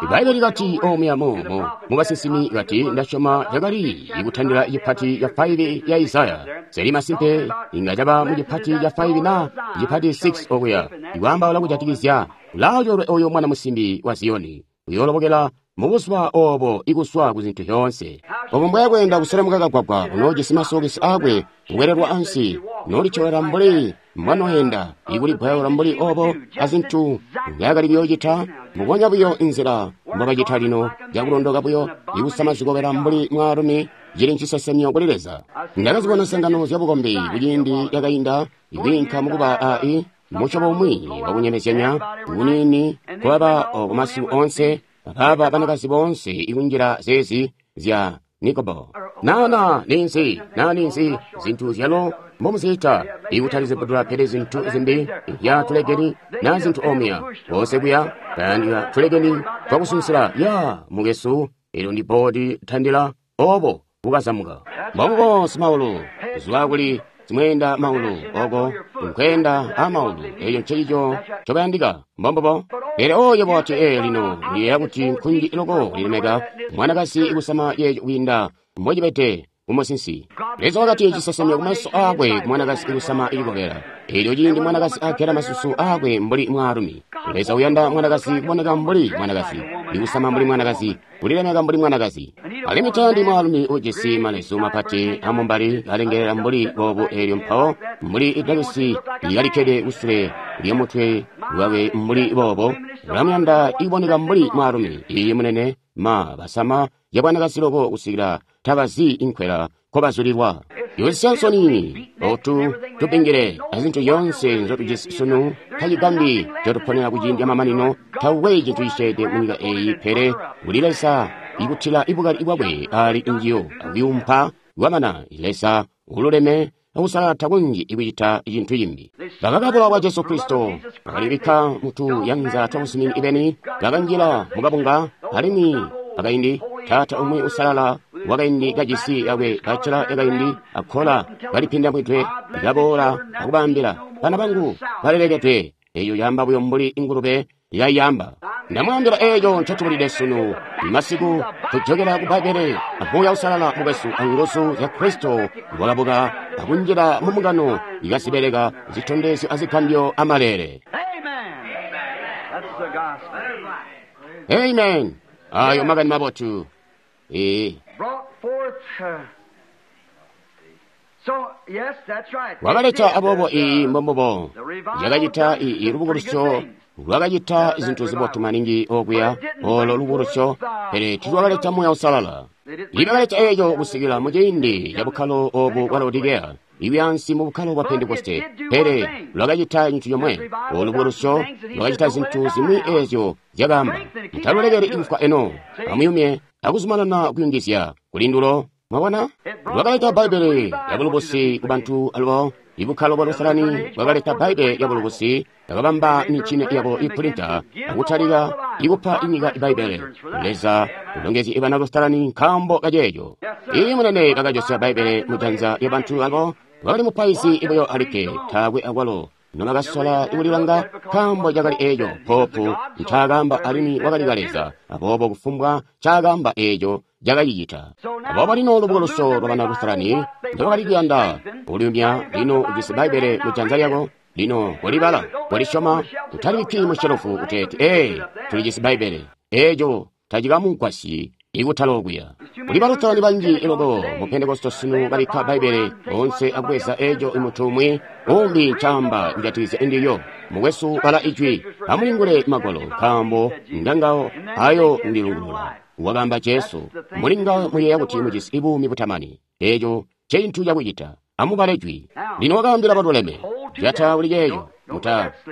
Ibaibbele likati omuya mu basinsimi kati ndasyoma cakali ikutandila cipati ca 5 ya Isaya. Seli masimpe inga caba mu cipati ca 5 na cipati 6 okuya ikwaambaula kujatikizya ulaacoolwe oyo mwana musimbi wa Ziyoni uyoolobokela mubuzuba obo ikuswa ku zintu zyoonse. Obo mbwayakweenda kuselemuka kagwagwa unoojisi masokesi aakwe kukwelelwa ansi, noolityolera mbuli mbwanoyenda ikuligwayola mbuli obo azintu nzyakali kuyoocita, mbubonya buyo inzila mbobacita lino cakulondoka buyo ikusama zikobela mbuli mwaalumi cili ncisesemyo kuli Leza. Ndakazibona nsangano zyabukombi kuciindi cakainda ikwiinka mukuba ai musyobo umwi wakunyemezyanya kuniini kubaba kumasiku onse ababa banakazi boonse ikunjila zeezi zya nikobo. Nana ninzi, na ninzi zintu zyalo mbomuziita ikutali zibudula pele zintu zimbi ya tulegeni na zintu omya bonse kuya bayandika tulegeni twakusunsila ya mukesu. Elyo ndi bodi tandila obo bukazamuka mbombo simaulu kuzwa kuli zimweenda maulu oko nkwenda amaulu eyo nceico ncobayandika mbombobo. Pele oyo bwati lino ndiyeeya kuti nkunji loko lilemeka mwanakazi ikusama yeeco kwiinda mbocibede kumusinsi. Leza wakati cisesemyo kumaso aakwe kumwanakazi ikusama ikobela. Elyo ciindi mwanakazi agela masusu aakwe mbuli mwaalumi. Leza uyanda mwanakazi kuboneka mbuli mwanakazi, ikusama mbuli mwanakazi, kulilemeka mbuli mwanakazi. Alimwi tayandi mwaalumi ujisi malezu mapati amumbali alengelela mbuli boobu, elyo mpawo mbuli idakisi lyalikkede kusule lyamutwe lwakwe mbuli boobo. Ulamuyanda ikuboneka mbuli mwaalumi. Iye munene ma basama yabwanakazi loko kusikila tabazi inkwela nkobazulilwa. Yosya nsoni otu tupingile azintu zyoonse nzotujisi sunu tacigambi ncotuponera kuciindi amamanino. Tawe cintu ciceede munyika eyi pele kuli Leza ikutila ibukali bwakwe ali njiyo akuyumpa kwamana. Leza ululeme akusalala takunji ikucita cintu cimbi. Bakakabula bwa Jesu Kristo bakalibikka mutu yanza twabuzumini ibeni, bakanjila mukabunga alimwi pakaindi taata umwi usalala wakaindi kajisi yakwe bacela yakaindi akkola kalipindamwidwe kaboola akubaambila, bana bangu balelekedwe. Eyo yamba buyo mbuli ingulube yayamba. Ndamwaambila eeco ncotubulide sunu masiku, tujokela ku Bbaibbele amuuya usalala mukwesu anguzu zya Kristo wakabuka akunjila mu mbungano ikazibeleka zitondezyo azigambyo amaleele. Amen. Ayo makani mabotu. Wakaleta aboobo iyi mbombubo yakacita iyi lubukulusyo lwakacita zintu zibotu maningi okuya olo lubukulusyo, pele tilwakaleta Muuya Uusalala. Ibakaleta eeco kusikila muciindi ca bukkalo obu bwa Laodikeya, ibyansi mu bukkalo bwa Pentekoste, pele lwakacita cintu comwe. Olu lubukulusyo lwakacita zintu zimwi eezyo zyakaamba, mutalulekeli kufwa eno, amuyumye akuzumanana kuyungizya kulindulo. Mwabona, lwakaleta Bbaibbele lya bulubusi ku bantu alubo. Ibukkalo bwa Lusalani bwakaleta Bbaibbele lya bulubusi, bakabamba mincini yabo ipulinta akutalika ikupa inyika Bbaibbele. Leza ulongezye ibana Lusalani nkaambo kaceeco. Iyi munene bakajosya Bbaibbele mujanza lya bantu abo. Bakali mupaizi buyo alikke, taakwe akwalo nobakasola kulilanga nkaambo cakali eeco poopu ncaakaamba alimwi wakali kaleza, aboobo kufumbwa ncaakaamba eeco cakacicita. Aboobo lino lubukulusyo lwa bana Lusalani ndobakali kuyanda kuliyumya. Lino ujisi Bbaibbele mujanza lyako, lino kolibala, kolisyoma, utalibikki mushelufu uteeti, ee, tulijisi Bbaibbele. Eeco tacikamugwasyi ikutala okuya. Kuli Balusalani banji loko mu Pentekoste sunu babikka Bbaibbele onse akubweza eeco muntu umwi umbi ncaamba kujatikizya ndilyo. Mukwesu, bala Ijwi, amulingule Magwalo, nkaambo ngangawo ayo ndilungulula. Wakaamba Jesu, mulingawo muyeeya kuti mujisi buumi butamani. Eeco ncecintu cakucita. Amubale Jwi. Lino wakaambila baluleme, jata kuli ceeco,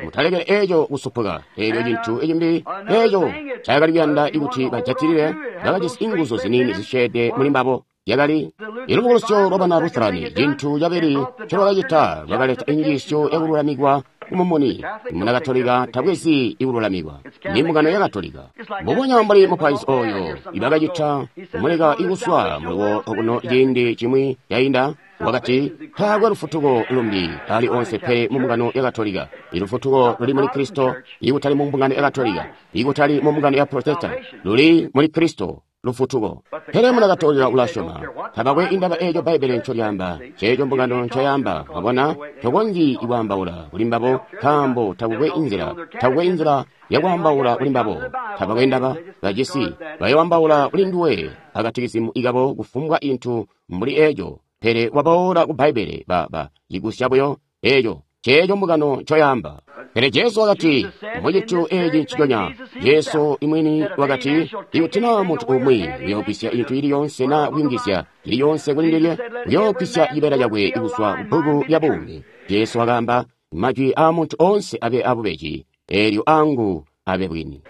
mutalekele eeco kusupuka. Eelyo cintu cimbi eeco ncaakali kuyanda kuti bajatilile, bakajisi inguzu ziniini zisyeede muli mbabo. Yakali ilubukulusyo lwa bana Lusalani. Cintu cabili ncolwakacita, lwakaleta injiisyo yakululamikwa kumumuni. Muna Katolika tabwezi ikululamikwa, ni mbungano ya Katolika. Mbubonya mbuli mupaizi oyo ibakacita kumuleka ikuswa muliwo okuno ciindi cimwi cainda, wakati taakwe lufutuko lumbi ali onse pele mu mbungano ya Katolika. Ilufutuko luli muli Kristo, ikutali mu mbungano ya Katolika, ikutali mu mbungano ya Protestant, luli muli Kristo lufutuko. Pele muna Katolika ulasyoma, tabakwe indaba eeco Bbaibbele ncolyaamba, ceeco mbungano ncoyaamba. Mwabona, tokonzyi kwaambaula kuli mbabo nkaambo takukwe inzila, takukwe inzila yakwaambaula kuli mbabo. Tabakwe ndaba bajisi, bayoambaula kuli nduwe akatikizimu ikabo kufumbwa intu mbuli eeco. Pele waboola ku Bbaibbele ba cigusya buyo eeco ceeco mbungano ncoyaamba. Pele Jesu wakati mucintu eeci nciconya. Jesu imwini wakati, ikuti naa muntu umwi uyoogwisya intu ili yonse naa kuyungizya ili yonse kuli ndilye, uyoogwisya cibeela cakwe kuzwa ku bbuku lya buumi. Jesu wakaamba, majwi aa muntu onse abe abubeji, eelyo angu abe bwini.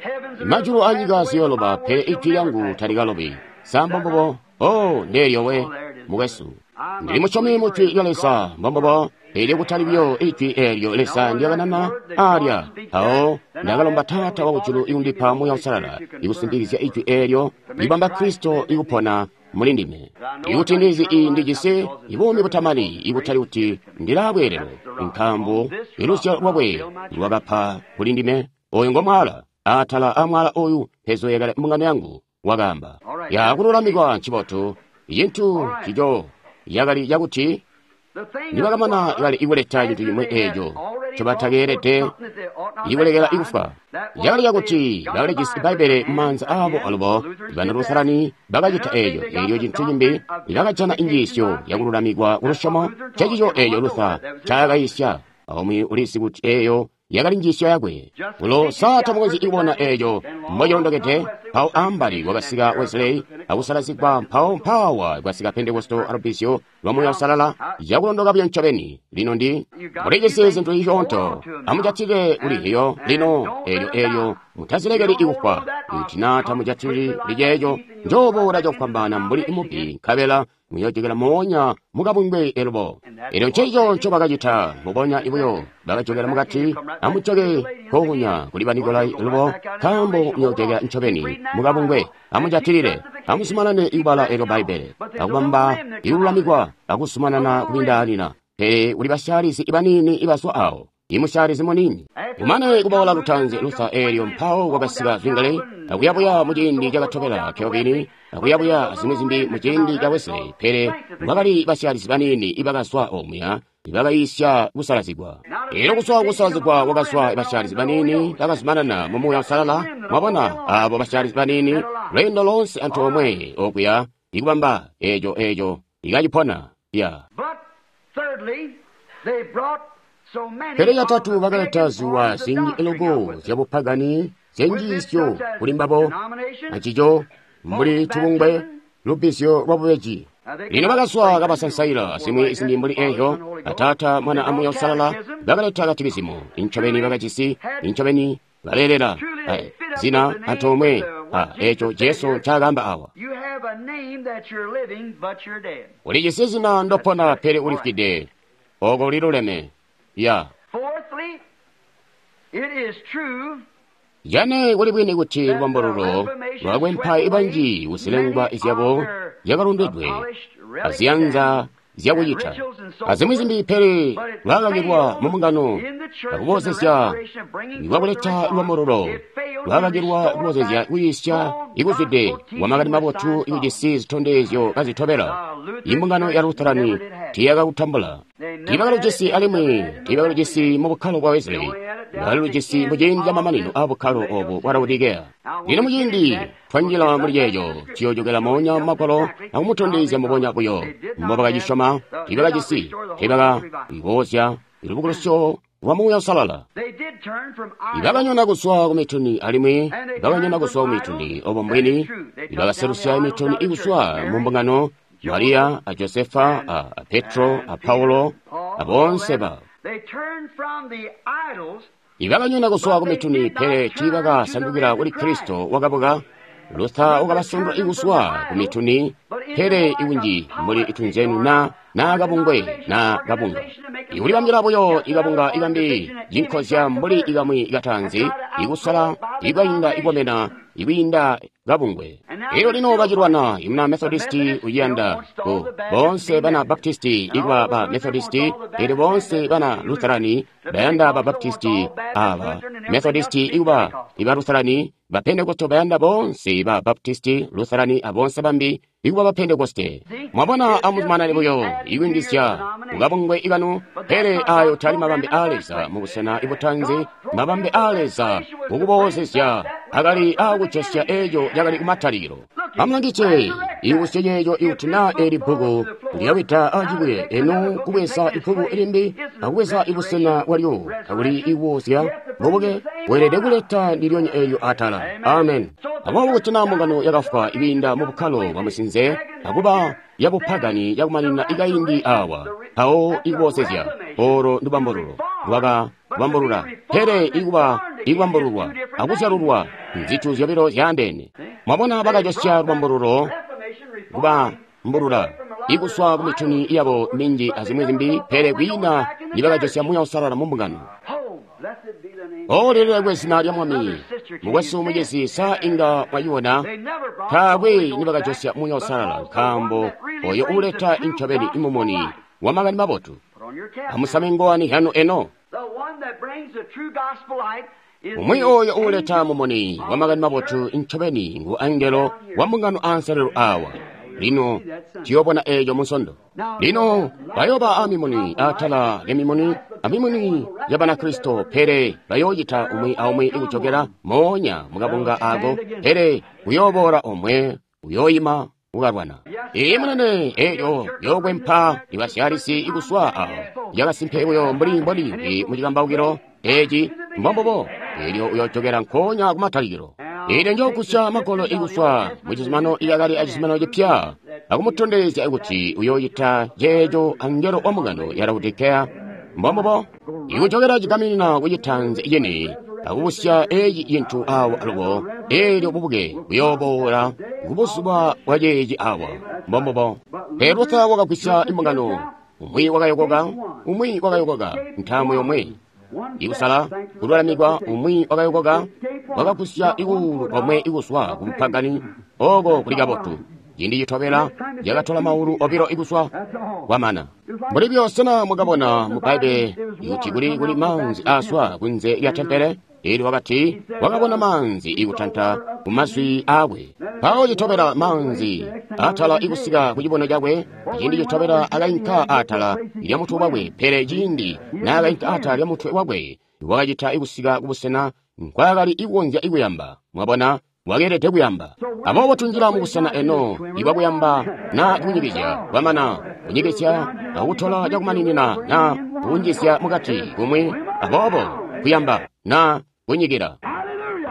Majulu anyika ziyooloba, pele ijwi lyangu talikalobi. Sa mbombubo? Oh, ndeelyo we, mukwesu. Ndili musyomi mu Jwi lya Leza, mbombubo. Eelyo kutali buyo ijwi eelyo Leza ndyakanana alya. Mpawo ndakalomba Taata wakujulu ikundipa Muuya Uusalala, ikusimpikizya ijwi eelyo, libamba Kristo ikupona muli ndime. Ikuti ndizi ndijisi buumi butamani, ikutali kuti ndilaa bweelelo, nkaambo iluzyalo lwakwe lwakapa kuli ndime. Oyu ngo mwaala, atala amwaala oyu mpezoyekale mbungano yangu, wakaamba. Yakululamikwa ncibotu, cintu cico yakali cakuti nibakamana kali ikuleta cintu cimwi eeco ncobatakeelede ikulekela ikufwa. Cakali cakuti bakalijisi Bbaibbele mumaanza aabo alubo bana Lusalani bakacita eeco. Eelyo cintu cimbi bakajana injiisyo yakululamikwa kulusyomo, ncecico eeco Luther ncaakayisya. Aumwi ulizi kuti eeyo yakali njiisyo yakwe. Ulo sa tamukonzyi kubona eeco mbocilondokede? Mpawo ambali kwakasika Wesley akusalazigwa, mpawo mpaawa kwasika Pentekoste alubbizyo lwa Muuya Uusalala, cakulondoka buyo ncobeni. Lino ndi mulijisi zintu zisyoonto, amujatile kuli hiyo lino eelyo eelyo mutazilekeli ikufwa. Kuti naa tamujatilili kuli ceeco, Njooboola cakufwambaana mbuli mubbi, nkabela muyoojokela moonya mukabungwe elubo. Elyo ncencico ncoba kacita, mbubonya buyo bakajokela mukati. Amujoke kokunya kuli ba Nikolai elubo, nkaambo muyoojokela ncobeni mukabungwe. Amujatilile, amuzumanane kubala elyo Bbaibbele, akubamba ikululamikwa, akuzumanana kubindaanina. Pele kuli basyaalizi baniini ibazwa awo, imusyaalizi muniini. Kumane kuboola lutaanzi Luther, eelyo mpawo kwakasika Zwingli, akuyabuya muciindi cakatobela Calvin, akuyabuya azimwi zimbi muciindi ca Wesley. Pele kwakali basyaalizi baniini ibakazwa omuya ibakayiisya kusalazigwa. Elyo kuzwa kusalazigwa kwakazwa basyaalizi baniini bakazumanana mu Muuya Uusalala. Mwabona, abo basyaalizi baniini lweendo loonse antoomwe okuya ikubamba eco eco ikacipona ya. But thirdly, they brought so many Pele catatu of the bakaleta pagan ziwa forms of zinji doctrine up loko with them. zyabupagani zyenjiisyo With this such as kuli mbabo, denomination, ancico mbuli tubungwe lubbizyo lwa bubeji. Lino bakazwa kabasansaila azimwi zimbi mbuli eeyo, Ataata, Mwana a Muuya Uusalala, bakaleta katikizimu. Incobeni bakajisi, incobeni baleelela zina antoomwe a eco Jesu ncaakaamba awa. You have a name that you're living, but you're dead. Ulijisi zina ndopona pele ulifwide, oko liluleme. Ya. Fourthly, it is true Jane kuli bwini kuti lubambululo lwakwempa ibanji kuzilengwa izyabo zyakalondedwe aziyanza zyakucita azimwi zimbi, pele lwakakilwa mu mbungano akubozezya lwakuleta lubambululo lwakakilwa kubozezya kuyiisya ikuzwide kwa makani mabotu ikujisi zitondezyo kazitobela. Imbungano ya Lutherani tiiyakakutambula, tiibakalujisi alimwi tiibakalujisi mu bukkalo bwa Wesley, bakalujisi muciindi camamanino a bukkalo obu bwa Laodikeya. Lino muciindi twanjila muli ceeco, tuyoojokela moonya mu Magwalo akumutondezya mbubonya buyo mbobakacisyoma. Tiibakajisi, tiibakaboozya lubukulusyo lwa Muuya Uusalala. they did turn from idols Ibakanyona kuzwa ku mituni alimwi bakanyona kuzwa ku mituni obo mbwini ibakaselusya mituni ikuzwa mu mbungano, Mariya a Josefa a Petro a Paulo a boonse ba. They turned from the idols Ibakanyona kuzwa ku mituni pele tiibakasandukila kuli Kristo wakabuka. Luther wakabasandula ikuzwa ku mituni pele ikunji mbuli itunzenu na kabungwe na kabunga. Ikulibambila buyo ikabunga ikambi cinkozya mbuli ikamwi kataanzi ikusala ikwainda ikomena ikwiinda kabungwe. Elyo lino bacilwana imuna Methodisti uciyanda ku boonse bana Baptisti ikuba ba Methodisti, elyo boonse bana Lutherani bayanda ba Baptisti aba Methodisti ikuba iba Lutherani, ba Pentekoste bayanda boonse ba Baptisti, Lutherani aboonse bambi ikuba ba Pentekoste. Mwabona, amuzumanane buyo ikuyungizya kukabungwe ikanu, pele ayo tali mabambe a Leza mu busena ibutanzi. Mabambe a Leza kukuboozezya akali akujosya eco cakali kumatalikilo. Amulangice ikusye ceeco ikuti naa eli bbuku lyawida acibuye eno kubweza ibbuku limbi akubweza ibusena bwalyo kakuli ikuboozya bubuke weelede kuleta ndilyonya eelyo atala. Amen. Aboobo kuti naa mbungano yakafwa ikwiinda mu bukkalo bwa musinze akuba yabupagani yakumanina ikaindi awa, mpawo ikuboozezya olo ndubambululo lwaka bambulula, pele ikuba ikubambululwa akuzyalulwa nzitu zyobilo zyaandeene. Mwabona, bakajosya lubambululo kubambulula ikuswa ku mituni yabo minji azimwi zimbi, pele kwiina nibakajosya Muuya Uusalala mu mbungano. Oh, blessed be the name. O lilelekwe zina lya Mwami. Mukwesu mucizi, sa inga mwayiona? They never brought the Taakwe Holy Ghost nibakajosya back Muuya Uusalala, because the one nkaambo that really oyo brings the uleta true incobeni gospel imumuni light. wa makani mabotu. Put on your cap now. Amusame ngowani yanu eno. The one that brings the true gospel light is Umwi the oyo uleta angel mumuni wa of makani the mabotu church. incobeni ngu angelo wa mbungano anselelo awa. Lino tuyobona eeco munsondo. Lino bayoba amimuni atala lyamimuni amimuni ya Banakristo, pele bayoocita umwi aumwi ikujokela moonya mukabunga ako, pele uyooboola omwe uyoyima ukalwana. Ee munene, eeyo yokwempa ibasyalisi ikuswa awo yakasimpe buyo mbuli mboli mucikambaukilo eci mbombubo, eelyo uyoojokela nkoonya kumatalikilo. Eelyo njokusya magolo ikuswa mucizuminano iyakali acizuminano cipya akumutondezya kuti uyoocita ceeco angelo wa mbungano ya Laodikeya. Mbombubo, ikujokela cigaminina kucitanzi cini. akubusya eci cintu awa alubo, eelyo bubuke buyooboola kubuzuba bwa ceeci awa. Mbombubo. Pele Luther wakagwisya imbungano, umwi wakayokoka, umwi wakayokoka, ntaamu yomwe. Ikusala kululamikwa, umwi wakayokoka, wakagwisya ikuulu komwe ikuswa ku bupagani, oko kuli kabotu. Ciindi citobela yakatola maulu obilo ikuswa kwamana. Mbuli buyo sena mwakabona mu Bbaibbele kuti kuli kuli maanzi aaswa kunze lya tempele? Elyo wakati wakabona maanzi ikutanta ku mazwi aakwe. Mpawo citobela maanzi atala ikusika ku cibono cakwe, ciindi citobela akainka atala lya mutwe wakwe, pele ciindi naakainka atala lya mutwe wakwe, wakacita ikusika kubusena nkwaakali ikukonzya ikuyamba. Mwabona? Wakeelede kuyamba. Aboobo tunjila mubusena eno ibwakuyamba na kunyikizya kwamana kunyikizya akutola cakumaninina na kunjizya mukati kumwi, aboobo kuyamba na kunyikila.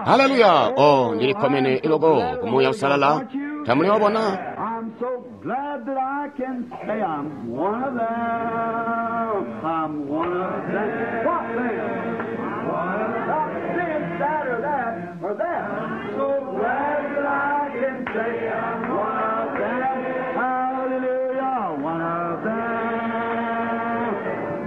Haleluya! Oh, ndilikkomene iloko ku Muuya Uusalala. Tamuliwobona? I'm so glad that I can say I'm one of them. I'm one of them. What them? One of them. Not this, that, or that, or that. I'm so glad that I can say I'm one of them. Hallelujah. One of them.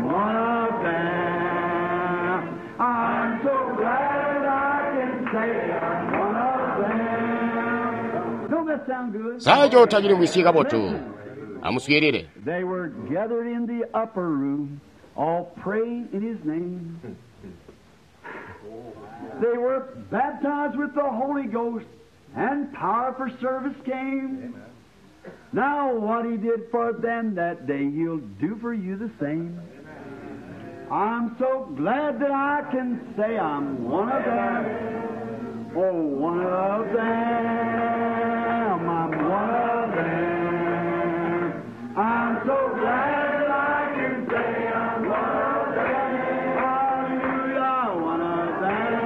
One of them. I'm so glad I can say I'm one of them. Don't that sound good? Sacho tachilimvwisye kabotu. Amuswiilile. They were gathered in the upper room, all praying in his name. They were baptized with the Holy Ghost, and power for service came. Now what he did for them that day, he'll do for you the same. I'm so glad that I can say I'm one of them. Oh, one of them. I'm one of them. I'm so glad that I can say I'm one of them. Hallelujah, one of them.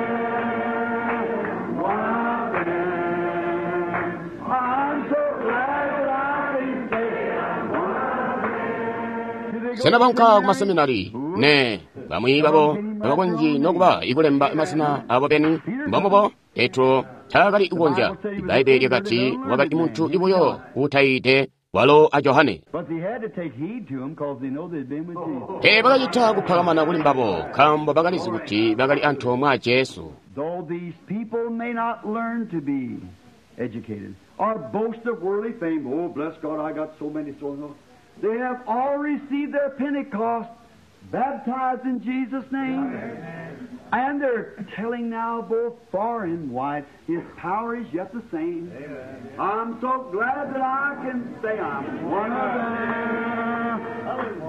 One of them. I'm so glad that I can say I'm one of them. Do they go Sena to baunka ku seminary? maseminari? Ne, bamwi babo tabakonzyi nokuba ikulemba masina abo beni. Mbombubo, Petro taakali kukonzya. Ibbaibbele lyakati wakali muntu ibuyo uutayiide walo a Johane. But they had to take heed to him because they know they'd been with Jesus. Pele bakacita kuphakamana kuli mbabo, nkaambo bakalizi kuti bakali antoomwe a Jesu. Though these people may not learn to be educated or boast of worldly fame, oh, bless God, I got so many so and so. They have all received their Pentecost, baptized in Jesus' name. And they're telling now both far and wide, His power is yet the same. I'm so glad that I can say I'm one of them.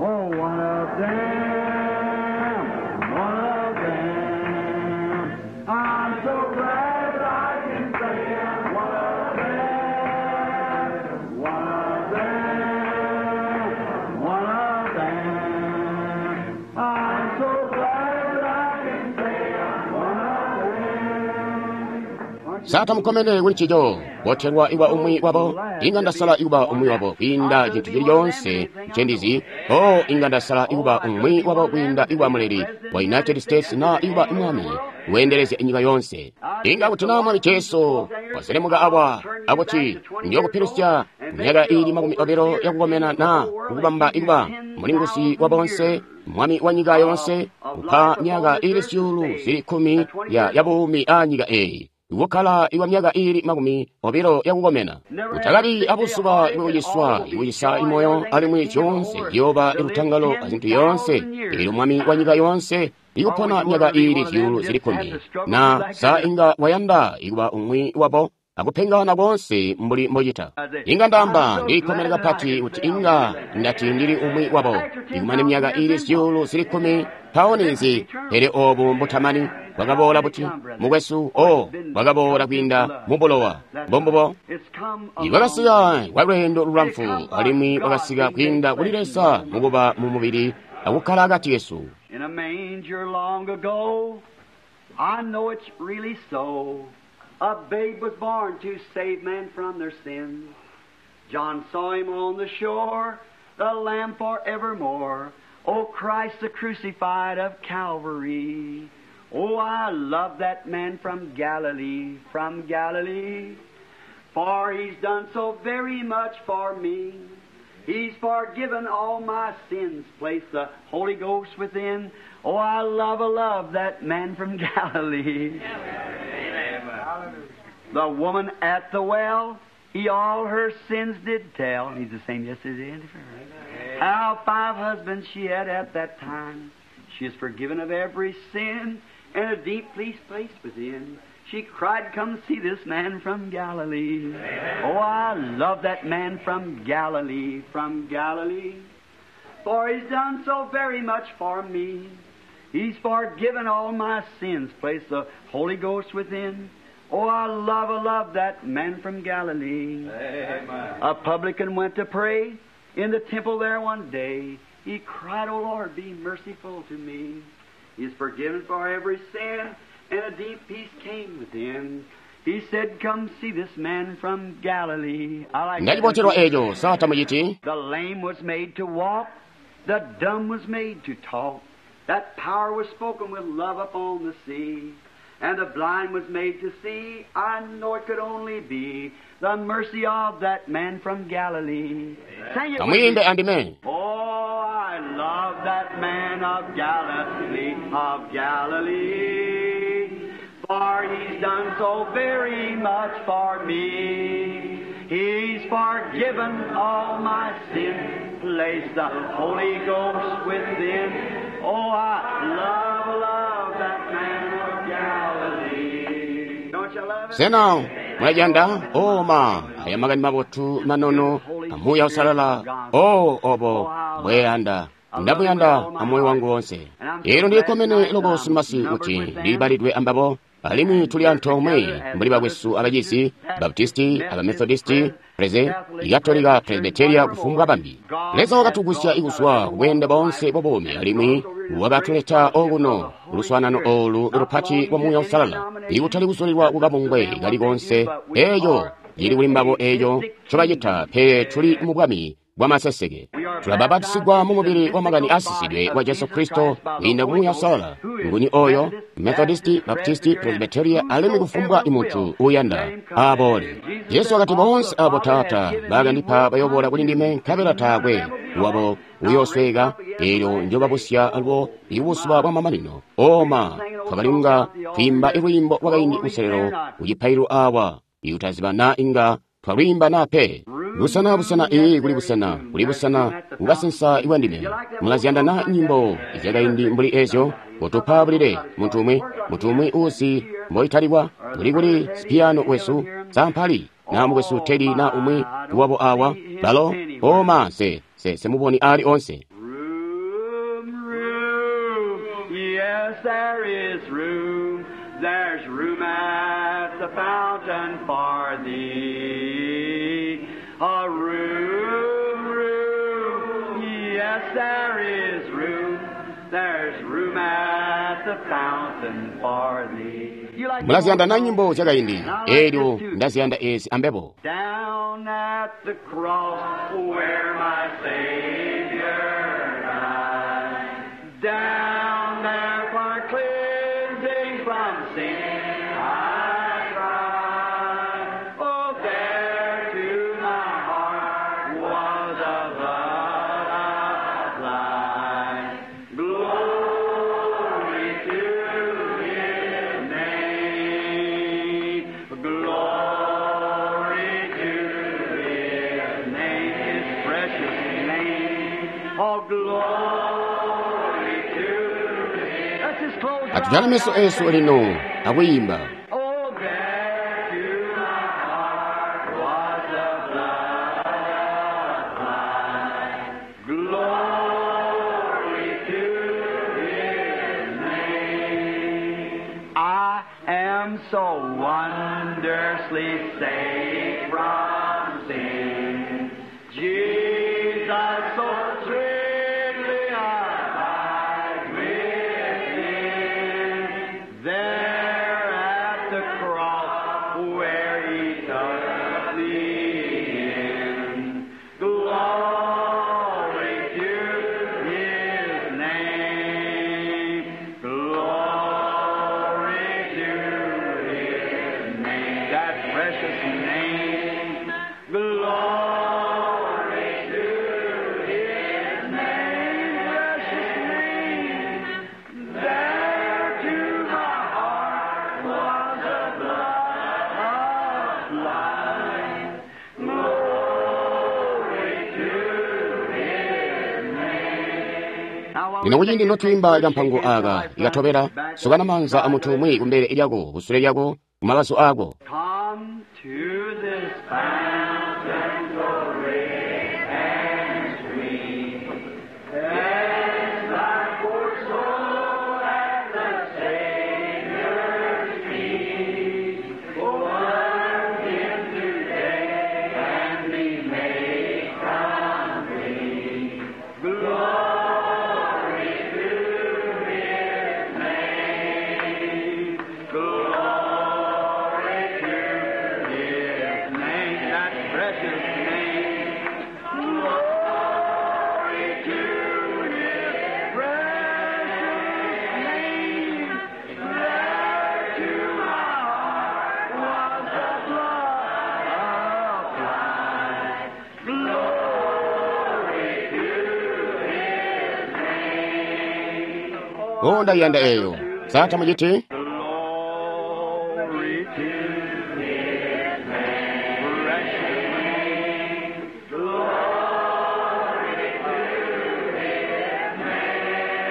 Oh, one of them. One of them. I'm so glad that I can say I'm one of them. One of them. One of them. I'm so glad that I can say I'm one of them. Satamukomene kuli ncico, botelwa iwa umwi wabo, inga ndasala ikuba umwi wabo kwiinda cintu cili coonse ncendizi. Oh, inga ndasala ikuba umwi wabo kwiinda ikuba muleli wa United States na ikuba mwami weendelezya inyika yonse. Inga kuti na mwami Jesu waselemuka awa akuti ndiyokupilusya myaka ili 20 yakukomena na kukubamba ikuba mulingusi wa bonse mwami wa nyika yonse kupa myaka ili 10,000 ya buumi a nyika eyi. Kukhala iwa myaka ili 20 yakukomena kutakabi abuzuba ibwakuciswa ikucisa imoyo alimwi zyonse ziyooba ilutangalo azinthu yonse ili mwami wa nyika yonse ikupona myaka ili 10,000 na sa inga wayanda ikuba umwi wabo akupengana konse mbuli mbochita. Inga ndamba ndilikkomene kapati kuti inga ndati ndili umwi wabo ikumane myaka ili 10,000 mpawo ninzi, pele obu mbutamani bwakaboola buti mukwesu o bwakaboola kwiinda mubulowa. Mbombubo bwakasika kwa lweendo lulamfu alimwi bwakasika kwiinda kuli Leza mukuba mu mubili akukkala akati kesu. In a manger long ago, I know it's really so. A babe was born to save man from their sins. John saw him on the shore, the Lamb forevermore. O Christ the crucified of Calvary. Oh, I love that man from Galilee, from Galilee. For he's done so very much for me. He's forgiven all my sins, placed the Holy Ghost within. Oh, I love that man from Galilee. The woman at the well, he all her sins did tell. He's the same yesterday and forever. How 5 husbands she had at that time. She is forgiven of every sin and a deep peace place within. She cried, come see this man from Galilee. Amen. Oh, I love that man from Galilee, from Galilee. For he's done so very much for me. He's forgiven all my sins, placed the Holy Ghost within. Oh, I love that man from Galilee. Amen. A publican went to pray in the temple there one day. He cried, O Lord, be merciful to me. He is forgiven for every sin, and a deep peace came within. He said, come see this man from Galilee. I like Ndachipocherwa echo satamuchiti. The lame was made to walk, the dumb was made to talk. That power was spoken with love upon the sea. And the blind was made to see. I know it could only be the mercy of that man from Galilee. Sing it with me. Kamuyimbe andime. Oh, I love that man of Galilee, of Galilee. For he's done so very much for me. He's forgiven all my sin, placed the Holy Ghost within. Oh, I love that man of Galilee. Don't you love it? Sena mulajanda oma aya makani mabotu manono amuya usalala o obo mbweyanda ndamuyanda amoyo wangu wonse. Ero ndikomene lokosi masi kuti ndibalidwe ambabo alimwi tuli anthu omwe mbuli bakwesu abachizi Baptisti, Abamethodisti, Preze, Ikatolika, Presbyteria kufumbwa bambi. Leza wakatugusya ikuswa kubwenda bonse bobomi alimwi wakatuleta okuno luswanano olu lupati lwa muya usalala ikutali kusulilwa kukabungwe kali konse eyo lili kuli mbabo eyo cobacita pe tuli mu bwami bwa maseseke. Tulabapatisigwa mu mubiri wa makani asisidwe wa Jesu Kristo kuyinda kumuya usalala. Nguni oyo Methodisti, Baptisti, Presbyteria alimwi kufumbwa imunthu uyanda abole. Yesu akati bonse abo Tata bakandipa bayobola kuli ndime nkabela taakwe wabo uyosweka elyo njobabusya alwo ibusuba bwa mamanino. Oma twakalinga twimba ilwimbo lwakaindi kuselelo kuchipailo awa iutaziba na inga twalwimba nape. Busana busana ee kuli busana kuli busana kukasensa iwandime. Mulaziyanda na nyimbo izyakaindi mbuli ezyo kutupa bulile munthu umwe usi mboitaliwa kuli kuli sipiyano wesu sampali na mukwesu teli na umwe wabo awa balo oma se se semuboni ali onse. Room, room, yes, there is room. There's room at the fountain for thee. A room, room, yes, there is room. There's room at the fountain for thee. You like Mulaziyanda na nyimbo zyakaindi elyo ndaziyanda ezi ambebo. Down at the cross where my Savior died. Down there for cleansing from sin I cried. Oh, there to my heart was a blood applied. Glory to His name. Glory to His name, His precious name. Oh, glory to His. Let's just close our Atujale meso eyes. esu lino akuyimba. Oh, there to my heart was the blood applied. Glory to His name. I am so wondrously saved from sin. Jesus so sweetly abides within. There at the cross where He took me in. Glory to His name. Glory Lino kuciindi notwiimba kampango aka ikatobela, sukana maanza a muntu umwi kumbele lyako, kusule lyako, kumabazu ako. Come to this fountain so rich and sweet. Cleanse thy poor soul at the Savior's feet. Oh, learn Him today and be made complete. Glory to His name. Glory to His name, that precious name. Glory to His precious name. There to my heart was the blood applied. Glory to His name. O, ndayiyanda eyo. Sa tamuciti? Glory to His name, precious name. Glory to His name.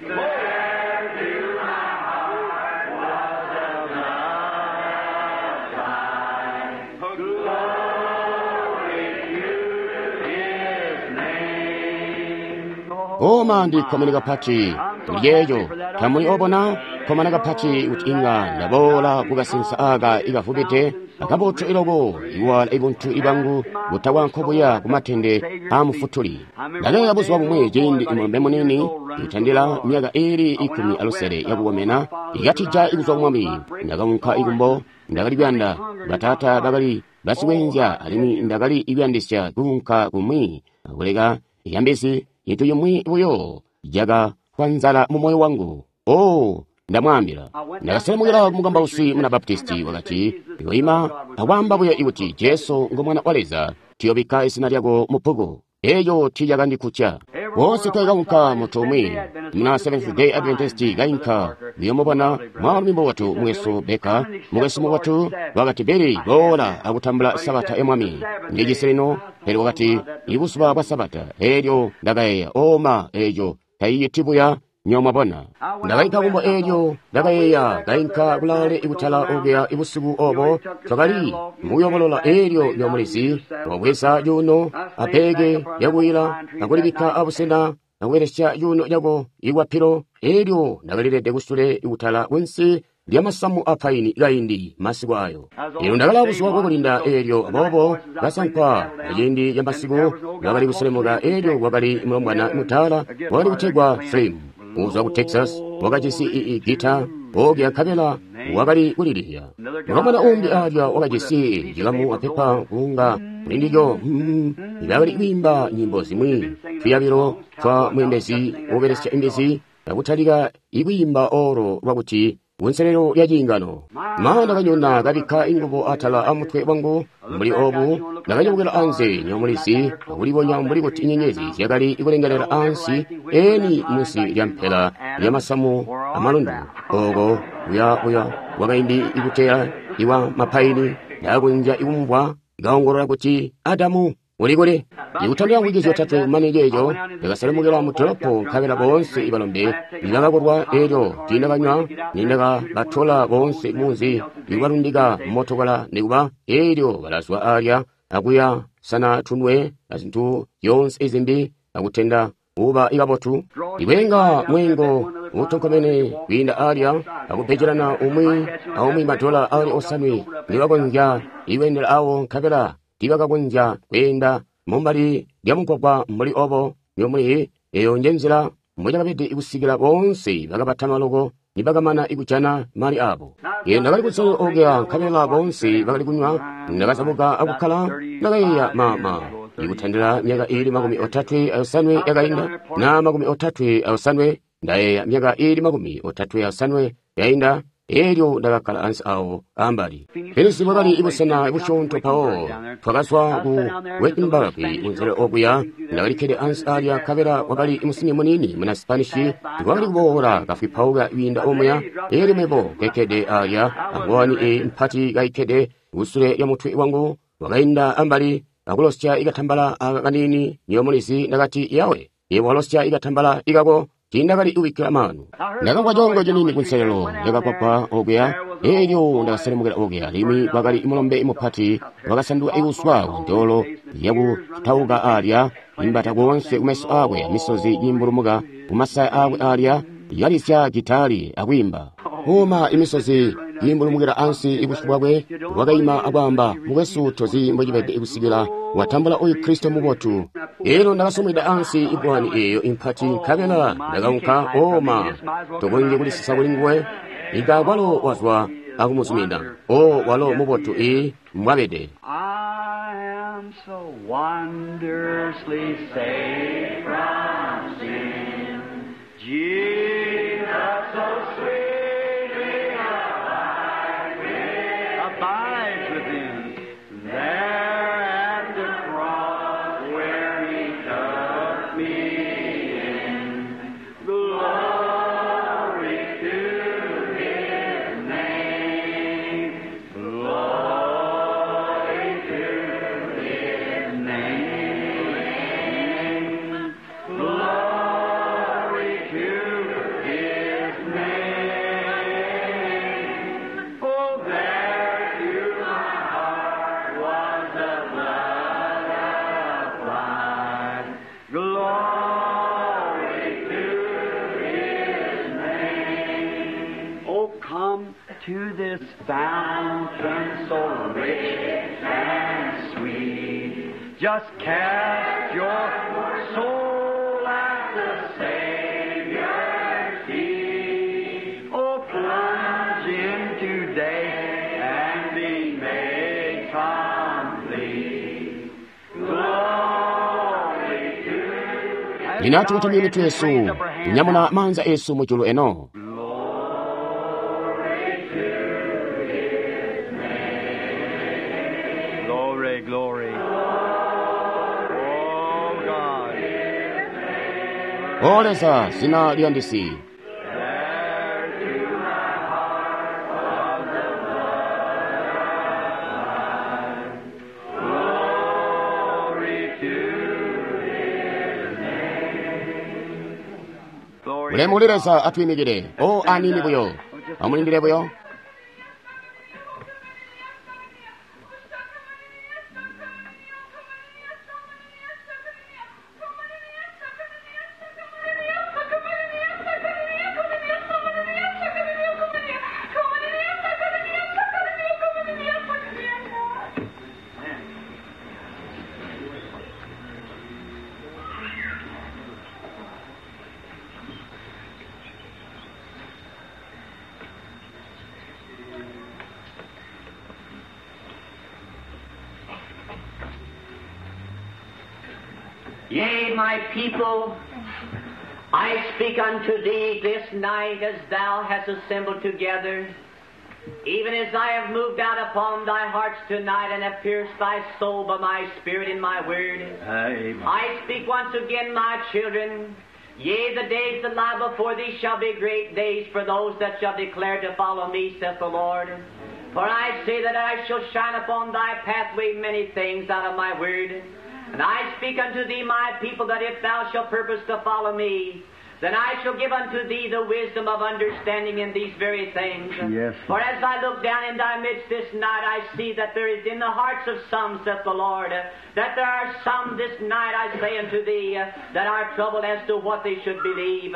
There to my heart was the blood applied. Glory to His name. Oma ndikkomene kapati kuli yeeyo. Tamuli obona kkomana kapati kuti inga ndaboola kukasensa aka ikafupite akabotu iloko iwala ibuntu ibangu butawa nkobuya kumatende a mufutuli. Ndakayeeya buzuba bumwe ciindi mulombe munini ikutandila myaka iili 16 yakukomena ikatija ikuzwa kumwami. Ndakaunka ikumbo, ndakali kuyanda bataata bakali basikwenzya alimwi ndakali ikuyandisya kuunka kumwi akuleka yambisi intu yimwi buyo yakafwa nzala mu moyo wangu. O, ndamwaambila. Ndakaselemukila ku mukambausi muna Baptisti wakati, "Yoima akwamba buyo ikuti Jesu ngo mwana wa Leza, tiyobikka izina lyako mu bbuku." Eyo tiyakandikutya. Wonse twakaunka muntu umwi muna Seventh Day Adventist kainka kuyomubona mwaalumi mubotu mukwesu Baker, mukwesu mubotu wakati, "Billy, boola akutambula Sabata ya Mwami." Ndijisi lino, pele wakati, "Ibuzuba bwa Sabata." Elyo ndakayeeya, oma, eyo tayiyiti buya nyomwabona. Ndakainka kumbo elyo ndakayeeya kainka kulaale ikutala okuya ibusiku obo twakali mukuyobolola elyo lyomulizi wabweza yuno apeke lyakuyila akulibikka abusena akubelesya yuno lyako ikwapilo. Elyo ndakalilede kusule ikutala kunsi lyamasamu a paini kaindi masiku ayo. Elyo ndakala buzuba bwakulinda elyo aboobo kasankwa aciindi ca masiku bakali kuselemuka elyo kwakali mulombwana mutaala wakali kutegwa Slim kuzwa ku Texas, wakajisi ii gita okuya nkabela wakali kulilya. Mulombwana umbi alya wakajisi cilamu apepa kunga kulindilyo bakali kwiimba nyimbo zimwi tuyabilo twa mwembezi wobelesya imbezi akutalika ikwiimba olo lwakuti kunselelo lya ciingano. Ma ndakanyona kabikka ingubo atala amutwe wangu mbuli obu, ndakanyamukila anze nyomulizi akulibonya mbuli kuti inyenyezi zyakali ikulengelela ansi eni munsi lya mpela lyamasamu amalundu oko kuya kuya wakaindi ikutela iwa mapaini. Ndakunja ikumvwa ikaongolola kuti, "Adamu, uli kuli?" Ikutandila ngwiki zyotatwe kumane ceeco, ndakaselemukila mu dolopo nkabela boonse ibalombe nibakakolwa elyo tiindakanywa nindakabatola boonse munzi ikubalundika mmotokola nikuba elyo balazwa alya akuya sana tunwe azintu zyoonse izimbi akutenda kuba ikabotu ikwenga mwengo utonkomene kwiinda alya akupecelana umwi aumwi madola ali osanwe nibakonzya ikwendela awo nkabela tiibakakonzya kweenda mumbali lya mugwagwa mbuli obo nyomuli. Eyo njenzila mbocakabede ikusikila boonse bakabatama loko nibakamana ikujana mali abo. Ine ndakali kutsala okuya nkabela boonse bakali kunywa. Ndakazabuka akukkala ndakayeeya mama ikutandila myaka iili 35 yakainda na 37 ndayeeya myaka iili 37 yainda. Elyo ndakakkala ansi awo ambali. Pesi bwakali ibusena busyoonto mpawo twakazwa ku Wittenberg kunzela okuya. Ndakalikkede ansi alya nkabela kwakali musimbi muniini muna Spanish wakali kuboola kafwipauka kwiinda omuya. Elyo mebo kekkede alya angowani eyi mpati kayikkede kusule lya mutwe wangu, wakainda ambali akulosya ikatambala aka kaniini nyomulizi. Ndakati, "Yawe, Yebo walosya ikatambala ikako tiindakali kubikkila maanu. Ndakamvwa coongo ciniini kunselelo lyakakwapa okuya, elyo ndakaselemukila okuya. Limwi kwakali mulombe mupati wakasanduka ikuswa kuntoolo yakutauka alya, imbata koonse kumeso aakwe, amisozi kiimbulumuka kumasaya aakwe alya, yalisya gitali akwiimba. Uma imisozi kiimbulumukila ansi ibusyu bwakwe, wakaima akwaamba, mukwesu tozi mbocibede kusikila watambula oyu Kristo mubotu. Elyo ndakasomweda ansi ibwani eeyo impati, nkabela ndakaunka oma tokonzyi kulisisa kuli nguwe. Inga kwalo wazwa akumuzumina. O walo mubotu ii mbwabede. I am so wondrously saved from sin. Jesus so sweetly abides within. There at the cross where he took me in. Glory to his name. Glory to his name. Glory to his name. Oh, there to my heart was the blood applied. Glory to his name. Oh, come to this fountain so rich and sweet. Just cast your soul at the Savior's feet. Oh, plunge in today and be made complete. Glory to Linati kutumia mitu yesu, kunyamula manza esu mujulu eno. Glory, glory. Oh, God. O Leza zina liyandisi. There to my heart was the blood. Glory to His name. Glory. Ulemu uli Leza atwimikile. O anini buyo. Amulindile buyo. Yea, my people, I speak unto thee this night as thou hast assembled together, even as I have moved out upon thy hearts tonight and have pierced thy soul by my spirit and my word. Amen. I speak once again, my children. Yea, the days that lie before thee shall be great days for those that shall declare to follow me, saith the Lord. For I say that I shall shine upon thy pathway many things out of my word. And I speak unto thee, my people, that if thou shalt purpose to follow me, then I shall give unto thee the wisdom of understanding in these very things. Yes. For as I look down in thy midst this night, I see that there is in the hearts of some, saith the Lord, that there are some this night, I say unto thee, that are troubled as to what they should believe.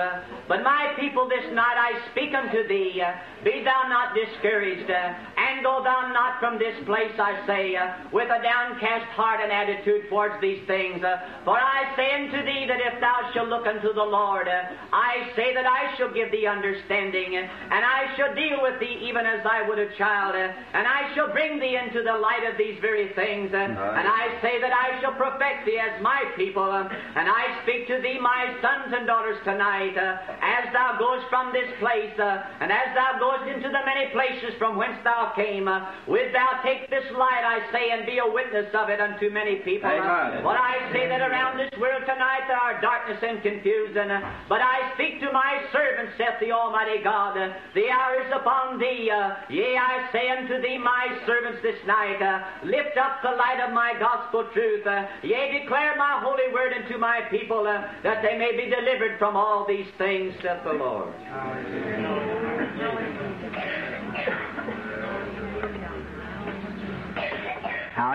But my people, this night I speak unto thee, be thou not discouraged, and go thou not from this place, I say, with a downcast heart and attitude towards these things. For I say unto thee that if thou shalt look unto the Lord, I say that I shall give thee understanding, and I shall deal with thee even as I would a child, and I shall bring thee into the light of these very things, and I say that I shall perfect thee as my people, and I speak to thee, my sons and daughters, tonight, as thou goest from this place, and as thou goest into the many places from whence thou came, wilt thou take this light, I say, and be a witness of it unto many people. Amen. But I say that around this world tonight there are darkness and confusion, but I speak to my servants, saith the Almighty God, the hour is upon thee. Yea, I say unto thee, my servants, this night, lift up the light of my gospel truth. Yea, declare my holy word unto my people, that they may be delivered from all these things, saith the Lord.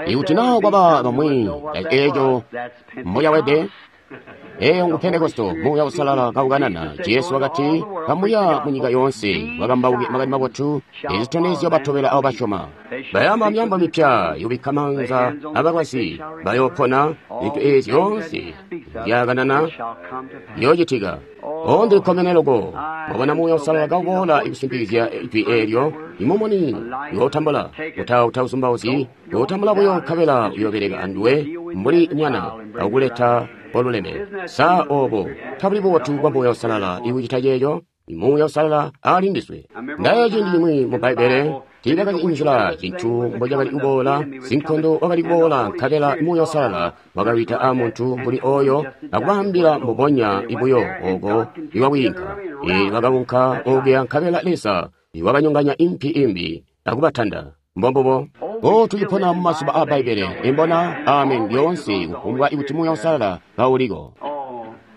Ikuti naa kwaba bamwi eeco mbocawede, eeyo ngu Pentekosto, Muuya Uusalala kaukanana. Jesu wakati, kamuya munyika yoonse, bakambauke makani mabotu, ezitondezyo batobela abo basyoma. Bayamba myaambo mipya, yubikka maanza abalwazi, bayoopona, zintu eezi zyoonse zyakanana ziyoocitika. O ndilikkomene loko, mwabona Muuya Uusalala kauboola ikusimpikizya ijwi eelyo, imumuni uyootambula, utauzumbauzyi, uyootambula buyo nkabela uyoobeleka anduwe mbuli mwana akukuleta oluleme. Sa oobo tabuli bubotu bwa Muuya Uusalala ikucita ceeco? Muuya Uusalala ali ndiswe. Ndayeeya ciindi cimwi mu Bbaibbele, tiibakali inzila cintu mbocakali kuboola, sinkondo wakali kuboola nkabela Muuya Uusalala wakawita aamuntu mbuli ooyo akubaambila mbubonya buyo ooko iwakwiinka. Bakaunka okuya nkabela Leza wakanyonganya impi imbi akubatanda. Mbombubo. O tucipona mumazuba aa Bbaibbele, imbona amen lyoonse kufumbwa ikuti Muuya Uusalala kauliko.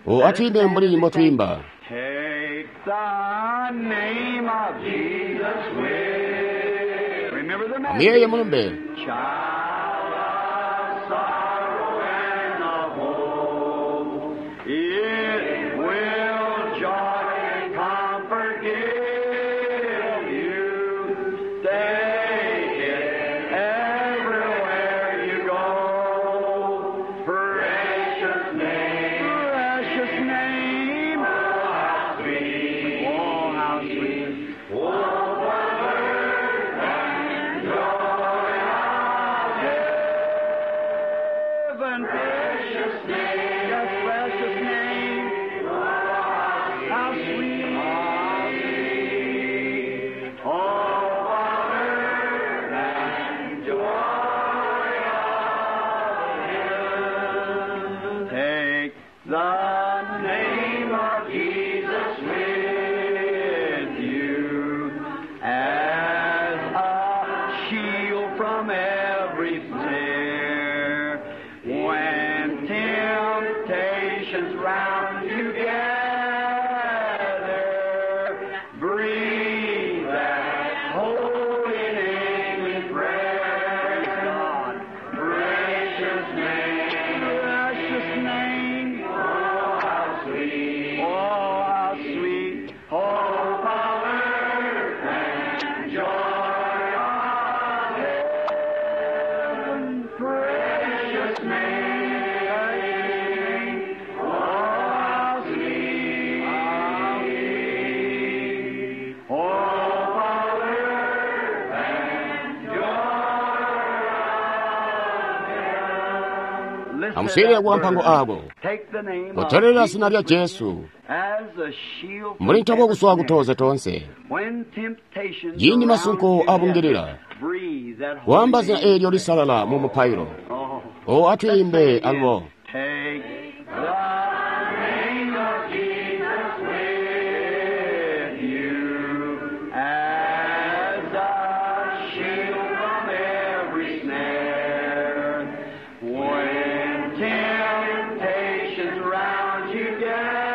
O atwiimbe mbuli mbotwiimba. Take the name of Jesus with. Remember the message. Amuyeeye mulumbe. Child of sorrow and of woe, it will joy and comfort give you. Take it everywhere you go. Precious name, precious name. Oh, how sweet, oh, how sweet. Oh, for and joy of heaven. Precious name, yes, precious name. How sweet, how sweet. Oh, Father, and joy of heaven. Take the name of Jesus with you as a shield from every snare. When temptations round you gather, breathe that holy name in prayer. God, precious name, precious name. Oh, how sweet, oh, how sweet, oh, power and joy of heaven. Precious name, oh, how sweet, how sweet, oh, power and joy of heaven. Amuswilile kwa mpango ako. Kutolela zina lya Jesu mbuli ntobo kuswa kutoza tonse. Yini masunko abungilila kuamba zina eelyo lisalala mu mupailo. O atwiimbe alubo. Take the name of Jesus with you as a shield from every snare. When temptations round you gather,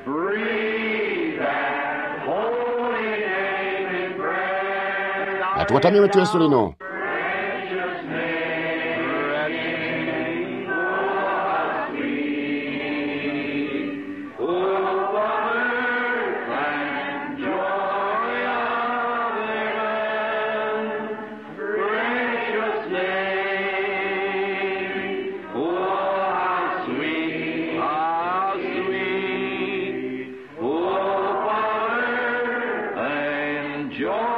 breathe that holy name in prayer. Atukotamye wetu Yesu lino. Precious name, precious name, oh how sweet, oh comfort and joy of heaven. Precious name, oh how sweet, how sweet, oh comfort and joy.